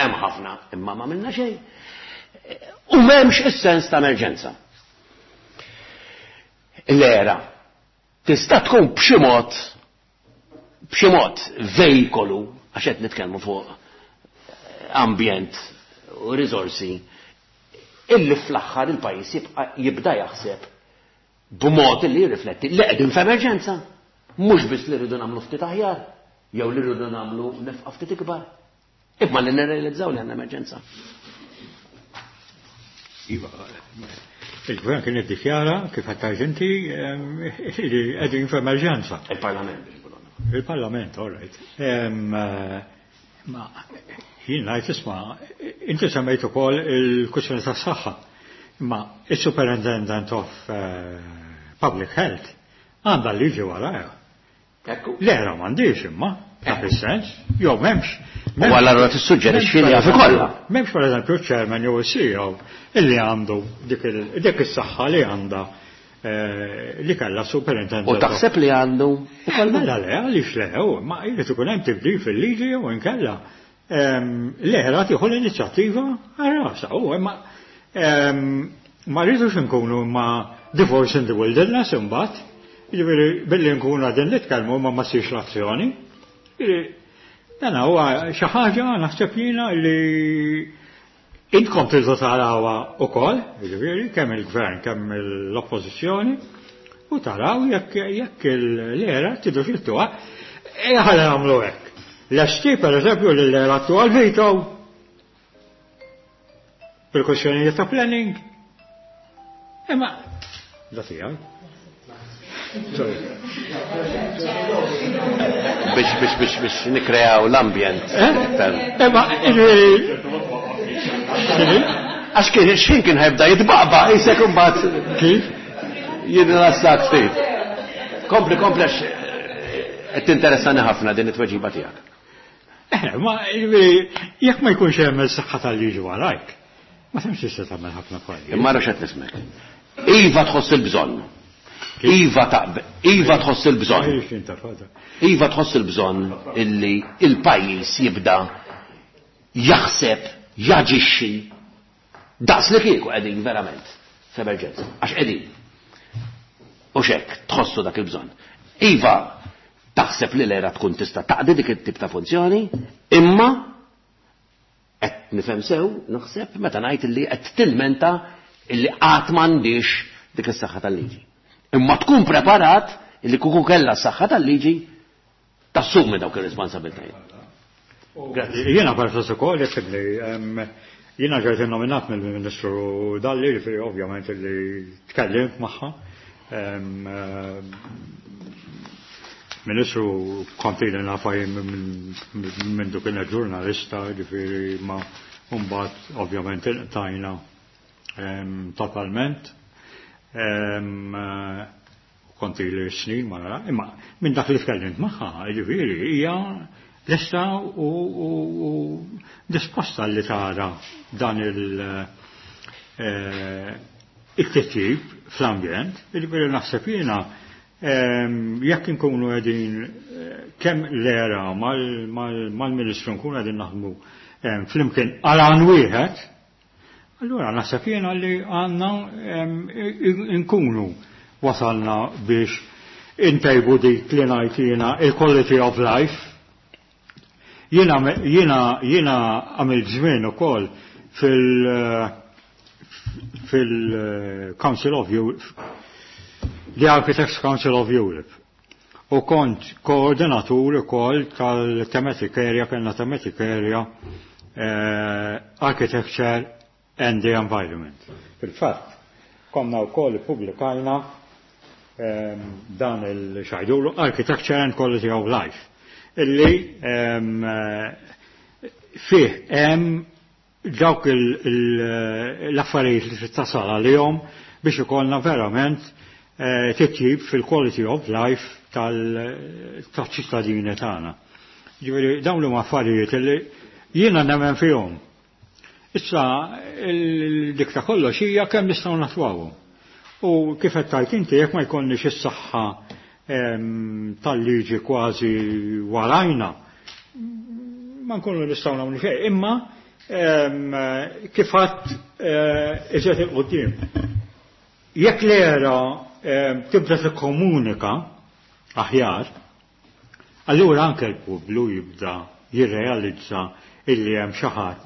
Speaker 7: hemm ħafna imma ma għamilna xejn. U m'hemmx is-sens ta' emerġenza. L-era tista' tkun b'xi mod b'xi mod vejkolu għax qed nitkellmu fuq ambjent u riżorsi illi fl-aħħar il-pajjiż jibqa' jibda jaħseb b'mod li jirrifletti li qegħdin f'emerġenza, mhux biss li rridu nagħmlu ftit aħjar jew li rridu nagħmlu nefqa ftit ikbar, imma li nirrealizzaw li għandna emerġenza.
Speaker 6: Iva, il-gvern kien iddikjara kif qed tgħid inti li qegħdin f'emerġenza.
Speaker 7: Il-Parlament.
Speaker 6: Il-Parlament, all right. Ma jien ngħid isma', inti semmejt ukoll il-kwistjoni tas-saħħa. Ma il-Superintendent of Public Health għandha liġi warajha.
Speaker 7: Ekku.
Speaker 6: L-era m'għandix imma, dak is-sens, jew m'hemmx.
Speaker 7: U allura tissuġġerixxi li jaf ikollha.
Speaker 6: M'hemmx pereżempju ċ-chairman jew is-CEO illi għandu dik is-saħħa li għandha li kellha superintendent.
Speaker 7: U taħseb li għandu
Speaker 6: ikollha? Mela le, għaliex le, u ma jrid ikun hemm tibdil fil-liġi jew inkella. L-era tieħu l-inizjattiva għal rasha, u imma ma rridux nkunu ma divorce in the wilderness imbagħad. Jiġifieri billi nkunu qegħdin nitkellmu ma ma ssirx l-azzjoni. Jiġifieri dan huwa xi ħaġa naħseb jiena li intkom tridu tarawha ukoll, jiġifieri kemm il-gvern kemm l-oppożizzjoni, u taraw jekk l-era tridu xittuha, ħalli nagħmlu hekk. Lesti pereżempju li l-era attual veto bil-kwestjonijiet ta' planning. Imma da tiegħi. Sorry.
Speaker 7: Biex nikreaw l-ambjent.
Speaker 6: Imma,
Speaker 7: Għax kien xħin kien ħajbda jitbaqba, jisek imbagħad.
Speaker 6: Kif?
Speaker 7: Jirrilassak ftit. Kompli, kompli għax qed tinteressani ħafna din it-tweġiba tiegħek.
Speaker 6: Ma jekk ma jkunx hemm is-saħħa tal-liġi warajk, ma tantx tista' tagħmel ħafna affarijiet.
Speaker 7: Imma ara x'qed nismek. Iva tħoss il-bżonn. Iva taqbel, iva tħoss il-bżonn.
Speaker 6: Għaliex inta fada.
Speaker 7: Iva tħoss il-bżonn illi il-pajjiż jibda jaħseb, jaġixxi daqs li kieku qegħdin verament f'emerġenza, għax qegħdin. U xek, tħossu dak il-bżonn. Iva taħseb li l-era tkun tista' taqdi dik it-tip ta' funzjoni, imma qed nifhem sew, naħseb meta ngħid illi qed tilmenta illi qatt m'għandix dik is-saħħa tal-liġi. Imma tkun preparat illi kieku kellha s-saħħa tal-liġi tassumi dawk ir-responsabbiltajiet.
Speaker 6: Grazzi. Jiena perswas ukoll jekk li jiena ġejt innominat mill-Ministru Dalli, jiġifieri ovvjament li tkellimt magħha. Ministru kont ili nafha jien minn dik kienet ġurnalista, ġifieri ma mbagħad ovvjament inqtajna totalment. Kont ili snin ma nara, imma minn dak li tkellimt magħha, ġifieri hija lesta u disposta li tara dan il-titjib fl-ambjent, ġifieri naħseb jiena jekk inkunu qegħdin kemm l-ERA mal-Ministru nkunu qegħdin naħdmu flimkien għal għan wieħed, allura naħseb jiena li għandna nkunu wasalna biex intejbu dik li ngħid jiena il-quality of life. Jiena għamilt żmien ukoll fil-Council of Europe, the Architects Council of Europe. U kont koordinatur ukoll tal-thematic area, kellna thematic area Architecture and the Environment. Fil-fatt, konna wkoll ippubblikajna dan il-xajdulu Architecture and Quality of Life, illi fih hemm dawk l-affarijiet li tasal għalihom biex ikollna verament titjib fil-quality of life tal-ċittadini tagħna. Ġifieri dawn huma affarijiet li jiena nemmen fihom. Issa dik ta' kollox hija kemm nistgħu natwawhom. U kif qed tgħid inti jekk ma jkollniex is-saħħa tal-liġi kważi warajna, ma nkunu nistgħu nagħmlu xejn. Imma kif għadt iżjed 'il quddiem. Jekk l-ERA tibda tikkomunika aħjar, allura anke l-pubbliku jibda jirrealizza illi hemm xi ħadd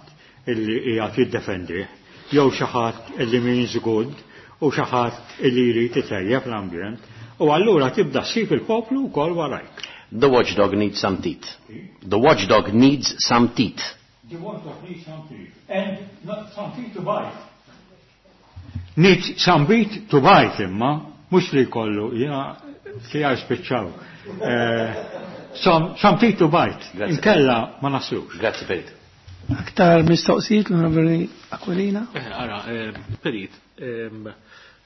Speaker 6: illi qiegħed jiddefendih, jew xi ħadd illi means good u xi ħadd illi jrid itejjeb l-ambjent, u allura tibda ssib il-poplu wkoll warajk.
Speaker 7: The watchdog needs some teeth. The watchdog needs some teeth.
Speaker 6: The watchdog needs some teeth. And not some teeth to bite. Needs some teeth to bite imma, mhux li jkollu, jiena tiegħi spiċċaw. Some teeth to bite.
Speaker 7: Grazie.
Speaker 6: Inkella ma naslux.
Speaker 7: Grazzi, Perit.
Speaker 1: Aktar mistoqsijiet l-Onorevoli Aquilina?
Speaker 3: Ara, Perit,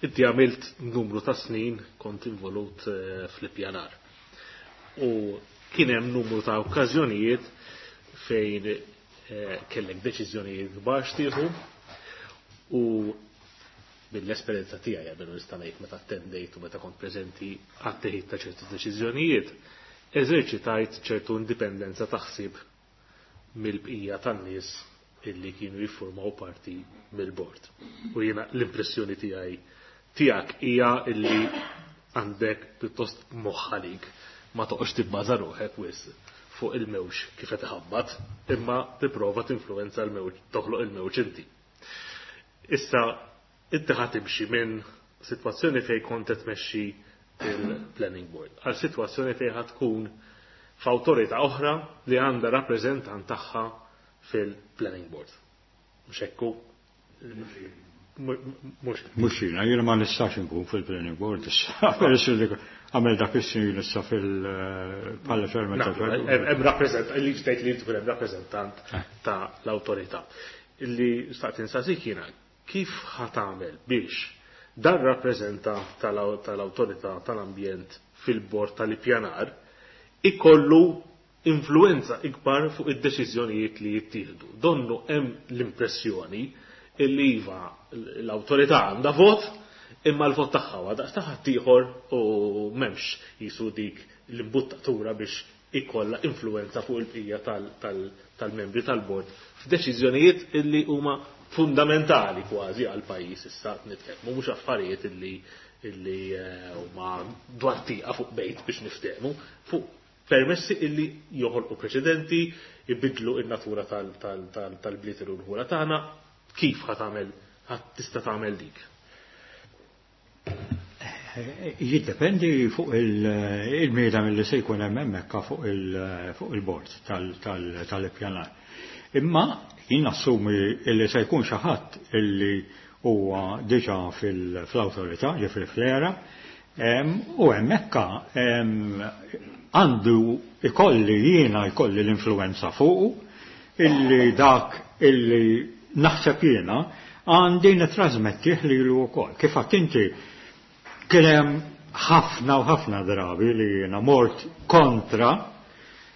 Speaker 3: inti għamilt numru ta' snin kont involut fl-ippjanar. U kien hemm numru ta' okkażjonijiet fejn kellek deċiżjonijiet kbar xtieħu u mill-esperjenza tiegħi qabel nista' ngħid meta attendejt u meta kont preżenti għat-teħid ta' ċertu deċiżjonijiet, eżerċitajt ċertu indipendenza ta' ħsieb mill-bqija tan-nies illi kienu jiffurmaw parti mill-bord. U jiena l-impressjoni tiegħi tiegħek hija illi għandek pjuttost moħħ għalik, ma toqgħodx tibbaża ruħek wisq fuq il-mewġ kif qed iħabbat, imma tipprova tinfluwenza l-mewġ, toħloq il-mewġ inti. Issa inti ħa timxi minn sitwazzjoni fejn kont qed tmexxi il-planning board għal sitwazzjoni fejn ħa tkun f'awtorità oħra li għandha rappreżentant tagħha fil-planning board. Mhux hekk hu? Mhux.
Speaker 6: Mhux jiena, jiena ma nistax inkun fil-planning board issa. Peress li għamel dak is-snin issa fil-Palla Chairman
Speaker 3: Na,
Speaker 6: tal-Fed.
Speaker 3: Hemm rappreżentant, li ġdejt li tkun hemm rappreżentant ta' l-awtorità. Illi staqt insaqsik jiena, kif ħa tagħmel biex dan rappreżentant tal-awtorità tal-ambjent fil-bord tal-ippjanar ikollu influenza ikbar fuq id-deċiżjonijiet li jittieħdu? Donnu hemm l-impressjoni illi iva l-awtorità għandha vot, imma l-vot tagħha huwa daqs ta' ħaddieħor u m'hemmx jisu dik l-imbuttatura biex ikollha influenza fuq il-bqija tal-membri tal-bord f'deċiżjonijiet illi huma fundamentali kważi għal pajjiż issa nitkellmu, mhux affarijiet illi huma dwar tieqa fuq bejt biex niftehmu, fuq permessi illi joħolqu preċedenti, ibidlu in-natura tal-bliet u l-ħura tagħna. Kif ħa tagħmel, ħa tista' tagħmel dik?
Speaker 6: Jiddependi fuq il-mieda mill-li se jkun hemm hemmhekk fuq il-bord tal-ippjanar. Imma jien nassumi li se jkun xi ħadd illi huwa diġà fl-awtorità, ġifieri fl-ERA, u hemmhekk għandu ikolli jiena jkolli l-influenza fuqu, illi dak illi naħseb jiena għandi nitrasmettih lilu wkoll. Kif għedt inti, kien hemm ħafna u ħafna drabi li jiena mort kontra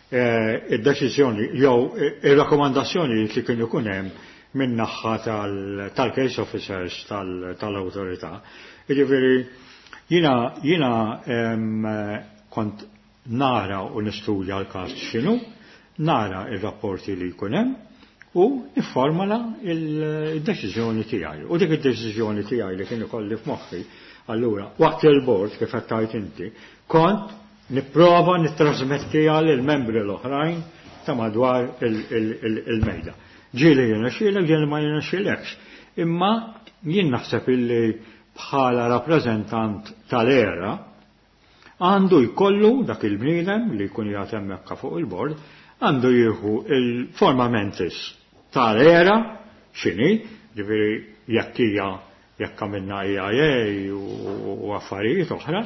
Speaker 6: id-deċiżjoni jew ir-rakkomandazzjoni li kien ikun hemm min-naħa tal-case officers tal-awtorità. Jiġifieri jiena kont nara u nistudja l-każ x'inhu, nara ir-rapporti li jkun hemm u nifformala il-deċiżjoni tiegħi. U dik id-deċiżjoni tiegħi li kien ikolli f'moħħi, allura waqt il-bord, kif qed tgħid inti, kont nipprova nittrasmettiha lill-membri l-oħrajn ta' madwar il-mejda. Ġieli jirnexxielek, ġieli ma jirnexxielekx. Imma jien naħseb illi bħala rappreżentant tal-ERA għandu jkollu dak il-bniedem li jkun jgħat hemmhekk fuq il-bord, għandu jieħu il-forma mentis tal-ERA x'inhi, ġifieri jekk hija jekk għamilna EIA u affarijiet oħra,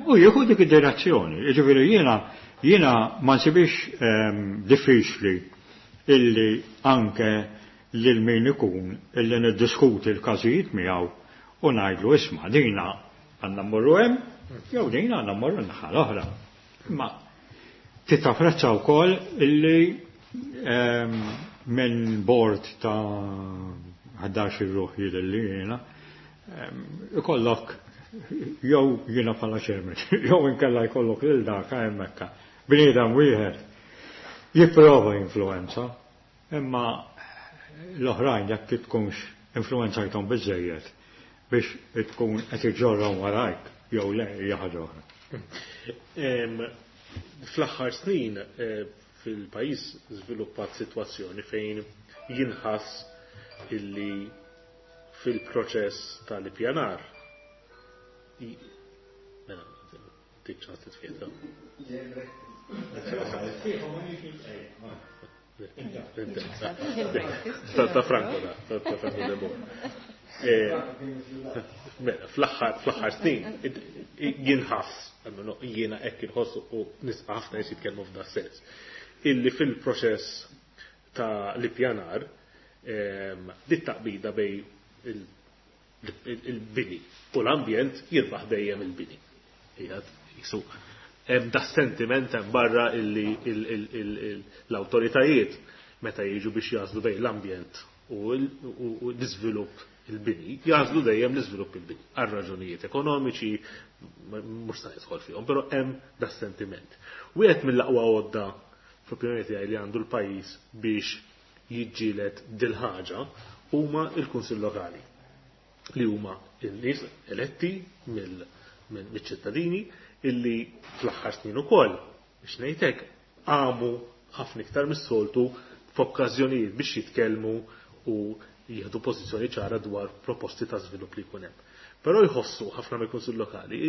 Speaker 6: u jieħu dik id-direzzjoni. Ġifieri jiena ma nsibix diffiċli illi anke lil min ikun illi niddiskuti l-każijiet miegħu u ngħidlu, isma', dina għandna mmorru hemm jew dina għandna mmorru naħa l-oħra. Imma titapprezza wkoll illi minn bord ta' 11 ruħ jidher li jiena ikollok jew jiena bħala chairman, jew inkella jkollok lil dak hemmhekk. Bniedem wieħed jipprova influenza, imma l-oħrajn jekk tkunx influenzajthom biżejjed biex tkun qed iġorrhom warajk jew le, hija ħaġa oħra.
Speaker 3: Fl-aħħar snin fil-pajjiż żviluppat sitwazzjoni fejn jinħass illi fil-proċess tal-ippjanar, mela, tik ċans titfieta. Ta' Franco da, ta' Franco de Boer. Mela, fl-aħħar snin jinħass, almenu jiena hekk inħossu u nies ħafna nies jitkellmu f'da sens, illi fil-proċess ta' l-ippjanar dit taqbida bejn il-bini u l-ambjent, jirbaħ dejjem il-bini. Qiegħed jisu hemm da sentiment hemm barra illi l-awtoritajiet meta jiġu biex jagħżlu bejn l-ambjent u l-iżvilupp, il-bini, jagħżlu dejjem l-iżvilupp, il-bini. Għal raġunijiet ekonomiċi, mhux se nidħol fihom, però hemm da sentiment. Wieħed mill-aqwa għodda, fl-opinjoni tiegħi, li għandu l-pajjiż biex jiġġieled dil-ħaġa huma il-Kunsill Lokali, li huma n-nies eletti mill-ċittadini, illi fl-aħħar snin ukoll, biex ngħidlek, għamu ħafna iktar mis-soltu f'okkażjonijiet biex jitkellmu u jieħdu pożizzjoni ċara dwar proposti ta' żvilupp li jkun hemm. Però jħossu ħafna mill-Kunsill Lokali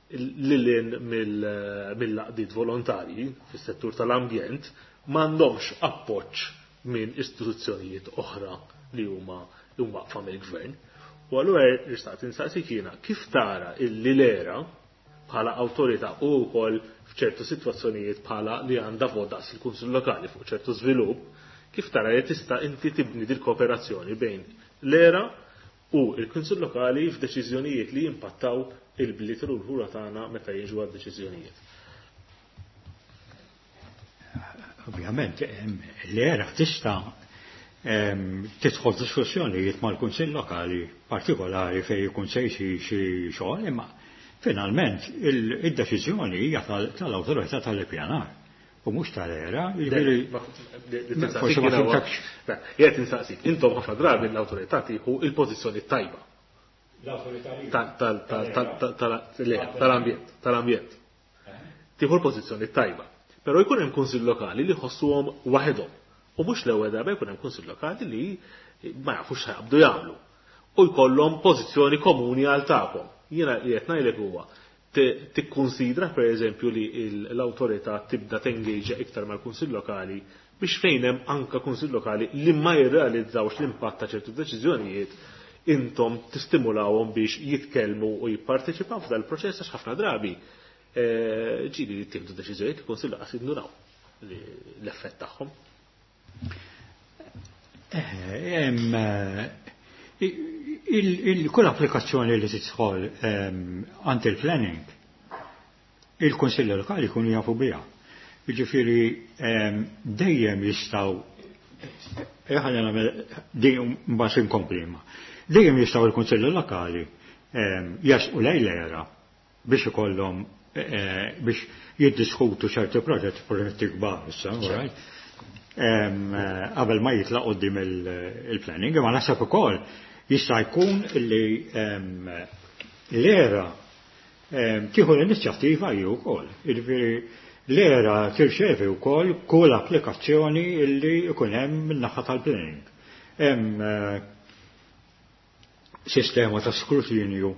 Speaker 3: lil mill-għaqdiet volontarji fis-settur tal-ambjent m'għandhomx appoġġ minn istituzzjonijiet oħra li huma waqfa mill-gvern. U allura nixtieq insaqsik jiena kif tara illi l-ERA bħala awtorità u wkoll f'ċertu sitwazzjonijiet bħala li għandha vot daqs il-Kunsill Lokali fuq ċertu żvilupp, kif tara li tista' inti tibni dil kooperazzjoni bejn l-ERA u il-Kunsill Lokali f'deċiżjonijiet li jimpattaw il-bliet u l-ħura tagħna meta jiġu għad deċiżjonijiet?
Speaker 6: Ovvjament, l-ERA tista' tidħol diskussjonijiet mal-Kunsill Lokali partikolari fejn jkun se jsir xi xogħol, imma finalment id-deċiżjoni hija tal-awtorità tal-ippjanar u mhux tal-ERA, jiġifieri forsi ma fhimtekx.
Speaker 3: Jgħid insaqsik, intom ħafna drabi l-awtorità tieħu il-pożizzjoni tajba tal-ambjent, tal-ambjent. Tieħu l-pożizzjoni tajba. Però jkun hemm kunsill lokali li jħossuhom waħedhom. U mhux l-ewwel darba jkun hemm kunsill lokali li ma jafux x'jaqbdu jagħmlu. U jkollhom pożizzjoni komuni għal tagħkom. Jiena li qed ngħidlek huwa, tikkunsidra pereżempju li l-awtorità tibda tengage iktar mal-kunsill lokali biex fejn hemm anka kunsill lokali li ma jirrealizzawx l-impatt ta' ċertu deċiżjonijiet, intom tistimulawhom biex jitkellmu u jipparteċipaw f'dal proċess, għax ħafna drabi Ġieli li jittieħdu deċiżjonijiet il-Kunsill lanqas jindunaw l-effett tagħhom.
Speaker 6: Kull applikazzjoni li tidħol għand il-planning, il-Kunsilli Lokali jkunu jafu biha. Jiġifieri dejjem jistgħu, ħalli nagħmel din mbagħad inkompli imma. Dejjem jistgħu l-Kunsilli Lokali jersqu lejn l-ERA biex ikollhom biex jiddiskutu ċerti proġetti, proġetti kbar issa, right? Qabel ma jitlaq quddiem il-planning, imma naħseb ukoll jista' jkun li l-ERA tieħu l-inizjattiva hi wkoll. Jiġifieri l-ERA tirċevi wkoll kull applikazzjoni li jkun hemm min-naħa tal-planning. Hemm sistema ta' skrutinju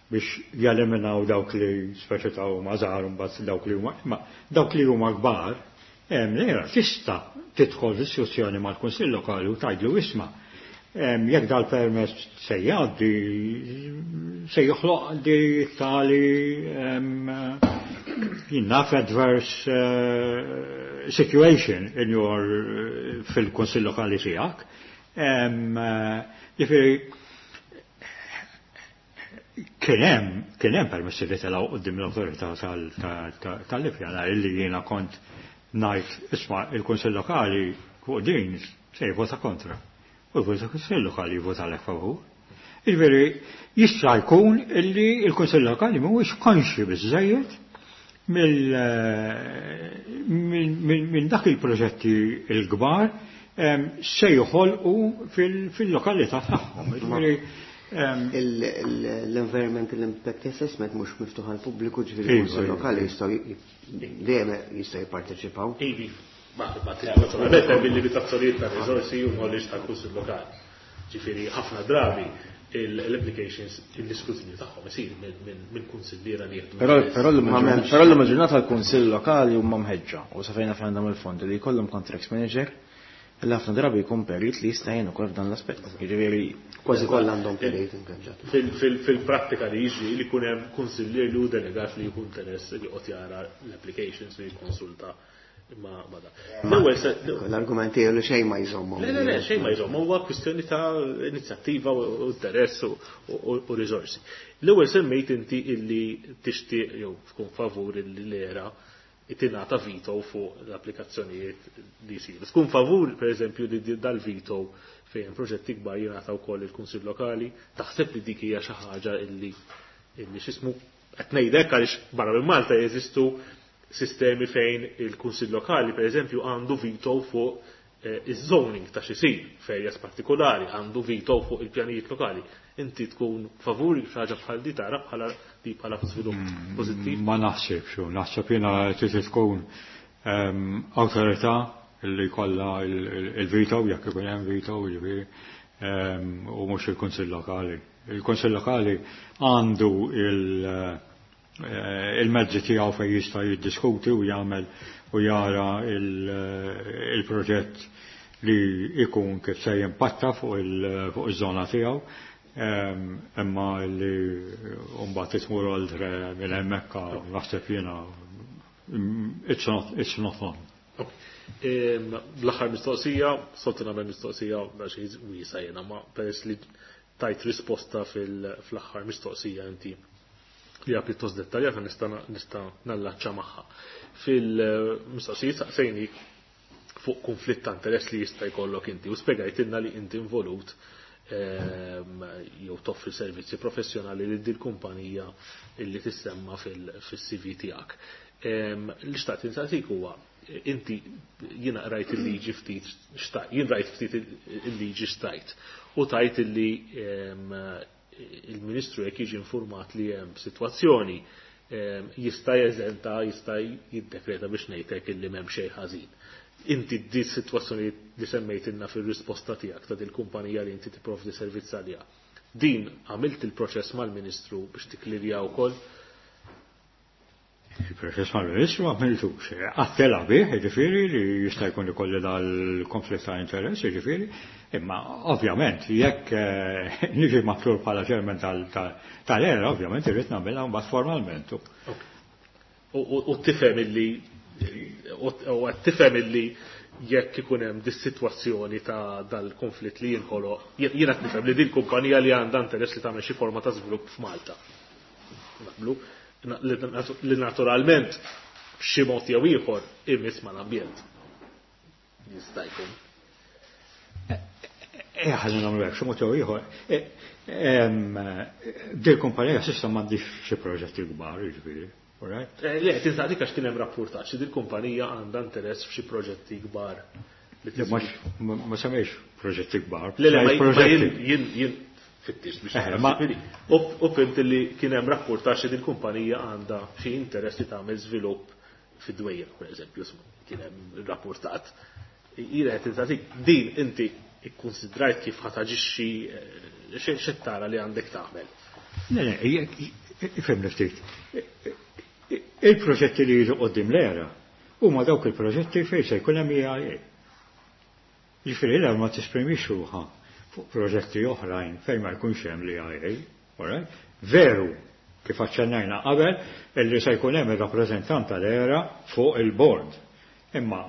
Speaker 6: biex jeliminaw dawk li speċi ta' huma żgħar u mbagħad dawk li huma, imma dawk li huma kbar, l-ERA tista' tidħol diskussjoni mal-Kunsill Lokali u tgħidlu isma', jekk dal-permess se jgħaddi, se joħloq di tali jinnaf adverse situation in your fil-Kunsill Lokali tiegħek. Jiġifieri kien hemm permessi li telgħu quddiem l-awtorità tal-ippjanar illi jiena kont ngħid isma' il-Kunsill Lokali fuq din se jivvota kontra. U l-Kunsill Lokali jivvota lek favur. Jiġifieri jista' jkun illi l-Kunsill Lokali mhuwiex konxi biżżejjed minn dak il-proġetti l-kbar se joħolqu fil-lokalità tagħhom. Jiġifieri,
Speaker 5: L-Environmental Impact Assessment mhux miftuħ għall pubbliku, ġifieri l-Kunsill Lokali jistgħu dejjem jistgħu jipparteċipaw.
Speaker 3: Ivi, ma naturalment hemm il-limitazzjonijiet ta' riżorsi u knowledge tal-Kunsill Lokali. Ġifieri ħafna drabi l-applications l-iskrutinju tagħhom isir minn kunsilliera li jieħdu.
Speaker 4: Però l-lum il-ġurnata l-Kunsill Lokali huma mħeġġa u sa fejn għandhom il-fondi li jkollhom contracts manager li ħafna drabi jkun perit li jista' jgħin ukoll f'dan l-aspett. Jiġifieri
Speaker 5: kważi kollha għandhom perit ingaġġat.
Speaker 3: Fil-prattika li jiġri li jkun hemm kunsillier li hu delegat li jkun interess li joqgħod jara l-applications u jikkonsulta ma da. L-ewwel se
Speaker 5: L-argument tiegħu li xejn ma jżommhom.
Speaker 3: Le, le, le, xejn ma jżommhom, huwa kwistjoni ta' inizjattiva u interess u riżorsi. L-ewwel semmejt inti illi tixtieq jew tkun favur illi l-ERA tingħata veto fuq l-applikazzjonijiet li jsiru. Tkun favur, per eżempju, li dal-veto fejn proġetti kbar jingħata wkoll il-Kunsill Lokali, taħseb li dik hija xi ħaġa illi x'ismu qed ngħidlek għaliex barra minn Malta jeżistu sistemi fejn il-Kunsill Lokali, per eżempju, għandu veto fuq iż-zoning ta' xi jsir f'areas partikolari, għandu veto fuq il-pjanijiet lokali. Inti tkun favur xi ħaġa bħal di tara bħala di bħala żvilupp pożittiv?
Speaker 6: Ma naħsibx, naħseb jiena trid tkun awtorità li jkollha il-veto, jekk ikun hemm veto, jiġifieri, u mhux il-Kunsill Lokali. Il-Kunsill Lokali għandu il-mezzi tiegħu fejn jista' jiddiskuti u jagħmel u jara il-proġett li jkun kif se jimpatta fuq iż-żona tiegħu. Imma li mbagħad tmur oltre minn hemmhekk naħseb jiena it's not on.
Speaker 3: L-aħħar mistoqsija, soltu nagħmel mistoqsija biex wiesa jiena, ma peress li tajt risposta fl-aħħar mistoqsija inti li hija pjuttost dettaljata nista' nallaċċa magħha. Fil-mistoqsija saqsejni fuq konflitt ta' interess li jista' jkollok inti u spjegajtilna li inti involut jew toffri servizzi professjonali li dil kumpanija illi tissemma fil-CV tiegħek. Li xtaqt insaqsik huwa inti jiena rajt il-liġi ftit xtajt, jien rajt ftit il-liġi xtajt u tajt illi il-Ministru jekk jiġi informat li hemm sitwazzjoni jista' jeżenta, jista' jiddekreta biex ngħidlek illi m'hemm xejn ħażin. Inti di sitwazzjoni li semmejtilna fir-risposta tiegħek ta' dil-kumpanija li inti tipprovdi servizz għaliha. Din għamilt il-proċess mal-Ministru biex tikklirja wkoll?
Speaker 6: Il-proċess mal-Ministru għamiltux. Għattela bih, jiġifieri, li jista' jkun ikolli dal-konflitt ta' interess, jiġifieri, imma ovvjament jekk niġi maħtur bħala chairman tal-ERA, ovvjament irrid nagħmilha mbagħad formalment.
Speaker 3: U tifhem illi u qed tifhem illi jekk ikun hemm dis-sitwazzjoni ta' dal-konflitt li jinħoloq, jiena qed nifhem li din kumpanija li għandha interess li tagħmel xi forma ta' żvilupp f'Malta. Naqblu li naturalment b'xi mod jew ieħor imiss mal-ambjent. Jista' jkun.
Speaker 6: Ħalli nagħmlu hekk, xi mod jew ieħor. Dil kumpanija s'issa m'għandix xi proġetti kbar, jiġifieri. All right?
Speaker 3: Le, tinsaqdik għax kien hemm rappurtaġġ li dil-kumpanija għandha interess f'xi proġetti kbar.
Speaker 6: Ma semmejx proġetti kbar.
Speaker 3: Le, le, ma jien fittix biex U fimt li kien hemm rappurtaġġ li dil-kumpanija għandha xi interess li tagħmel żvilupp fid-Dwejra, per eżempju, kien hemm rapportat. Jiena qed insaqsik, din inti ikkonsidrajt kif ħa taġixxi, x'qed tara li għandek tagħmel?
Speaker 6: Le, le, ifhimni ftit. Il-proġetti li jiġu quddiem l-ERA huma dawk il-proġetti fejn se jkun hemm EIA. Jiġifieri l-ERA ma tesprimix ruħha fuq proġetti oħrajn fejn ma jkunx hemm l-EIA. All right? Veru, kif aċċennajna qabel, illi se jkun hemm ir-rappreżentant tal-ERA fuq il-board. Imma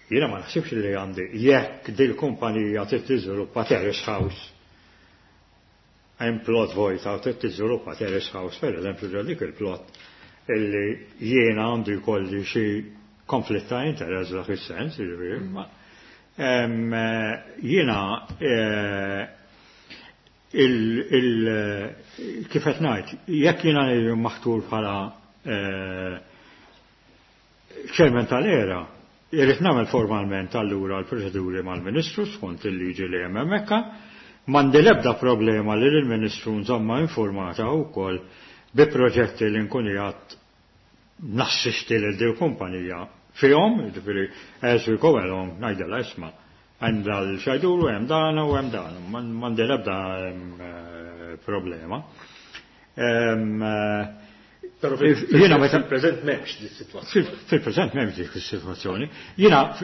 Speaker 6: jiena ma naħsibx li għandi jekk dil-kumpanija trid tiżviluppa terrace house, hemm plot vojta u trid tiżviluppa terrace house, per eżempju, ġo dik il-plot illi jiena għandu jkolli xi konflitt ta' interess dak is-sens, jiġifieri, ma jiena kif qed ngħid, jekk jiena maħtur bħala chairman tal-ERA, irrid nagħmel formalment allura l-proċeduri mal-Ministru skont il-liġi li hemm hemmhekk. M'għandi l-ebda problema li l-Ministru nżomma informata wkoll bi proġetti li nkun qiegħed nassisti lil din kumpanija fihom, jiġifieri as we go along ngħidilha isma' hemm dal-xajduru, hemm dan u hemm dan, m'għandi l-ebda problema.
Speaker 3: Però fil-preżent m'hemmx di situazzjoni.
Speaker 6: Fil-preżent m'hemmx dik is-sitwazzjoni. Jiena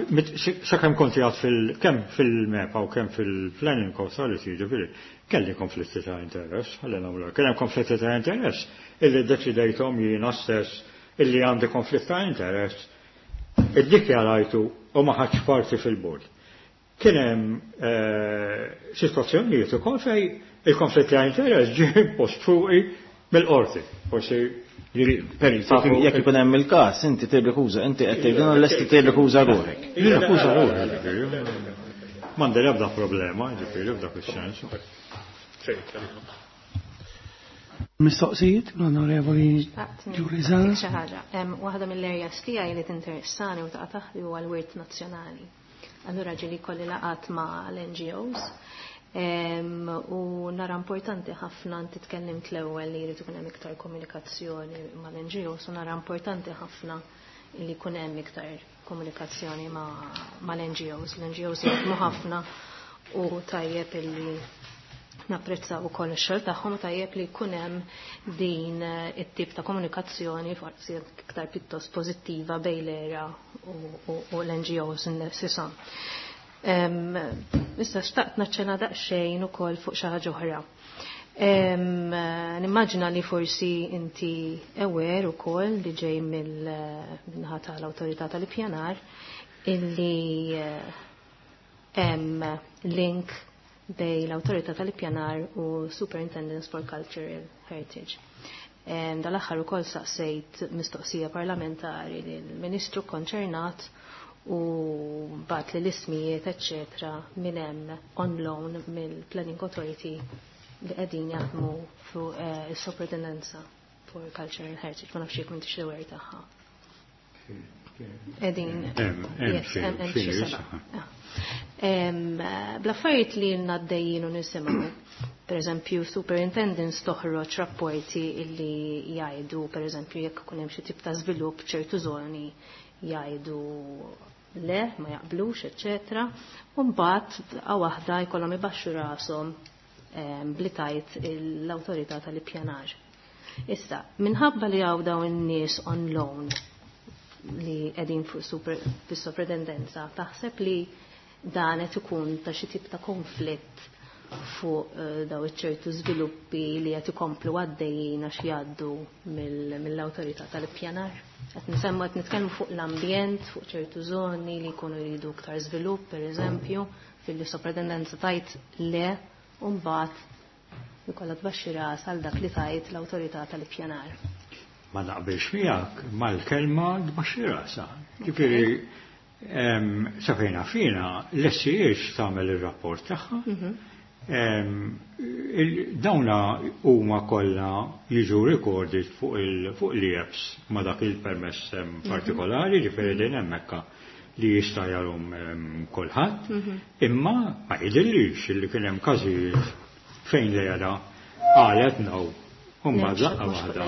Speaker 6: sakemm kont qiegħed kemm fil-MEPA u kemm fil-Planning Authority, jiġifieri, kelli konflitti ta' interess, ħalli nagħmlu. Kien hemm konflitti ta' interess illi ddeċidejthom jiena stess illi għandi konflitt ta' interess, iddikjarajtu u ma ħadx parti fil-bord. Kien hemm sitwazzjonijiet ukoll fejn il-konflitt ta' interess ġie impost fuqi mill-qorti. Forsi
Speaker 4: Jekk ikun hemm il-każ, inti tirrikuża, inti qed tgħidilna lesti tirrikuża ruħek.
Speaker 6: Nirrikuża ruħi, ġifieri. M'għandi l-ebda problema, ġifieri, f'dak is-sens.
Speaker 1: Mistoqsijiet, l-Onorevoli Julie Zahra.
Speaker 8: Xi ħaġa. Waħda mill-areas tiegħi li tinteressani u taqa' taħti huwa l-wirt nazzjonali. Allura ġieli kolli laqat ma' l-NGOs. U nara importanti ħafna, inti tkellimt l-ewwel li jrid ikun hemm iktar komunikazzjoni mal-NGOs, u nara importanti ħafna li jkun hemm iktar komunikazzjoni mal-NGOs. L-NGOs jaħdmu ħafna u tajjeb illi napprezzaw ukoll ix-xogħol tagħhom, u tajjeb li jkun hemm din it-tip ta' komunikazzjoni forsi iktar pjuttost pożittiva bejn l-ERA u l-NGOs nifsishom. Issa xtaqt naċċena daqsxejn ukoll fuq xi ħaġa oħra. Nimmaġina li forsi inti aware ukoll li ġej mill-naħa tal-Awtorità tal-Ippjanar illi hemm link bejn l-Awtorità tal-Ippjanar u Superintendence for Cultural Heritage. Dal-aħħar ukoll saqsejt mistoqsija parlamentari lill-Ministru konċernat u bat li l-ismijiet, eccetera, minn hemm on loan mill-Planning Authority li qegħdin jaħdmu fuq is-Soprintendenza for Cultural Heritage. Ma nafx jekk m'intix l-aware tagħha. Qegħdin.
Speaker 6: Hemm
Speaker 8: Yes, hemm
Speaker 6: xi
Speaker 8: xi seba'.
Speaker 6: saħħa.
Speaker 8: Bl-affarijiet li għaddejjin u nisimgħu, per eżempju, superintendents toħroġ rapporti illi jgħidu, per eżempju, jekk ikun hemm xi tip ta' żvilupp ċertu żoni jgħidu le, ma jaqblux, eccetera. U mbagħad daqqa waħda jkollhom ibaxxu rashom bli tajt l-awtorità tal-ippjanar. Issa, minħabba li hawn dawn in-nies on loan li qegħdin fuq fis-soprintendenza, taħseb li dan qed ikun ta' xi tip ta' konflitt fuq daw iċ-ċertu żviluppi li qed ikomplu għaddejjin għax jgħaddu mill-awtorità tal-ippjanar. Qed nisemmu qed nitkellmu fuq l-ambjent, fuq ċertu żoni li jkunu jridu iktar żvilupp, pereżempju, fil-sopratendenza tajt le u mbagħad ikollha tbaxxi ras għal dak li tajt l-awtorità tal-ippjanar.
Speaker 6: Ma naqbilx miegħek mal-kelma tbaxxi rasha. Ġifieri sa fejna fina l-SCH tagħmel ir-rapport tagħha. Dawna huma kollha jiġu recorded fuq l-EPS ma dak il-permess partikolari, ġifieri din hemmhekk li jista' jarhom kulħadd, imma ma jidhirlix li kien hemm każijiet fejn l-era qalet no. Umma daqqa waħda.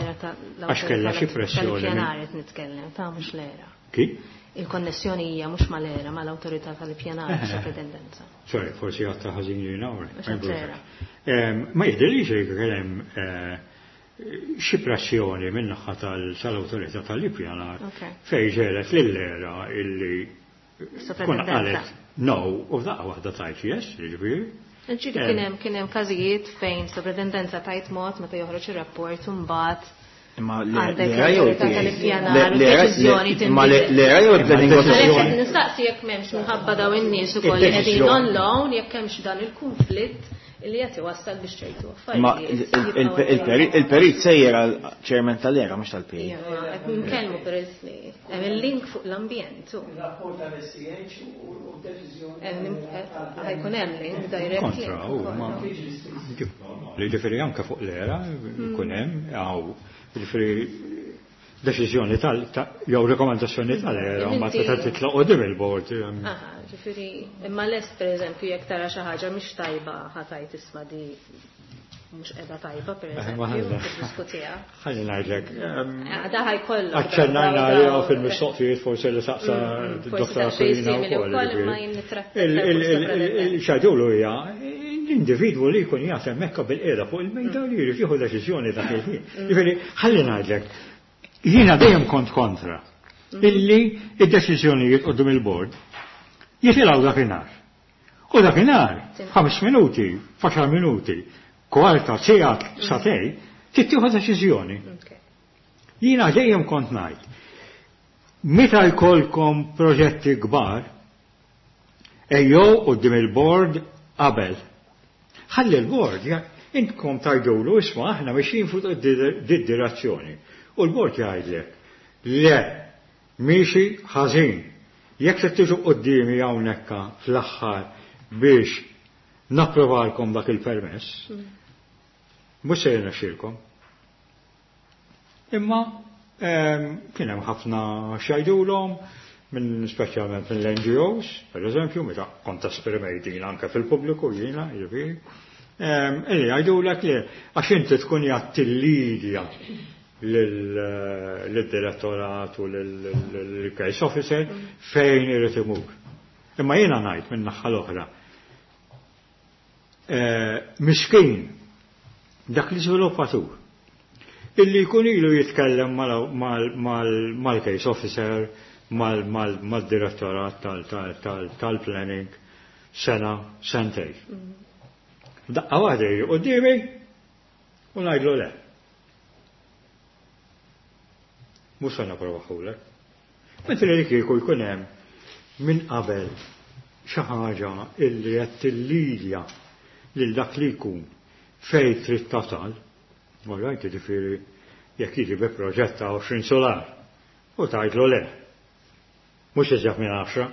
Speaker 6: Għax kellha xi pressjoni.
Speaker 8: Tal-ippjanar qed nitkellem, ta' mhux l-era.
Speaker 6: Kif?
Speaker 8: Il-konnessjoni hija mhux mal-era, mal-awtorità tal-ippjanar sopratendenza.
Speaker 6: Sorry, forsi għatta ħażin jiena Ma jidhirlix li kien hemm xi pressjoni min-naħa tal-awtorità tal-ippjanar fejn ġelet lill-era illi tkun qalet no u f'daqqa waħda tajt yes, jiġifieri.
Speaker 8: Ġifieri kien hemm każijiet fejn sopratendenza tajt mod meta joħroġ ir-rapport u mbagħad
Speaker 4: Imma
Speaker 8: għandek
Speaker 4: l-era jew
Speaker 8: l-awtorità tal-ippjanar u deċiżjoni tinbidel.
Speaker 4: L-era jew il-planning
Speaker 8: Għalhekk qed
Speaker 4: authority.
Speaker 8: nistaqsi jekk m'hemmx minħabba daw in-nies ukoll li qegħdin on loan jekk hemmx dan il-kunflitt li qed iwassal biex ċertu
Speaker 4: Ma
Speaker 8: affarijiet jibqgħu
Speaker 4: il-perit sejjer għal chairman tal-era mhux tal-PA.
Speaker 8: Iva, qed nitkellmu peress li hemm il-link fuq l-ambjent.
Speaker 1: Il-rapport tal-SCH u d-deċiżjoni.
Speaker 8: Ħajkun hemm link direct
Speaker 6: Kontra,
Speaker 8: link
Speaker 6: u
Speaker 8: ukoll.
Speaker 6: ma li ġifieri anke fuq l-era jkun hemm hawn ġifieri deċiżjoni tal jew rekomendazzjoni tal-era ma tista' titlaq qudiem il-bord.
Speaker 8: Aha, ġifieri imma lest pereżempju jekk tara xi ħaġa mhix tajba ħatajt isma' di mhux qiegħda tajba pereżempju, tiddiskutiha.
Speaker 6: Ħalli ngħidlek.
Speaker 8: Da ħajkollok.
Speaker 6: Aċċennajna għaliha fil-mistoqsijiet forsi li saqsa d-dottor Aquilina wkoll.
Speaker 8: Imma jien nittratta
Speaker 6: Il-xajdulu hija l-individwu li jkun jaf hemmhekk bil-qiegħda fuq il-mejda li jrid jieħu deċiżjoni dak il-ħin. Ġifieri ħalli ngħidlek, jiena dejjem kont kontra illi id-deċiżjonijiet quddiem il-bord jitilgħu dakinhar. U dakinhar, 5 minuti, 10 minuti, kwarta, siegħa, satej, tittieħu deċiżjoni. Jiena dejjem kont ngħid, meta jkollkom proġetti kbar, ejjew quddiem il-bord qabel. Ħalli l-bord, intkom tajdulu, isma' aħna mixjin fuq did-direzzjoni. U l-bord jgħidlek, le, miexi ħażin. Jekk se tiġu quddiemi hawnhekk fl-aħħar biex napprovalkom dak il-permess, mhux se jirnexxielkom. Imma kien hemm ħafna x'jgħidulhom, minn speċjalment mill-NGOs, per eżempju, meta kont esprimejt din anke fil-pubbliku jiena, jiġifieri, illi jgħidulek li għax inti tkun jgħattillidja lid-direttorat u lill-case officer fejn irid imur. Imma jiena ngħid minn naħa l-oħra, miskin dak l-iżviluppatur illi jkun ilu jitkellem mal-case officer, mal-direttorat tal-planning sena, sentej. Daqqa waħda jiġi quddiemi u ngħidlu le. Mhux se napprovaħulek. Mentri li kieku jkun hemm minn qabel xi ħaġa illi qed tillidja lil dak li jkun fejn trid tasal, all right, jiġifieri jekk jiġi bi proġett ta' 20 solar u tgħidlu le. Mhux iżjed minn 10.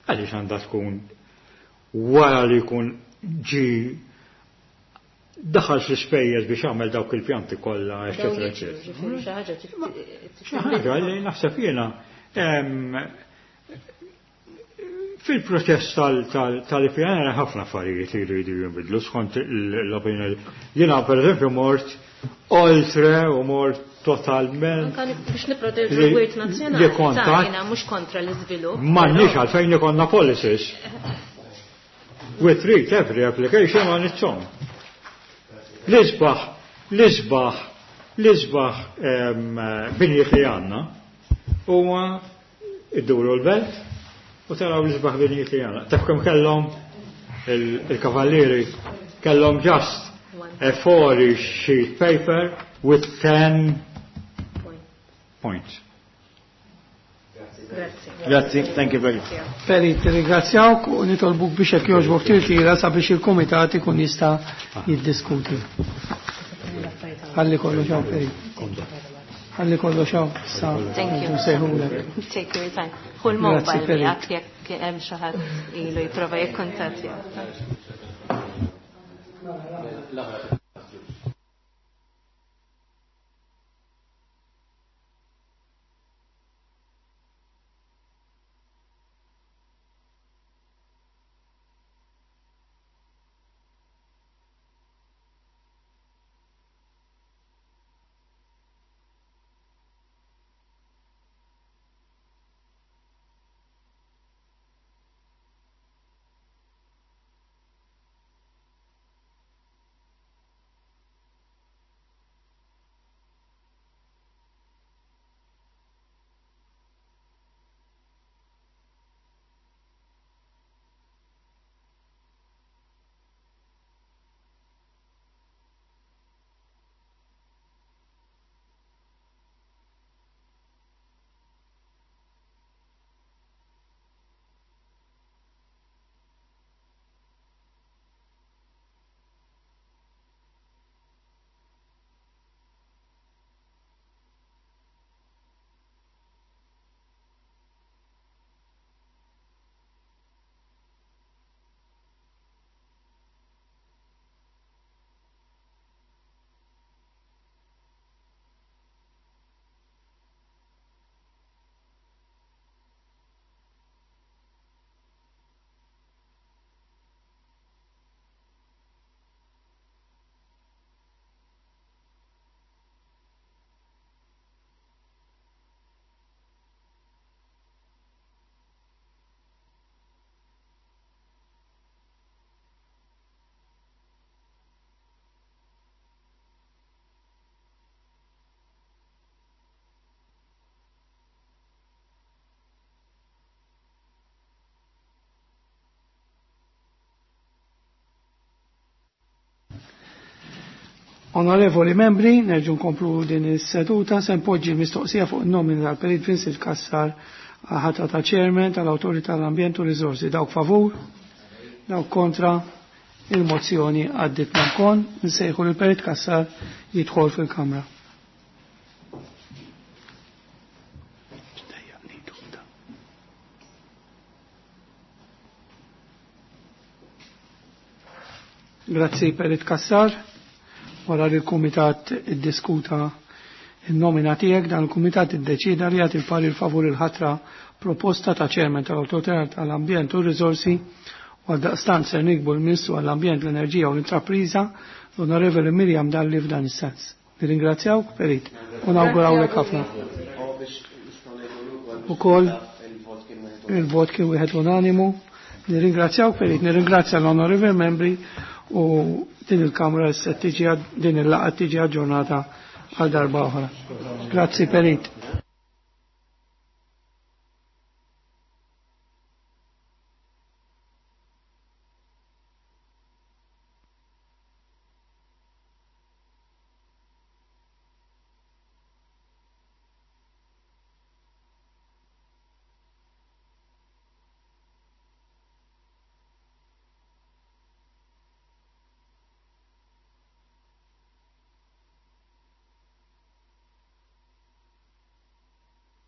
Speaker 6: Għaliex għandha tkun wara li jkun ġi daħal fl-ispejjeż biex jagħmel dawk il-pjanti kollha, eċetera, eċetera.
Speaker 8: Ġifieri xi ħaġa
Speaker 6: Xi ħaġa li naħseb jiena fil-proċess tal-ippjanar ħafna affarijiet li jridu jinbidlu skont l-opinjoni. Jiena pereżempju mort oltre u mort totalment.
Speaker 8: Anka biex nipproteġu l-wirt nazzjonali.
Speaker 6: Li kontat.
Speaker 8: Jiena mhux kontra l-iżvilupp.
Speaker 6: M'għandniex għalfejn ikollna policies. We treat every application on its own. L-isbaħ binjiet li għandna huwa idduru l-belt u taraw l-isbaħ binjiet li għandna. Taf kemm kellhom Il-Kavallieri kellhom just a 4 sheet paper with 10 points.
Speaker 4: Grazzi, thank you very much.
Speaker 1: Perit, ringrazzjawk u nitolbuk biex jekk jogħġbok tirtira sabiex il-komitat ikun jista' jiddiskuti. Ħalli kollox hawn Perit. Ħalli kollox hawn sa
Speaker 8: Thank you.
Speaker 1: nsejħulek.
Speaker 8: Take your time. Hu
Speaker 1: Grazzi,
Speaker 8: l-mobile
Speaker 1: Perit.
Speaker 8: miegħek jekk hemm xi ħadd ilu jipprova jikkuntattja.
Speaker 1: Onorevoli membri, nerġu nkomplu din is-seduta se npoġġi mistoqsija fuq in-nomina tal-Perit Vincent Cassar ħatra ta' Chairman tal-Awtorità tal-Ambjent u Riżorsi. Dawk favur, dawk kontra, il-mozzjoni għaddit mankon, nsejħu li Perit Cassar jidħol fil-Kamra. Grazzi Perit Cassar. Wara li l-Kumitat iddiskuta il-nomina tiegħek, dan il-Kumitat iddeċida li jagħti l-parir favur il-ħatra proposta ta' Chairman tal-Awtorità tal-Ambjent u r-Riżorsi u għaldaqstant ser nikbu l-Ministru għall-Ambjent, l-Enerġija u l-Intrapriża l-Onorevoli Miriam Dalli f'dan is-sens. Nirringrazzjawk Perit u nawgurawlek ħafna. Ukoll il-vot kien wieħed unanimu. Nirringrazzjawk Perit, nirringrazzja l-onorevoli membri u din il-Kamra se tiġi din il-laqgħa tiġi aġġornata għal darba oħra. Grazzi Perit.